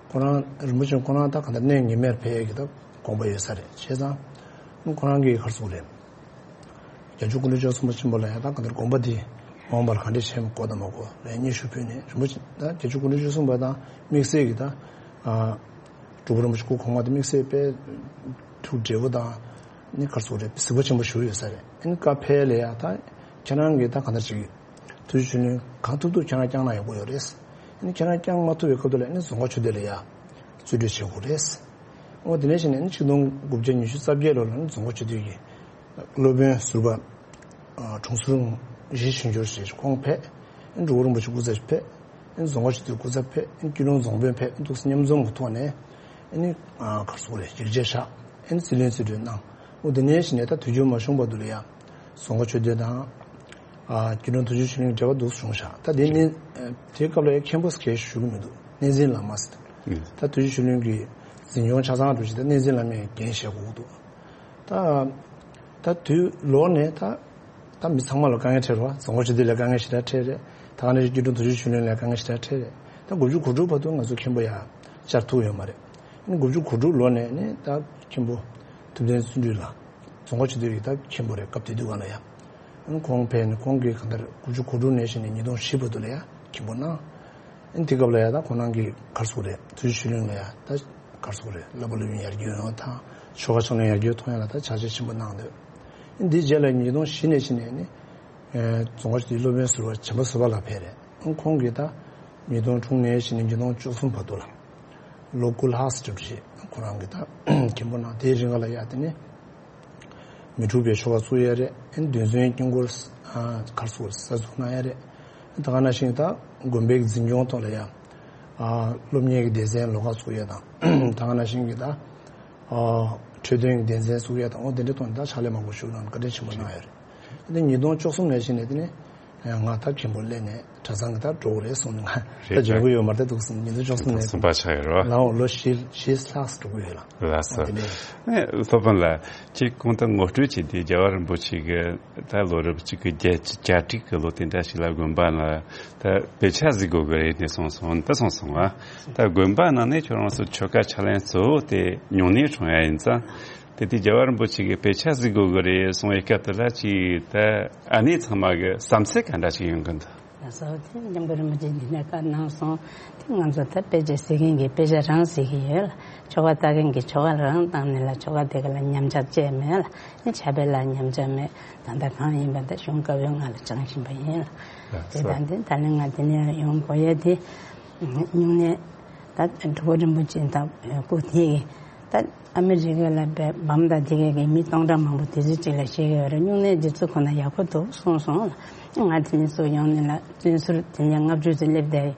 ཁོ་རང་རིན་པོ་ཆེ་ཁོ་རང་ད་ག་འདྲ་གནས་ངེས་མེད་ཕེབས་ཡས་ཀྱི་ད་དགོངས་པ་ཡོད་ས་རེད། བྱས་ཙང་ཁོ་རང་གི་ག་རེ་ཟེར་དགོས་རེད། རྒྱལ་མཆོག་སྐུ་ཕྲེང་བཅུ་གསུམ་པ་ཆེན་པོ་ལ་ཡ་ད་ག་འདྲ་དགོངས་པ་དེ་འོངས་པར་ག་འདྲ་བྱེད་དགོས་དང་མ་དགོས་ལ་སྙན་ཞུ་ཕུལ་ནས་རིན་པོ་ཆེ་ད་རྒྱལ་མཆོག་སྐུ་ཕྲེང་བཅུ་གསུམ་པ་དང་དམིགས་བསལ་གྱི་ད་སྤྲུལ་སྐུ་རིན་པོ་ཆེ་སྐུ་གོང་མ་དེ་དམིགས་བསལ་དཔེ་ཐུགས་འབྲེལ་པོ་དང་ནི་ག་རེ་ཟེར་དགོས་རེད། གཟིགས་པ་ཆེན་པོ་ཞུ་ཡོད་ས་རེད། ཨ་ནི་བཀའ་ཕེབས་ལ་ཡ་ད་ཁྱེད་རང་གིས་ད་ག་འདྲ་ཅིག་ཐུགས་རྗེ་ཆེན་པོ་གང་ཐུབ་ཐུབ་ཁྱེད་རང་བསྐྱངས་ན་ཡག་པོ་ཡོད་རེད། ཨ་ནི་ཁྱེད་རང་བསྐྱངས་མ་ཐུབ་པའི་སྐབས་དུ་ལ་ཨ་ནི་རྫོང་དཀར་ཆོས་སྡེ་ལ་ཡ་རྩིས་སྤྲོད་བྱེད་དགོས་རེད། འོ་དེ་ནས་བྱས་ནས་ཨ་ནི་ཆིག་སྟོང་དགུ་བརྒྱ་ཉི་ཤུ་རྩ་བརྒྱད་ལོ་ལ་ཨ་ནི་རྫོང་དཀར་ཆོས་སྡེ་གི་སློབ་དཔོན་ཟུར་པ་དྲུང་ཟུར་གཞི་ཆོས་འབྱོར་ཞེས་ཁོང་ཕེབས། ཨ་ནི་འབྲུག་པ་རིན་པོ་ཆེ་སྐུ་ཚབ་ཕེབས། ཨ་ནི་རྫོང་དཀར་ཆོས་སྡེ་སྐུ་ཚབ་ཕེབས། ཨ་ནི་སྐྱིད་གྲོང་རྫོང་དཔོན་ཕེབས། ཨ་ནི་འདུག་སེ་མཉམ་འཛོམས་ཀྱི་ཐོག་ནས་ཨ་ནི་ག་རེ་ཟེར་དགོས་རེད། ཡིག་ཆ་བཞག་ཨ་ནི་རྩིས་ལེན་རྩིས་སྤྲོད་གནང་། འོ་དེ་ནས་བྱས་ནས་ད་དུས་རྒྱུན་མ་བྱུང་བར་དུ་ལ་ཡ་རྫོང་དཀར་ཆོས་སྡེ་དང་། ཨ་སྐྱིད་གྲོང་དུས་རྒྱུན་ཆོས་གླིང་འབྲེལ་བ་འདུག་བྱུང་ཤག་ད་དེ་ནི་ཨ་དེའི་སྐབས་ལ་ཡ་མཁན་པོ་སྐད་ཞུ་གི་མི་འདུག་གནས་འཛིན་བླ་མ་ཟེར། ད་དུས་རྒྱུན་ཆོས་གླིང་གི་འཛིན་སྐྱོང་ཆ་ཚང་འགྲོ་ཆེད་ད་གནས་འཛིན་བླ་མས་འགན་བཞེས་དགོས་ཀྱི་འདུག་ད་ད་དུས་ལོག་ནས་ད་ད་མི་ཚང་མ་ལ་དཀའ་ངལ་འཕྲད་རེད་བ། རྫོང་དཀར་ཆོས་སྡེ་ལ་དཀའ་ངལ་ཞེ་དྲག་འཕྲད་རེད། ད་ག་ནང་བཞིན་སྐྱིད་གྲོང་དུས་རྒྱུན་ཆོས་གླིང་ལ་དཀའ་ངལ་ཞེ་དྲག་འཕྲད་རེད། ད་དགུ་བཅུ་གོ་དྲུག་བར་དུ་ང་ཚོ་མཁན་པོ་ཡ་བཅར་ཐུབ་ཡོད་མ་རེད། ཨ་ནི་དགུ་བཅུ་གོ་དྲུག་ལོ་ནས་ནི་ད་མཁན་པོ་ཐུབ་བསྟན་བརྩོན་འགྲུས་ལགས་རྫོང་དཀར་ཆོས་སྡེ་ཡི་ད་མཁན་པོ་རེད། སྐབས་དེ་དུས་ག་ལ་ཡ། ཨ་ནི་ཁོང་ཕེབས་ནས་ཁོང་གིས་གང་ལྟར་དགུ་བཅུ་གོ་དྲུག་ནས་བྱས་ནས་ཉིས་སྟོང་བཞི་བར་དུ་ལ་ཡ་མཁན་པོ་གནང་། ཨ་ནི་དེ་སྐབས་ལ་ཡ་ད་ཁོང་རང་གིས་ག་རེ་ཟེར་དགོས་རེད། དུས་རྒྱུན་ཆོས་གླིང་ལ་ཡ་ད་ག་རེ་ཟེར་དགོས་རེད། བསླབ་པ་སློབ་ཡོན་ཡར་རྒྱས་ཡོང་ཡ་དང་ཆོ་ག་ཕྱག་ལེན་ཡར་རྒྱས་གཏོང་ཡ་ལ་ད་ཕྱག་རྗེས་ཆེན་པོ་གནང་འདུག་ཨ་ནི་འདིའི་རྗེས་ལ་ཉིས་སྟོང་བཞི་ནས་བྱས་ནས་ནི་རྫོང་དཀར་ཆོས་སྡེའི་སློབ་དཔོན་ཟུར་པ་བྱམས་པ་བཟོད་པ་ལགས་ཕེབས་རེད། ཁོང་གིས་ད་ཉིས་སྟོང་དྲུག་ནས་བྱས་ནས་ཉིས་སྟོང་བཅུ་གསུམ་བར་དུ་ལ་ལོ་དགུ་ལྷག་ཙམ་བསྒྲུབས་རྗེས་ཁོ་རང་གིས་ད་མཁན་པོ་གནང་། དེའི་རིང་ག་ལ་ཡ་དེ་ནས་མི་འཁྲུགས་པའི་ཆོ་ག་བཙུགས་ཡ་རེད། ཨ་ནི་འདུལ་འཛིན་དཀྱིལ་འཁོར་ག་རེ་ཟེར་དགོས་རེད། གསར་འཛུགས་གནང་ཡ་རེད། ད་ག་ནང་བཞིན་ད་དགོན་པའི་འཛིན་སྐྱོང་ཐོག་ལ་ཡ་སློབ་གཉེར་གྱི་སྡེ་ཚན་ལོགས་ཀ་བཙུགས་ཡ་དང་། ད་ག་ནང་བཞིན་གྱི་ད་འཕྲོད་བསྟེན་གྱི་སྡེ་ཚན་བཙུགས་ཡ་དང་། འོ་དེ་འདྲའི་ཐོག་ནས་ད་ཕྱག་ལས་མང་པོ་ཞུ་གནང་བཀའ་དྲིན་ཆེན་པོ་གནང་ཡོད་རེད། དེ་ཉིས་སྟོང་བཅུ་གསུམ་ནས་བྱས་ནས་དེ་ནས་ང་ད་མཁན་པོ་སླེབས་ནས་གྲྭ་ཚང་གི་ད་འགྲོ་གི་རེད་གསུངས་ནས་ང་ད་རེད། འབྱོན་གྱི་ཡོད་མ་རེད། ད་འདུག་སེ་ཉིས་སྟོང་བཅུ་གསུམ་ནས་གསུམ་པ་ཆགས་ཡོད་རེད་བ། ལའོ་ལོ་བཞི་བཞི་ལྷག་འགྲོ་གི་ཡོད་ལ། ལགས་སོ། དེ་ནས་ཨེ་སློབ་དཔོན་ལགས། ཅིག་གོང་དུ་ངོ་སྤྲོད་བྱས་ཏེ་རྒྱལ་བ་རིན་པོ་ཆེ་གི་ད་ལོ་རབས་གཅིག་གི་བརྒྱད་ཅུ་གྱ་དྲུག་གི་ལོ་དེ་འདྲ་ཞིག་ལ་དགོན་པ་ནང་ད་དཔེ་ཆ་གཟིགས་དགོས་ཀྱི་རེད་ནས་གསུངས་སོང་། འདི་གསུངས་སོང་ང་། ད་དགོན་པ་ནང་ནས་ཁྱོད་རང་ཚོ་ཆོ་ག་ཕྱག་ལེན་གཙོ་བོ་དེ་སྨྱུང་གནས་སྲུང་ཡ་ཡིན་ཙང་། དེ་དུས་རྒྱལ་བ་རིན་པོ་ཆེ་གིས་དཔེ་ཆ་གཟིགས་དགོས་ཀྱི་རེད་གསུངས་པའི་སྐབས་དེ་ལ་ཅིག་ད་ཨ་ནེ་ཚང་མ་གི་བསམ་ཚུལ་ག་འདྲ་ཞིག་ཡོང་གི་འདུག་ལགས་སོ། དེ་སྐྱབས་མགོན་རིན་པོ་ཆེ་འདི་ནས་བཀའ་གནང་སོང་། དེ་ང་ཚོ་ད་དཔེ་ཆ་གཟིགས་མཁན་གྱིས་དཔེ་ཆ་རང་གཟིགས་ཀྱི་ཡོད་ལ། ཆོ་ག་ལྟ་མཁན་གྱིས་ཆོ་ག་རང་བཏང་ནས་ལ་ཆོ་ག་དེ་ག་ལ་ཉམས་ཆག་བཅས་མེད་ལ། ནི་ཕྱག་དཔེ་ལ་ཉམས་ཆག་མེད། ད་ལྟ་གང་ཡིན་པ་ད་གཞུང་བཀའ་པོད་ལྔ་ལ་སྦྱང་བཞིན་པ་ཡིན་ལ། དེ་ལགས་སོ། ད་འདི་ད་ལན་ང་དེ་ནས་ཡོང་དགོས་ཡས་དེ། སྨྱུང་གནས་ད་འབྲུག་པ་རིན་པོ་ཆེ་དང་སྐུ་དེ་ད་ཨ་མི་རི་ཀ་ལ་བའི་བམ་དང་དེ་གའི་གི་མི་སྟོང་ཕྲག་མང་པོ་དེ་ཚོའི་གཅིག་ལ་བཤད་ཀྱི་ཡོད་རེད། སྨྱུང་གནས་འདི་ཚོ་ཁོ་ན་ཡག་པོ་འདུག་གསུངས་སོང་ལ། ང་དེ་ནས་ཚུར་ཡོང་ནས་ལ་བཙོན་ཟུར་དེ་ནས་ལྔ་བཅུ་ཙམ་སླེབས་བསྡད་ཡོད།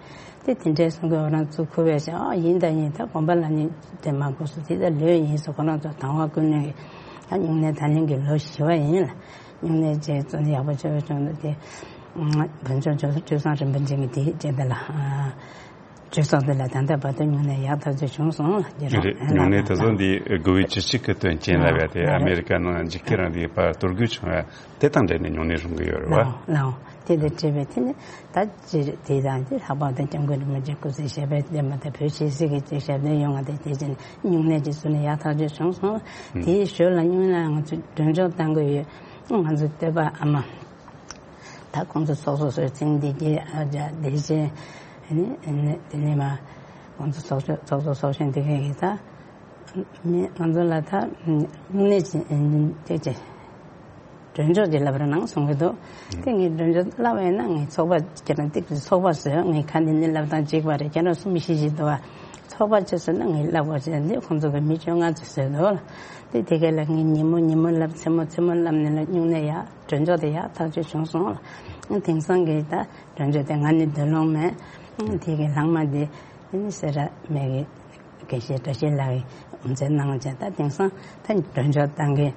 དེ་དེ་འདྲའི་གསུང་གི་འོ་རང་ཚུར་ཁུར་བས་བྱས། ཨ་ཡིན་ད་ཡིན། ད་དགོན་པ་ལ་ནི་དེ་མ་དགོས་སོ། དེ་ད་ལོས་ཡིན་ཟེར་ཁོ་རང་ཚོ་དང་བ་ཀུན་ནས་ཀྱི་ད་སྨྱུང་གནས་ད་ལན་གྱི་ལོ་བཞི་པ་ཡིན་ལ། སྨྱུང་གནས་བྱས་བཙོན་ཡག་པོ་བྱས་པ་བྱུང་འདུག་དེ་བོད་ལྗོངས་ཇོ་བོ་ཇོ་བཟང་རིན་པོ་ཆེ་གི་དེ་བྱས་ད་ལ། གྲོས་ཚོགས་འདི་ལ་ད་ལྟ་བར་དུ་སྨྱུང་གནས་ཡག་ཐག་ཆོད་བྱུང་སོང་ལ། རེད། སྨྱུང་གནས་དེ་ཚོ་འདི་དགུ་བའི་བཅུ་གཅིག་གི་དོན་རྐྱེན་ལ་བས་ཏེ་ཨ་མེ་རི་ཀ་ནང་འཇིགས་སྐུལ་རིང་ལུགས་པ་གཏོར་རྒོལ་བྱུང་བ་དེ་དང་འབྲེལ་ནས་སྨྱུང་གནས་སྲུང་གི་ཡོད་རེད་བ། ལའོ་ལའོ། དེ་དང་འབྲེལ་བའི་དེ་ནི་ད་ཅི་རེད། དེ་དང་དེ་ལྷག་པར་དུ་སྐྱབས་མགོན་རིན་པོ་ཆེ་སྐུ་ཚེ་ཞབས་པད་བརྟན་པ་དང་བོད་ཆོས་སྲིད་ཀྱི་ཅིག་ཞབས་བརྟན་ཡོང་བ་དང་དེ་བྱས་ནས་སྨྱུང་གནས་ཀྱི་ཚུལ་ནས་ཡག་ཐག་ཆོད་བྱུང་སོང་། དེའི་ཞོར་ལ་སྨྱུང་གནས་ང་ཚོས་མགྲོན་སྐྱོར་བཏང་གི་ཡོད། ང་ཚོ་སྟོད་པ་ཨ་མ། ད་ཁོང་ཚོ་ཚོགས་གཙོ་ཟུར་ཚེ་བདེ་རྒྱལ། ཨ་ཅག་བདེ་ཆེན། ཨ་ནི་ཨ་ནི་དེ་ནས་མ་ཁོང་ཚོ་ཚོགས་གཙོ་ཚོགས་གཙོ་ཚོགས་གཞོན་དེ་གས་ཀྱིས་ད་མི་ང་ཚོ་ལ་ད་སྨྱུང་གནས་ཀྱི་ཨ་ནི་དེ་ཅི་མགྲོན་སྐྱོར་ཅིག་ལབ་རོགས་གནང་གསུང་གི་འདུག་དེ་ངས་མགྲོན་སྐྱོར་ལབ་ཡོད་ན་ངས་ཚོགས་པ་ཁྱེད་རང་ཏིག་ཙམ་ཚོགས་པ་བཟོས། ངས་ཁ་འདི་ནས་ལབ་སྟངས་གཅིག་པ་རེད། ཁྱེད་རང་གསུམ་བཞི་ཞིག་འདུག་བ། ཚོགས་པ་བྱས་ཟེར་ན་ངས་ལབ་དགོས་ཟེར་ནས་ཁོང་ཚོ་གི་མི་བཅོ་ལྔ་ཙམ་བཟོས་འདུག་ལ། དེ་དེ་གས་ལ་ངས་ཉིན་མོ་ཉིན་མོ་ལབ། མཚན་མོ་མཚན་མོ་ལབ་ནས་ལ་སྨྱུང་གནས་ཡག་མགྲོན་སྐྱོར་དེ་ཡག་ཐག་ཆོད་བྱུང་སོང་ལ། དེང་སང་གི་ད་མགྲོན་ཆོག་དེ་ང་ནི་སྡོད་ལོང་མེད། དེ་གི་ལྷག་མ་དེ་དེ་ནི་སེ་ར་སྨད་ཀྱི་དགེ་བཤེས་བཀྲ་ཤིས་ལགས་ཀྱིས་དབུ་མཛད་གནང་བྱས། ད་དེང་སང་ད་མགྲོན་ཆོག་བཏང་གི་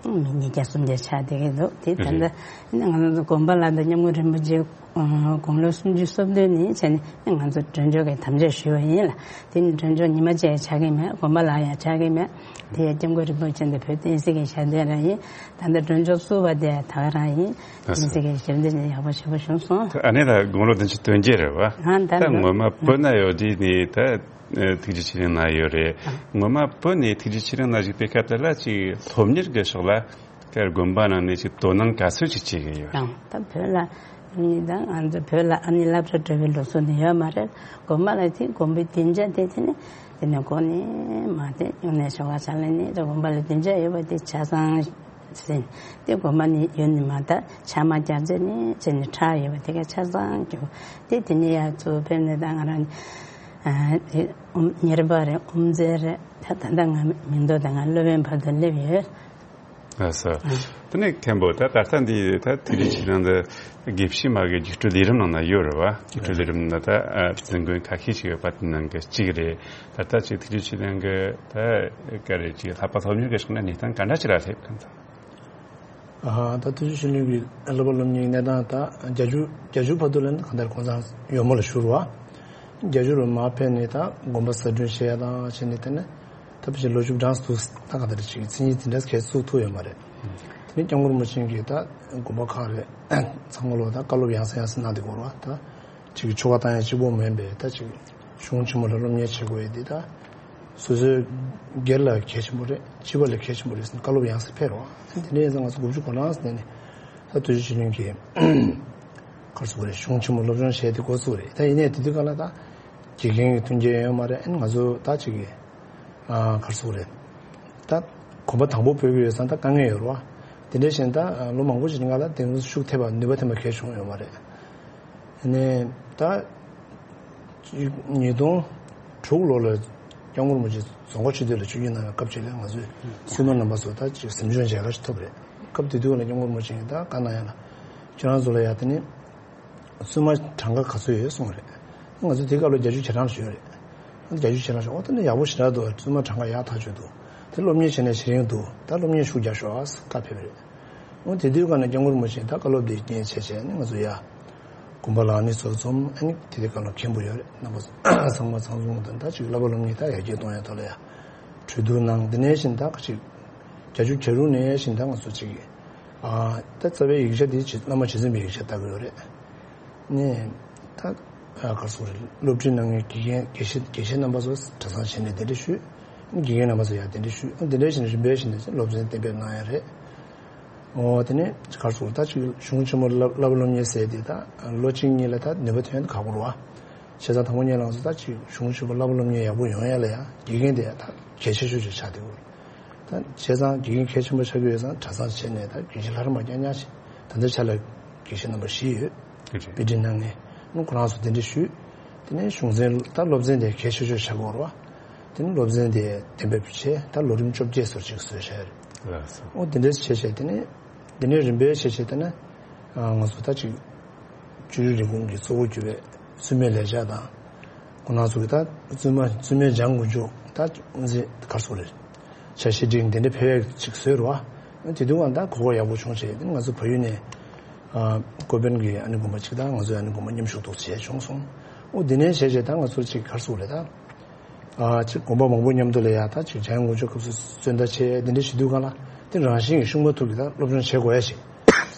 མི་ཉིས་བརྒྱ་སུམ་བརྒྱ་ཆགས་བསྡད་ཀྱི་འདུག་དེ་ད་ལྟ་ནི་ང་ཚོ་དགོན་པ་ལ་ད་སྐྱབས་མགོན་རིན་པོ་ཆེ་དགུང་ལོ་སུམ་ཅུ་སོ་བདུན་ནས་བྱས་ནས་ང་ཚོ་མགྲོན་ཆོག་གི་དམ་བཅའ་ཞུས་པ་ཡིན་ལ། དེ་ནི་མགྲོན་ཆོག་ཉི་མ་གཅིག་ཆགས་ཀྱི་མེད། དགོན་པ་ལ་ཡང་ཆགས་ཀྱི་མེད། དེ་ཡང་སྐྱབས་མགོན་རིན་པོ་ཆེ་འདི་བོད་བསྟན་སྲིད་ཀྱི་ཞབས་འདེགས་རང་ཡིན། ད་ལྟ་མགྲོན་ཆོག་བསུ་བ་དེ་ད་ག་རང་ཡིན། བསྟན་སྲིད་ཀྱི་ཞབས་འདེགས་ནི་ཡག་པོ་ཞེ་པོ་བྱུང་སོང་། ཨ་ནི་ད་དགུང་ལོ་བདུན་ཅུ་དོན་བརྒྱད་རེད་བ། ཨ་ད་ད་ངོ་མ་བོད་ན་ཡོད་དུས་ནི་ད་ཐུགས་རྗེ་ཆེ་གླིང་ན་ཡོད་རེད། ངོ་མ་བོད་ནས་ཐུགས་རྗེ་ཆེ་གླིང་ན་བཞུགས་པའི་སྐབས་དེ་ལ་ཅིག་སློབ་གཉེར་གྱི་ཕྱོགས་ལ་དེར་དགོན་པ་ནང་ནས་ཅིག་དོ་སྣང་ག་ཚོད་ཅིག་བྱེད་ཀྱི་ཡོད། ཡང་ད་བོད་ལ་ནི་ད་ང་ཚོ་བོད་ལ་ཨ་ནི་སློབ་གྲྭ་འགྲོ་བའི་ལུགས་སྲོལ་ནི་ཡོད་མ་རེད། དགོན་པ་ལ་དེ་དགོན་པའི་སྡིངས་ཆ་དེ་དེ་ནི་དེ་ནི་དགོན་ནས་མ་དེ་ཡོང་ནས་ཞོགས་ཀ་ཆ་ལ་ནི་དེ་དགོན་པ་ལ་སྡིངས་ཆ་ཡོད་པ་དེ་ཆ་ཚང་ཟིན། དེ་དགོན་པ་ནི་ཡོད་ནི་མ་ད་ཆ་མ་རྒྱག་རྗེས་ནི་བྱས་ནས་ཁྲག་ཡོད་པ་དེ་ག་ཆ་ཚང་རྒྱུག་དེ་དེ་ནི་ཡར་ཚུར་ཕེབས་ནས་ད་ང་རང་ཨ་དེ་ཨུམ་གཉེར་པ་རེད། དབུ་མཛད་རེད། ད་ད་ལྟ་ང་མིང་ཐོ་དང་ང་སློབ་དཔོན་བར་དུ་སླེབས་ཡོད། ལགས་སོ། དེ་ནས་མཁན་པོ་ད་ད་ལྟ་འདི་ད་ཐུགས་རྗེ་ཆེ་གླིང་འདི་དགེ་བཤེས་མ་གི་རྒྱུགས་སྤྲོད་ལས་རིམ་ནང་ན་ཡོད་རེད་བ། རྒྱུགས་སྤྲོད་ལས་རིམ་ནང་ད་ཨ་འཛིན་མགོན་ཁ་ཤས་ཤིག་ཡོད་པ་དེ་ནང་གི་གཅིག་རེད། ད་ལྟ་ཅིག་ཐུགས་རྗེ་ཆེ་གླིང་གི་ད་ག་རེ་ཅིག་བསླབ་པ་སློབ་གཉེར་གྱི་ཕྱོགས་ནས་གནས་སྟངས་ག་འདྲ་ཅིག་ལ་སླེབས་གང་ཐལ། ཨ་ད་ཐུགས་རྗེ་ཆེ་གླིང་གི་བསླབ་པ་སློབ་གཉེར་གནས་སྟངས་ད་བརྒྱད་ཅུ་བརྒྱད་ཅུ་བར་དུ་ལ་ནི་གང་ལྟར་གོང་ས་ཡོལ་མོ་ལ་བཞུགས་རེད་བ། བརྒྱད་ཅུ་རུ་མར་ཕེབས་ནས་ད་དགོན་པ་གསར་སྐྲུན་བྱས་ཡ་དང་བྱས་ནས་དེ་ནས། ད་ཕལ་ཆེར་ལོ་བཅུ་གྲངས་སུ་ད་ག་འདྲ་ཅིག་མཚན་ཉིད་དེ་འདྲ་གས་བཙུགས་ཐུབ་ཡོད་མ་རེད། དེ་ནས་སྐྱབས་མགོན་རིན་པོ་ཆེ་གིས་ད་དགོན་པ་ཁག་རེད་ཚང་མ་ལོ་ད་བཀའ་སློབ་ཡང་སེ་ཡང་སེ་གནང་བསྡད་ཡོད་རེད་བ། ད་ཅིག་ཆོ་ག་བཏང་ཡ་གཅིག་པོ་མིན་པའི་ད་ཅིག་གཞུང་ཆེན་མོ་ལ་སློབ་གཉེར་བྱེད་དགོས་ཡ་དེ་ད་སོ་སོའི་སྒེར་ལ་གལ་ཆེན་པོ་རེད། སྤྱི་པ་ལ་གལ་ཆེན་པོ་རེད་ཟེར་ནས་བཀའ་སློབ་ཡང་སེ་ཕེབས་རེད་བ། དེ་ནས་ཡིན་ཙང་ང་ཚོ་དགུ་བཅུ་གོ་གྲངས་ཟེར་ནས་ད་ཐུགས་རྗེ་ཆེ་གླིང་གིས་ག་རེ་ཟེར་དགོས་རེད། གཞུང་ཆེན་མོ་སློབ་སྦྱོང་བྱས་ཏེ་འགོ་བཙུགས་རེད། ད་ཡིན་ནའི་དེ་དུས་སྒང་ལ་ད་དགེ་རྒན་གྱི་མཐུན་རྐྱེན་ཡོད་མ་རེད། ཨ་ནི་ང་ཚོ་ད་ཅིག་གི་ཨ་ག་རེ་ཟེར་དགོས་རེད། ད་གོམ་པ་དང་པོ་སྤོ་གི་ཡོད་ཙང་ད་དཀའ་ངལ་ཡོད་རེད་བ། དེ་འདྲ་བྱས་ནས་ད་ལོ་མང་པོ་ཞིག་སྔ་ལ་དེང་ཤུགས་ཐེབས་པ་ནུས་པ་ཐེབས་པ་གལ་བྱུང་ཡོད་མ་རེད། ཨ་ནི་ད་ཉིས་སྟོང་དྲུག་ལོ་ལ་སྐྱབས་མགོན་རིན་པོ་ཆེ་རྫོང་དཀར་ཆོས་སྡེ་ལ་ཆིབས་བསྒྱུར་གནང་བའི་སྐབས་ཅིག་ལ་ང་ཚོས་སྲུང་མ་རྣམ་པ་ཚོ་ད་ཅིག་གཟིམ་ཆུང་མཇལ་ཁ་ཞིག་ཐོབ་རེད། སྐབས་དེ་དུས་ལ་སྐྱབས་མགོན་རིན་པོ་ཆེ་གིས་ད་བཀའ་གནང་ཡ་ལ་ཁྱེད་རང་ཚོ་ལ་ཡ་དེ་ནི་བཙུན་མ་གྲངས་ཀ་ག་ཚོད་ཡོད་གསུངས་རེད། ང་ཚོ་དེ་སྐབས་ལ་བརྒྱད་ཅུ་གྱ་གྲངས་ཞིག་ཡོད་རེད། བརྒྱད་ཅུ་གྱ་གྲངས་ཞིག་འོ་ད་ནི་ཡག་པོ་ཞེ་དྲག་འདུག་བཙུན་མ་གྲངས་ཀ་ཡག་ཐག་ཆོད་འདུག་དེ་སློབ་གཉེར་བྱས་ནས་བྱེད་རིང་འདུག་ད་སློབ་གཉེར་ཤུགས་རྒྱག་ཤོག་ཨ་བཀའ་ཕེབས་རེད། འོ་དེ་དུས་ཀ་ནས་སྐྱབས་མགོན་རིན་པོ་ཆེས་ད་བཀའ་སློབ་འདི་རྐྱེན་བྱས་བྱས་ནས་ང་ཚོ་ཡ་དགོན་པ་ལ་ནི་ཚོ་འཛོམས། ཨ་ནི་དེ་དུས་ཀ་ལ་མཁན་པོ་ཡོད་རེད། རྣམ་པ་ཚང་མ་ཚང་འཛོམས་དང་ད་ཅིག་བསླབ་པ་སློབ་གཉེར་ད་ཡར་རྒྱས་གཏོང་ཡ་ཐོག་ལ་ཡ་གྲོས་བསྡུར་གནང་། འདི་ནས་བཞིན་ད་ཅིག་བརྒྱད་ཅུ་གྱ་དྲུག་ནས་བཞིན་ད་ང་ཚོ་ཅིག་ཨ་ད་རྩ་བའི་ཡིག་ཆ་འདི་ཅིག་བླ་མ་རྗེ་བཙུན་པའི་ཡིག་ཆ་ལྟ་གི་ཡོད་རེད། ནས་ད་ཨ་ག་རེ་ཟེར་དགོས་རེད། སློབ་ཁྲིད་གནང་མཁན་དགེ་རྒན་དགེ་བཤེས་དགེ་བཤེས་རྣམ་པ་ཚོ་གྲྭ་ཚང་བྱས་ནས་གདན་འདྲེན་ཞུས། དགེ་རྒན་རྣམ་པ་ཚོ་ཡང་གདན་འདྲེན་ཞུས། འདི་འདྲ་བྱས་ནས་རིམ་པས་བྱས་ནས་སློབ་ཚན་གཏན་འབེབས་གནང་ཡ་རེད། འོ་དེ་ནས་ག་རེ་ཟེར་དགོས་རེད། ད་ཅིག་གཞུང་ཆེན་མོ་བསླབ་བསླབ་པ་སློབ་གཉེར་ཟེར་དེ་ད་ལོ་གཅིག་གཉིས་ལ་ད་ནུས་པ་ཐོན་ཁག་པོ་རེད་བ། བྱས་ཙང་དང་པོ་ཉིད་ལ་ང་ཚོ་ད་ཅིག་གཞུང་ཆེན་མོ་བསླབ་པ་སློབ་གཉེར་ཡག་པོ་ཡོང་ཡ་ལ་ཡ་དགེ་རྒན་དེ་ད་གལ་ཆེ་ཤོས་ཅིག་ཆགས་བསྡད་ཡོད་རེད། ད་བྱས་ཙང་དགེ་རྒན་གལ་ཆེན་པོ་ཆགས་ཀྱི་ཡོད་ཙང་གྲྭ་ཚང་བྱས་ནས་ད་དགེ་བཤེས་ལྷ་རམས་པ་རྐྱང་རྐྱང་ཞིག་ད་ལྟའི་ཆ་ལ་དགེ་བཤེས་རྣམ་པ་བཞི་ཡོད། དེ་རེད། དཔེ་ཁྲིད་གནང་མཁན་ནི་ཁོ་རང་ཚོ་གདན་འདྲེན་ཞུས། དེ་ནས་གཞུང་ཚན་ད་སློབ་ཚན་དེ་གལ་ཆེ་ཤོས་ཆགས་ཀྱི་ཡོད་རེད་བ། དེ་ནས་སློབ་ཚན་དེ་གཏན་འབེབས་བྱས། ད་ལོ་རིམ་བཅོ་བརྒྱད་བཟོ་ཅིག་བཟོས་བཞག་རེད། ལགས་སོ། འོ་དེ་འདྲས་བྱས་བྱས་དེ་ནས་དེ་ནས་རིམ་པས་བྱས་བྱས་དེ་ནས་ང་ཚོ་ད་ཅིག་བཅུ་དྲུག་རིན་གོང་གི་གཙོ་བོ་གྱུར་པའི་བཙུན་མའི་ལས་བྱ་དང་། ཁོང་རྣམ་ཚོ་གི་ད་བཙུན་མ་བཙུན་མའི་སྦྱང་དགོས་རྒྱུ་ད་འཛིན་ག་རེ་ཟེར་དགོས་རེད། འཆར་གཞི་བསྒྲིགས་འདི་འདྲ་ཕེབས་ཡག་ཅིག་བཟོས་རེད་བ། དེ་དུས་ང་ད་གོ་སྐབས་ཡག་པོ་བྱུང་བྱས་དེ་ང་ཚོ་བལ་ཡུལ་ནས་ཨ་ཀོ་པན་གྱི་ཨ་ནི་དགོན་པ་ཅིག་དང་ང་ཚོའི་ཨ་ནི་དགོན་པ་མཉམ་ཞུགས་འདུག་བྱས་བྱུང་སོང་། འོ་འདི་ནས་བྱས་བྱས་ད་ང་ཚོ་ཅིག་ག་རེ་ཟེར་དགོས་རེད། ད་ཨ་ཅིག་དགོན་པ་མང་པོ་མཉམ་དུ་ལ་ཡ་ད་ཅིག་སྦྱང་དགོས་རྒྱུ་སྐབས་སུ་བརྩོན་ཟླ་བྱས་འདི་འདྲ་བྱེད་དུས་སྒང་ལ་དེ་རང་བཞིན་གྱི་ཤུགས་མ་ཐུག་གི་ད་སློབ་སྦྱོང་བྱེད་དགོས་ཡ་ཞིག་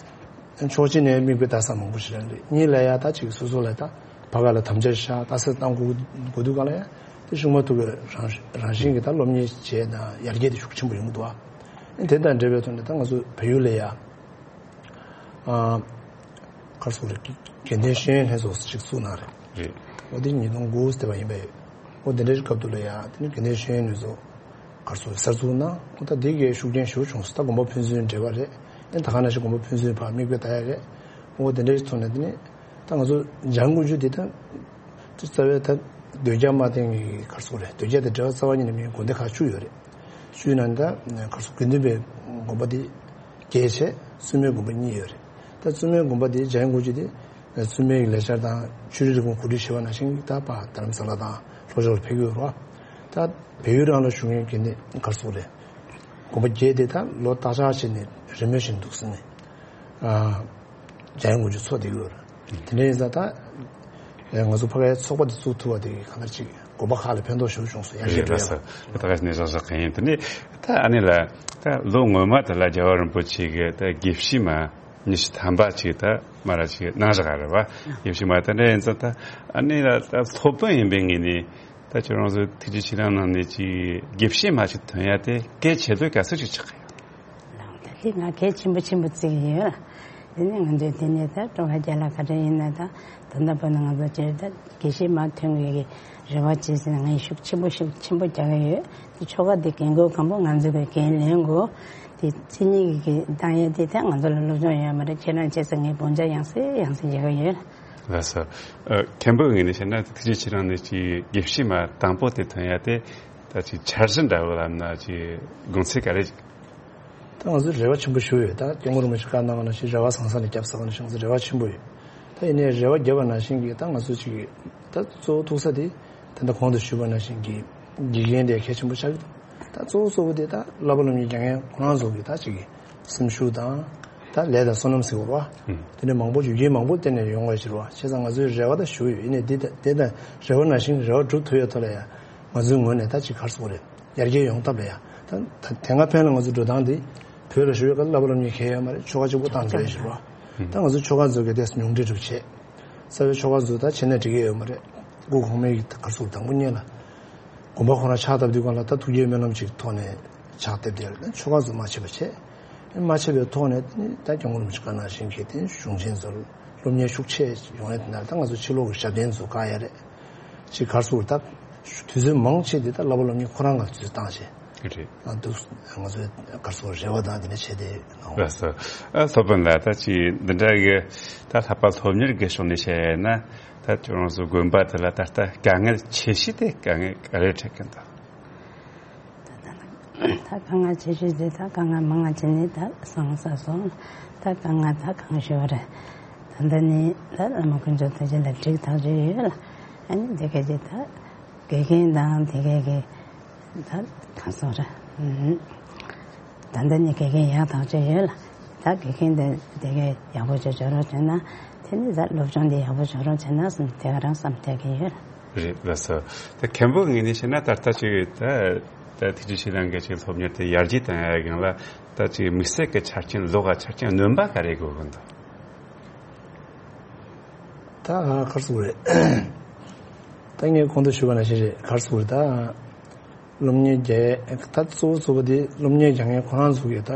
ཕྱོགས་གཅིག་ནས་མིག་དཔེ་ལྟ་ས་མང་པོ་ཞིག་རེད། གཉིས་ལ་ཡ་ད་ཅིག་སོ་སོ་ལ་ད་ཕ་ག་ལ་དམ་བཅའ་བཞག་ལྟ་ས་བཏང་དགོས་དགོས་དུས་སྒང་ལ་ཡ་དེ་ཤུགས་མ་ཐུག་གི་རང་རང་བཞིན་གྱི་ད་སློབ་གཉེར་བྱས་དང་ཡར་རྒྱས་དེ་ཤུགས་ཆེན་པོ་ཡོང་གི་འདུག་ཨ། དེ་དང་འབྲེལ་བའི་ཐོག་ནས་ད་ང་ཚོ་བལ་ཡུལ་ལ་ཡ་ཨ་ག་རེ་ཟེར་དགོས་རེད། དགེ་ལྡན་ཤེས་ཡོན་ལྷན་ཚོགས་ཅིག་བཙུགས་གནང་རེད། རེད། འོ་དེ་ཉིས་སྟོང་དགུ་ཙམ་དེ་བ་ཡིན་པས། འོ་དེ་འདྲའི་སྐབས་དུ་ལ་ཡ་དེ་ནི་དགེ་ལྡན་ཤེས་ཡོན་ལྷན་ཚོགས་ག་རེ་ཟེར་གསར་འཛུགས་གནང་། འོ་ད་དེ་གའི་ཤུགས་རྐྱེན་ཞེ་པོ་བྱུང་སོང་། ད་དགོན་པ་ཕན་ཚུན་འབྲེལ་བ་རེད། ཨེ་ད་ག་ནང་བཞིན་དགོན་པ་ཕན་ཚུན་བར་མིག་དཔེ་ལྟ་ཡ་རེད། འོ་དེ་འདྲའི་ཐོག་ནས་དེ་ནི་ད་ང་ཚོ་སྦྱང་དགོས་རྒྱུ་དེ་ད་དེ་རྩ་བའི་ད་འདོད་རྒྱག་མ་བསྟེན་གྱི་ག་རེ་ཟེར་དགོས་རེད། འདོད་རྒྱག་དེ་འབྲེལ་བ་རྩ་བ་ཉིད་ནས་མེད་དགོན་སྡེ་ཁག་བཅུ་ཡོད་རེད། བཅུའི་ནང་ད་ག་རེ་ཟེར་དགེ་འདུན་པའི་དགོན་པ་དེ་བརྒྱད་བྱས། བཙུན་མའི་དགོན་པ་གཉིས་ཡོད་རེད། ད་བཙུན་མའི་དགོན་པ་དེ་འཇམ་དབྱངས་སྐུ་མཆེད་དེ་བཙུན་མའི་ལས་འཆར་དང་ཆོས་རིག་རིག་གཞུང་གོ་སྒྲིག་བྱེད་པ་ནང་བཞིན་ད་ཕར་རྡ་རམ་ས་ལ་དང་ལྷོ་ཕྱོགས་ལ་ཕེབས་ཀྱི་ཡོད་རེད་བ། ད་བལ་ཡུལ་རང་ལ་བཞུགས་མཁན་གྱི་ནི་ག་རེ་ཟེར་དགོས་རེད། དགོན་པ་བརྒྱད་དེ་ད་ལོ་བརྟག་བཅག་བྱས་ནས་རི་མོ་བཞིན་འདུག་ཟེར་ནས། ཨ། འཇམ་དབྱངས་སྐུ་མཆེད་ཚོགས་བསྡད་ཀྱི་ཡོད་རེད། དེ་འདྲ་ཡིན་ཙང་ད་ཨེ་ང་ཚོ་ཕ་གིའི་ཚོགས་པ་དེ་བཙུགས་ཐུབ་པ་དེ་གིས་གང་ལྟར་ཅིག་དགོན་པ་ཁག་ལ་ཕན་ཐོགས་ཞེ་པོ་བྱུང་སོང་། ཡར་རྒྱས་འགྲོ་ཡ། ད་ག་ནས་བཞག་བཞག་གི་ཡིན། དེ་ནས་ད་ཨ་ནི་ལ་ད་ལོ་སྔོན་མ་དེ་ལ་རྒྱལ་བ་རིན་པོ་ཆེ་གི་ད་དགེ་བཤེས་མ་ཉི་ཤུ་ཐམ་པ་ཅིག་ད་མ་ར་ཅིག་གནང་བཞག་རེད་བ། དགེ་བཤེས་མ་དེ་འདྲ་ཡིན་ཙང་ད་ཨ་ནི་ལ་ད་སློབ་དཔོན་ཡིན་པའི་ངོས་ནས་ད་ཁྱོད་རང་ཚོ་ཐུགས་རྗེ་ཆེ་རང་ནང་ནས་ཅིག་དགེ་བཤེས་མ་ཅིག་ཐོན་ཡ་དེ་གལ་ཆེ་དོ་ག་ཚོད་ཅིག་ཆགས་ཀྱི་ཡོད། ལགས། ད་དེ་ང་གལ་ཆེན་པོ་ཆེན་པོ་བརྩི་གི་ཡོད་ལ། དེ་ནས་ང་ཚོས་དེ་ནས་ད་ཀྲུང་ཧྭ་རྒྱལ་ལ་ག་འདྲ་ཡིན་ན་ད་ད་ལྟ་བར་ན་ང་ཚོ་སྤྱིར་ད་དགེ་བཤེས་མ་ཐོན་དགོས་ཀྱི་རེ་བ་བྱེད་ཟེར་ན་ངས་ཤུགས་ཆེན་པོ་ཤུགས་ཆེན་པོ་རྒྱག་གི་ཡོད། དེ་ཆོ་ག་དེ་འགན་ཁུར་གང་པོ་ང་ཚོ་གིས་འགན་ལེན་དགོས། དེ་མཚན་ཉིད་ཀྱི་བཏང་ཡས་དེ་ད་ང་ཚོ་ལ་སློབ་སྦྱོང་ཡོད་མ་རེད། ཁྱེད་རང་བྱས་ཙང་ངས་དཔུང་ཆ་ཡང་སེ་ཡང་སེ་རྒྱག་གི་ཡོད། ལགས་སོ། ཨ། མཁན་པོའི་ངོས་ནས་བཤད་ན་ཐུགས་རྗེ་ཆེ་རང་ནས་ཅིག་དགེ་བཤེས་མ་དང་པོ་དེ་ཐོན་ཡ་དེ་ད་ཅིག་འཆར་གཞི་འདྲ་བོ་ལབ་ན་ཅིག་དགོངས་ཚུལ་ག་རེ། ད་ང་ཚོས་རེ་བ་ཆེན་པོ་ཞུ་ཡོད། ད་སྐྱབས་མགོན་རིན་པོ་ཆེ་བཀའ་གནང་བ་ནང་བཞིན་རེ་བ་བཟང་ས་ནས་བརྒྱབ་ཟེར་བ་ནང་བཞིན་ང་ཚོས་རེ་བ་ཆེན་པོ་ཡོད། ད་ཡིན་ནའི་རེ་བ་བརྒྱབ་པ་ནང་བཞིན་གྱི་ད་ང་ཚོ་ཅིག་ད་གཙོ་བོ་ཐུག་ས་དེ་ད་ལྟ་གོང་དུ་ཞུས་པ་ནང་བཞིན་གྱི་དགེ་རྒན་དེ་གལ་ཆེན་པོ་ཆགས་ཀྱི་འདུག་ད་གཙོ་བོ་གཙོ་བོ་དེ་ད་བསླབ་པ་སློབ་གཉེར་རྒྱག་མཁན་ཁོ་རང་ཚོ་གི་ད་ཅིག་གི་སེམས་ཤུགས་དང་ད་ལས་དང་བསོད་ནམས་ཟེར་བ་རེད་བ། ཨུམ། དེ་འདྲ་མང་པོ་ཡོད་རྒྱུ་མང་པོ་བསྟན་ནས་ཡོང་བ་ཞིག་རེད་བ། བྱས་ཙང་ང་ཚོས་རེ་བ་ད་ཞུ་ཡོད། ཡིན་ནའི་འདི་ད་དེ་ད་རེ་བ་ནང་བཞིན་རེ་བ་འགྲུབ་ཐུབ་ཡ་ཐོག་ལ་ཡ་ང་ཚོའི་ངོས་ནས་ད་ཅིག་ག་རེ་ཟེར་དགོས་རེད། ཡར་རྒྱས་ཡོང་ཐབས་ལ་ཡ། ད་ད་དེ་སྔ་ཕན་ལ་ང་ཚོ་འགྲོ་སྟངས་འདི་བོད་ལ་བཞུགས་ཡོད་སྐབས་བསླབ་པ་སློབ་གཉེར་གང་ཡང་ཡོད་མ་རེད། ཆོ་ག་གཅིག་པོ་བཏང་འགྲོ་ཡ་ཞིག་རེད་བ། ད་ང་ཚོ་ཆོ་ག་ཚོ་གི་དེ་ཉུང་འཕྲི་འགྲུབ་བྱས། རྩ་བའི་ཆོ་ག་ཚོ་ད་བྱས་ན་འགྲིག་གི་ཡོད་མ་རེད། སྐུ་གོང་མའི་གི་ག་རེ་ཟེར་དང་པོ་ཉིད་ལ་དགོན་པ་ཁོ་རང་ཕྱག་བཏབ་དུས་སྒང་ལ་ད་ཐུགས་བསྐྱེད་སྨོན་ལམ་ཅིག་ཐོག་ནས་ཕྱག་བཏབ་དེ་ལ་ཆོ་ག་ཚོ་མ་བྱས་པ་བྱས། མ་བྱས་པའི་ཐོག་ནས་ད་སྐྱབས་མགོན་རིན་པོ་ཆེ་བཀའ་གནང་བཞིན་གྱི་དེ་གཞུང་ཆེན་ཚོར་སློབ་གཉེར་ཤུགས་ཆེ་ཡོང་ཡ་དེ་ན་ད་ང་ཚོ་ཕྱི་ལོགས་ཀྱི་ཞབས་བརྟན་ཚོ་བཀག་ཡ་རེད། ཅིག་ག་རེ་ཟེར་ད། དུས་ཚོད་མང་ཆེ་དེ་ད་བསླབ་པ་སློབ་གཉེར་ཁོ་རང་ལ་དུས་ཚོད་བཏང་བྱས། རེད། ཨ་འདུག་ང་ཚོའི་ག་རེ་ཟེར་རེ་བ་དང་དེ་འདྲ་བྱས་ཏེ་ཡོང་། ལགས་སོ། ཨ་སློབ་དཔོན་ལགས། ད་ཅིག་འདི་འདྲ་གི་ད་བསླབ་པ་སློབ་གཉེར་གྱི་ཕྱོགས་ནས་བཤད་ཡ་ན་ད་ཁྱོད་རང་ཚོ་དགོན་པ་དེ་ལ་ད་ལྟ་དཀའ་ངལ་ཆེ་ཤོས་དེ་དཀའ་ངལ་ག་རེ་འཕྲད་ཀྱི་འདུག་ད་དཀའ་ངལ་ཆེ་ཤོས་དེ་ད་དཀའ་ངལ་མང་ང་ཅི་ནས་ད་སང་ས་སོང་། ད་དཀའ་ངལ་ད་གང་ཤོར་རེད། ད་ལྟ་ནི་ད་བླ་མ་དཀོན་མཆོག་ཐུགས་རྗེ་ལ་འགྲིག་ཐག་ཆོད་ཡོད་ལ། ཨ་ནི་དེ་ག་ཅིག་ད་དགེ་རྒན་དང་དེ་ག་གི་ད་གང་སོང་རེད། ད་ལྟ་ནི་དགེ་རྒན་ཡག་ཐག་ཆོད་ཡོད་ལ། ད་དགེ་རྒན་དེ་དེ་ག་ཡག་པོ་ཅིག་འཇོག་རོགས་བྱས་ན་དེ་ནི་ད་སློབ་སྦྱོང་དེ་ཡག་པོ་འཇོག་རོགས་བྱས་ན་བསམ་དེ་ག་རང་བསམ་བསྡད་ཀྱི་ཡོད་ལ། རེད། ལགས་སོ། ད་མཁན་པོ་ངོས་ནས་བཤད་ན་ད་ལྟ་ཅིག་ད་ད་ཐུགས་རྗེ་ཆེ་རང་གི་ཅིག་སློབ་གཉེར་དེ་ཡར་རྒྱས་བཏང་ཡ་སྒང་ལ་ད་ཅིག་དམིགས་བསལ་གྱི་ཆ་རྐྱེན་ལོགས་ཀ་ཆ་རྐྱེན་སྣོན་པ་ག་རེ་དགོས་ཀྱི་འདུག་ད་ག་རེ་ཟེར་དགོས་རེད། ད་ངས་གོང་དུ་ཞུས་པ་ནང་བཞིན་རེད། ག་རེ་ཟེར་དགོས་རེད། ད་སློབ་གཉེར་རྒྱག་ད་གཙོ་བོ་གཙོ་བོ་དེ་སློབ་གཉེར་རྒྱག་མཁན་ཁོ་རང་ཚོ་གི་ད་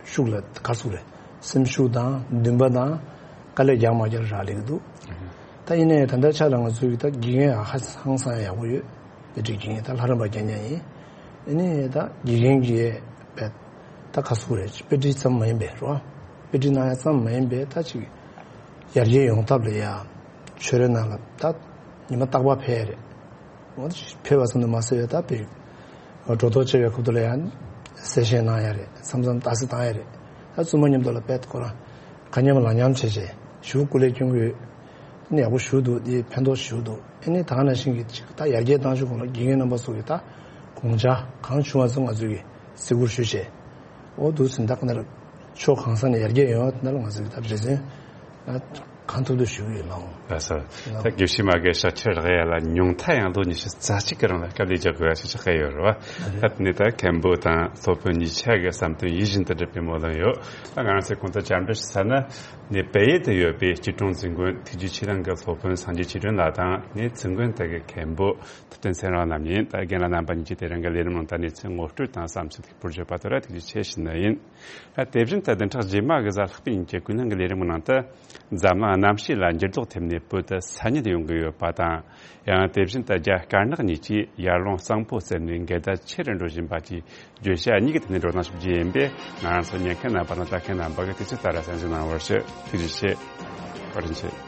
ཤུགས་ལ་ག་རེ་ཟེར་དགོས་རེད། སེམས་ཤུགས་དང་འདུན་པ་དང་དཀའ་ལས་རྒྱག་མ་རྒྱག་ལ་རག་ལས་ཀྱི་འདུག་ད་ཡིན་ནའི་ད་ལྟའི་ཆ་ལ་ང་ཚོའི་གི་ད་དགེ་རྒན་ཧ་ཧང་སང་ཡག་པོ་ཡོད། དེ་འདྲའི་དགེ་རྒན་ད་ལྷ་རམས་པ་རྐྱང་རྐྱང་ཡིན། ཨ་ནི་ད་དགེ་རྒན་གྱི་དཔེ་ད་ག་རེ་ཟེར་དགོས་རེད། དཔེ་ཁྲིད་ཙམ་མ་ཡིན་པའི་རོ། དཔེ་ཁྲིད་གནང་ཡ་ཙམ་མ་ཡིན་པའི་ད་ཅིག་ཡར་རྒྱས་ཡོང་ཐབས་ལ་ཡ་ཆོས་རའི་ནང་ལ་ད་ཉི་མ་རྟག་པར་ཕེབས་ཡ་རེད། འོ་ཕེབས་པ་ཙམ་དུ་མ་ཟད་པའི་ད་དཔེ་སྒྲོ་འདོགས་བཅད་པའི་ཁུལ་དུ་ལ་ཡང་གསལ་བཤད་གནང་ཡ་རེད། མཚམས་མཚམས་ལྟ་ཚུལ་བཏང་ཡ་རེད། ད་བཙུན་མ་མཉམ་དུ་ལ་དཔེ་ཁོ་རང་ཁ་མཉམ་ལག་མཉམ་བྱས་བྱས་ཞུ་སྐུ་ལས་སྐྱོན་གྱི་ཡོད། ཡག་པོ་ཞུ་འདུག་དེ་ཕན་ཐོགས་ཞུ་འདུག་ཨ་ནི་ད་ག་ནང་བཞིན་གྱི་ཅིག་ད་ཡར་རྒྱས་བཏང་ཆོག་གོང་ལ་དགེ་རྒན་རྣམ་པ་ཚོ་གི་ད་དགོངས་འཆར་གང་བྱུང་བ་ཚོ་ང་ཚོས་གི་གཟིགས་སྐོར་ཞུས་བྱས། འོ་འདུག་ཟིན་ད་ག་ནང་ལ་ཕྱོགས་གང་ས་ནས་ཡར་རྒྱས་ཡོང་བ་དེ་ནང་ལ་ང་ཚོས་གི་ད་རེ་འདུན་གང་ཐུབ་ཐུབ་ཞུ་གི་ཡོད་ལགས། ལགས་སོ། ད་དགེ་བཤེས་མ་གི་ཕྱག་ཕྱིར་རག་ཡ་ལ་ཉུང་མཐའ་ཡང་ལོ་ཉི་ཤུ་རྩ་གཅིག་གི་རིང་ལ་དཀའ་ལས་རྒྱག་དགོས་ཡ་ཞིག་ཆགས་ཀྱི་ཡོད་རེད་བ། ད་དེ་ནས་ད་མཁན་པོ་དང་སློབ་དཔོན་གཉིས་ཆ་གི་བསམ་དོན་ཡིད་བཞིན་དུ་འགྲུབ་པའི་སྨོན་ལམ་ཡོད། ད་ང་རང་ཚོས་གོང་དུ་བཅར་འདྲི་ཞུ་ས་ན་ནས་བལ་ཡུལ་དུ་ཡོད་པའི་སྐྱིད་གྲོང་འཛིན་དགོན་ཐུགས་རྗེ་ཆེ་རང་གི་སློབ་དཔོན་སངས་རྒྱས་ཆོས་སྒྲོན་ལགས་དང་ནས་འཛིན་དགོན་དེ་གི་མཁན་པོ་ཐུབ་བསྟན་ཚེ་རིང་རྣམ་གཉིས། ད་རྒན་ལགས་རྣམ་པ་གཉིས་ཀྱིས་དེ་རིང་གི་ལས་རིམ་ནང་ད་གནས་ཚུལ་ངོ་སྤྲོད་དང་བསམ་ཚུལ་ཕུལ་བཞག་པ་དེ་ལ་ཐུགས་རྗེ་ཆེ་ཞུ་ནི་ཡིན། ད་དེ་བཞིན་དུ་བདུན་ཕྲག་རྗེས་མ་གི་གཟའ་ལྷག་པའི་ཉིན་གྱི་ཀུན་སློང་གི་ལས་རིམ་གྱི་ནང་དུ་འཛམ་གླིང་གནམ་གཤིས་ལ་འགྱུར་ལྡོག་ཐེབས་ནས་བོད་དུ་ས་ཉིལ་ཡོང་གི་ཡོད་པ་དང་། ཡང་དེ་བཞིན་དུ་རྒྱ་དཀར་ནག་གཉིས་ཀྱིས་ཡར་ཀླུང་གཙང་པོ་བཙལ་ནས་འགལ་ཟླ་ཆེ་རུ་འགྲོ་བཞིན་པ་བཅས་བརྗོད་བྱ་གཉིས་ཀྱི་ཐད་ནས་བགྲོ་གླེང་ཞུ་རྒྱུ་ཡིན་པས། ང་རང་ཚོ་ཉན་མཁན་རྣམ་པ་དང་ལྟ་མཁན་རྣམ་པ་གིས་དུས་ཚོད་ལྟར་གསན་གཟིགས་གནང་བར་ཞུ། ཐུགས་རྗེ་ཆེ། བཀའ་དྲིན་ཆེ།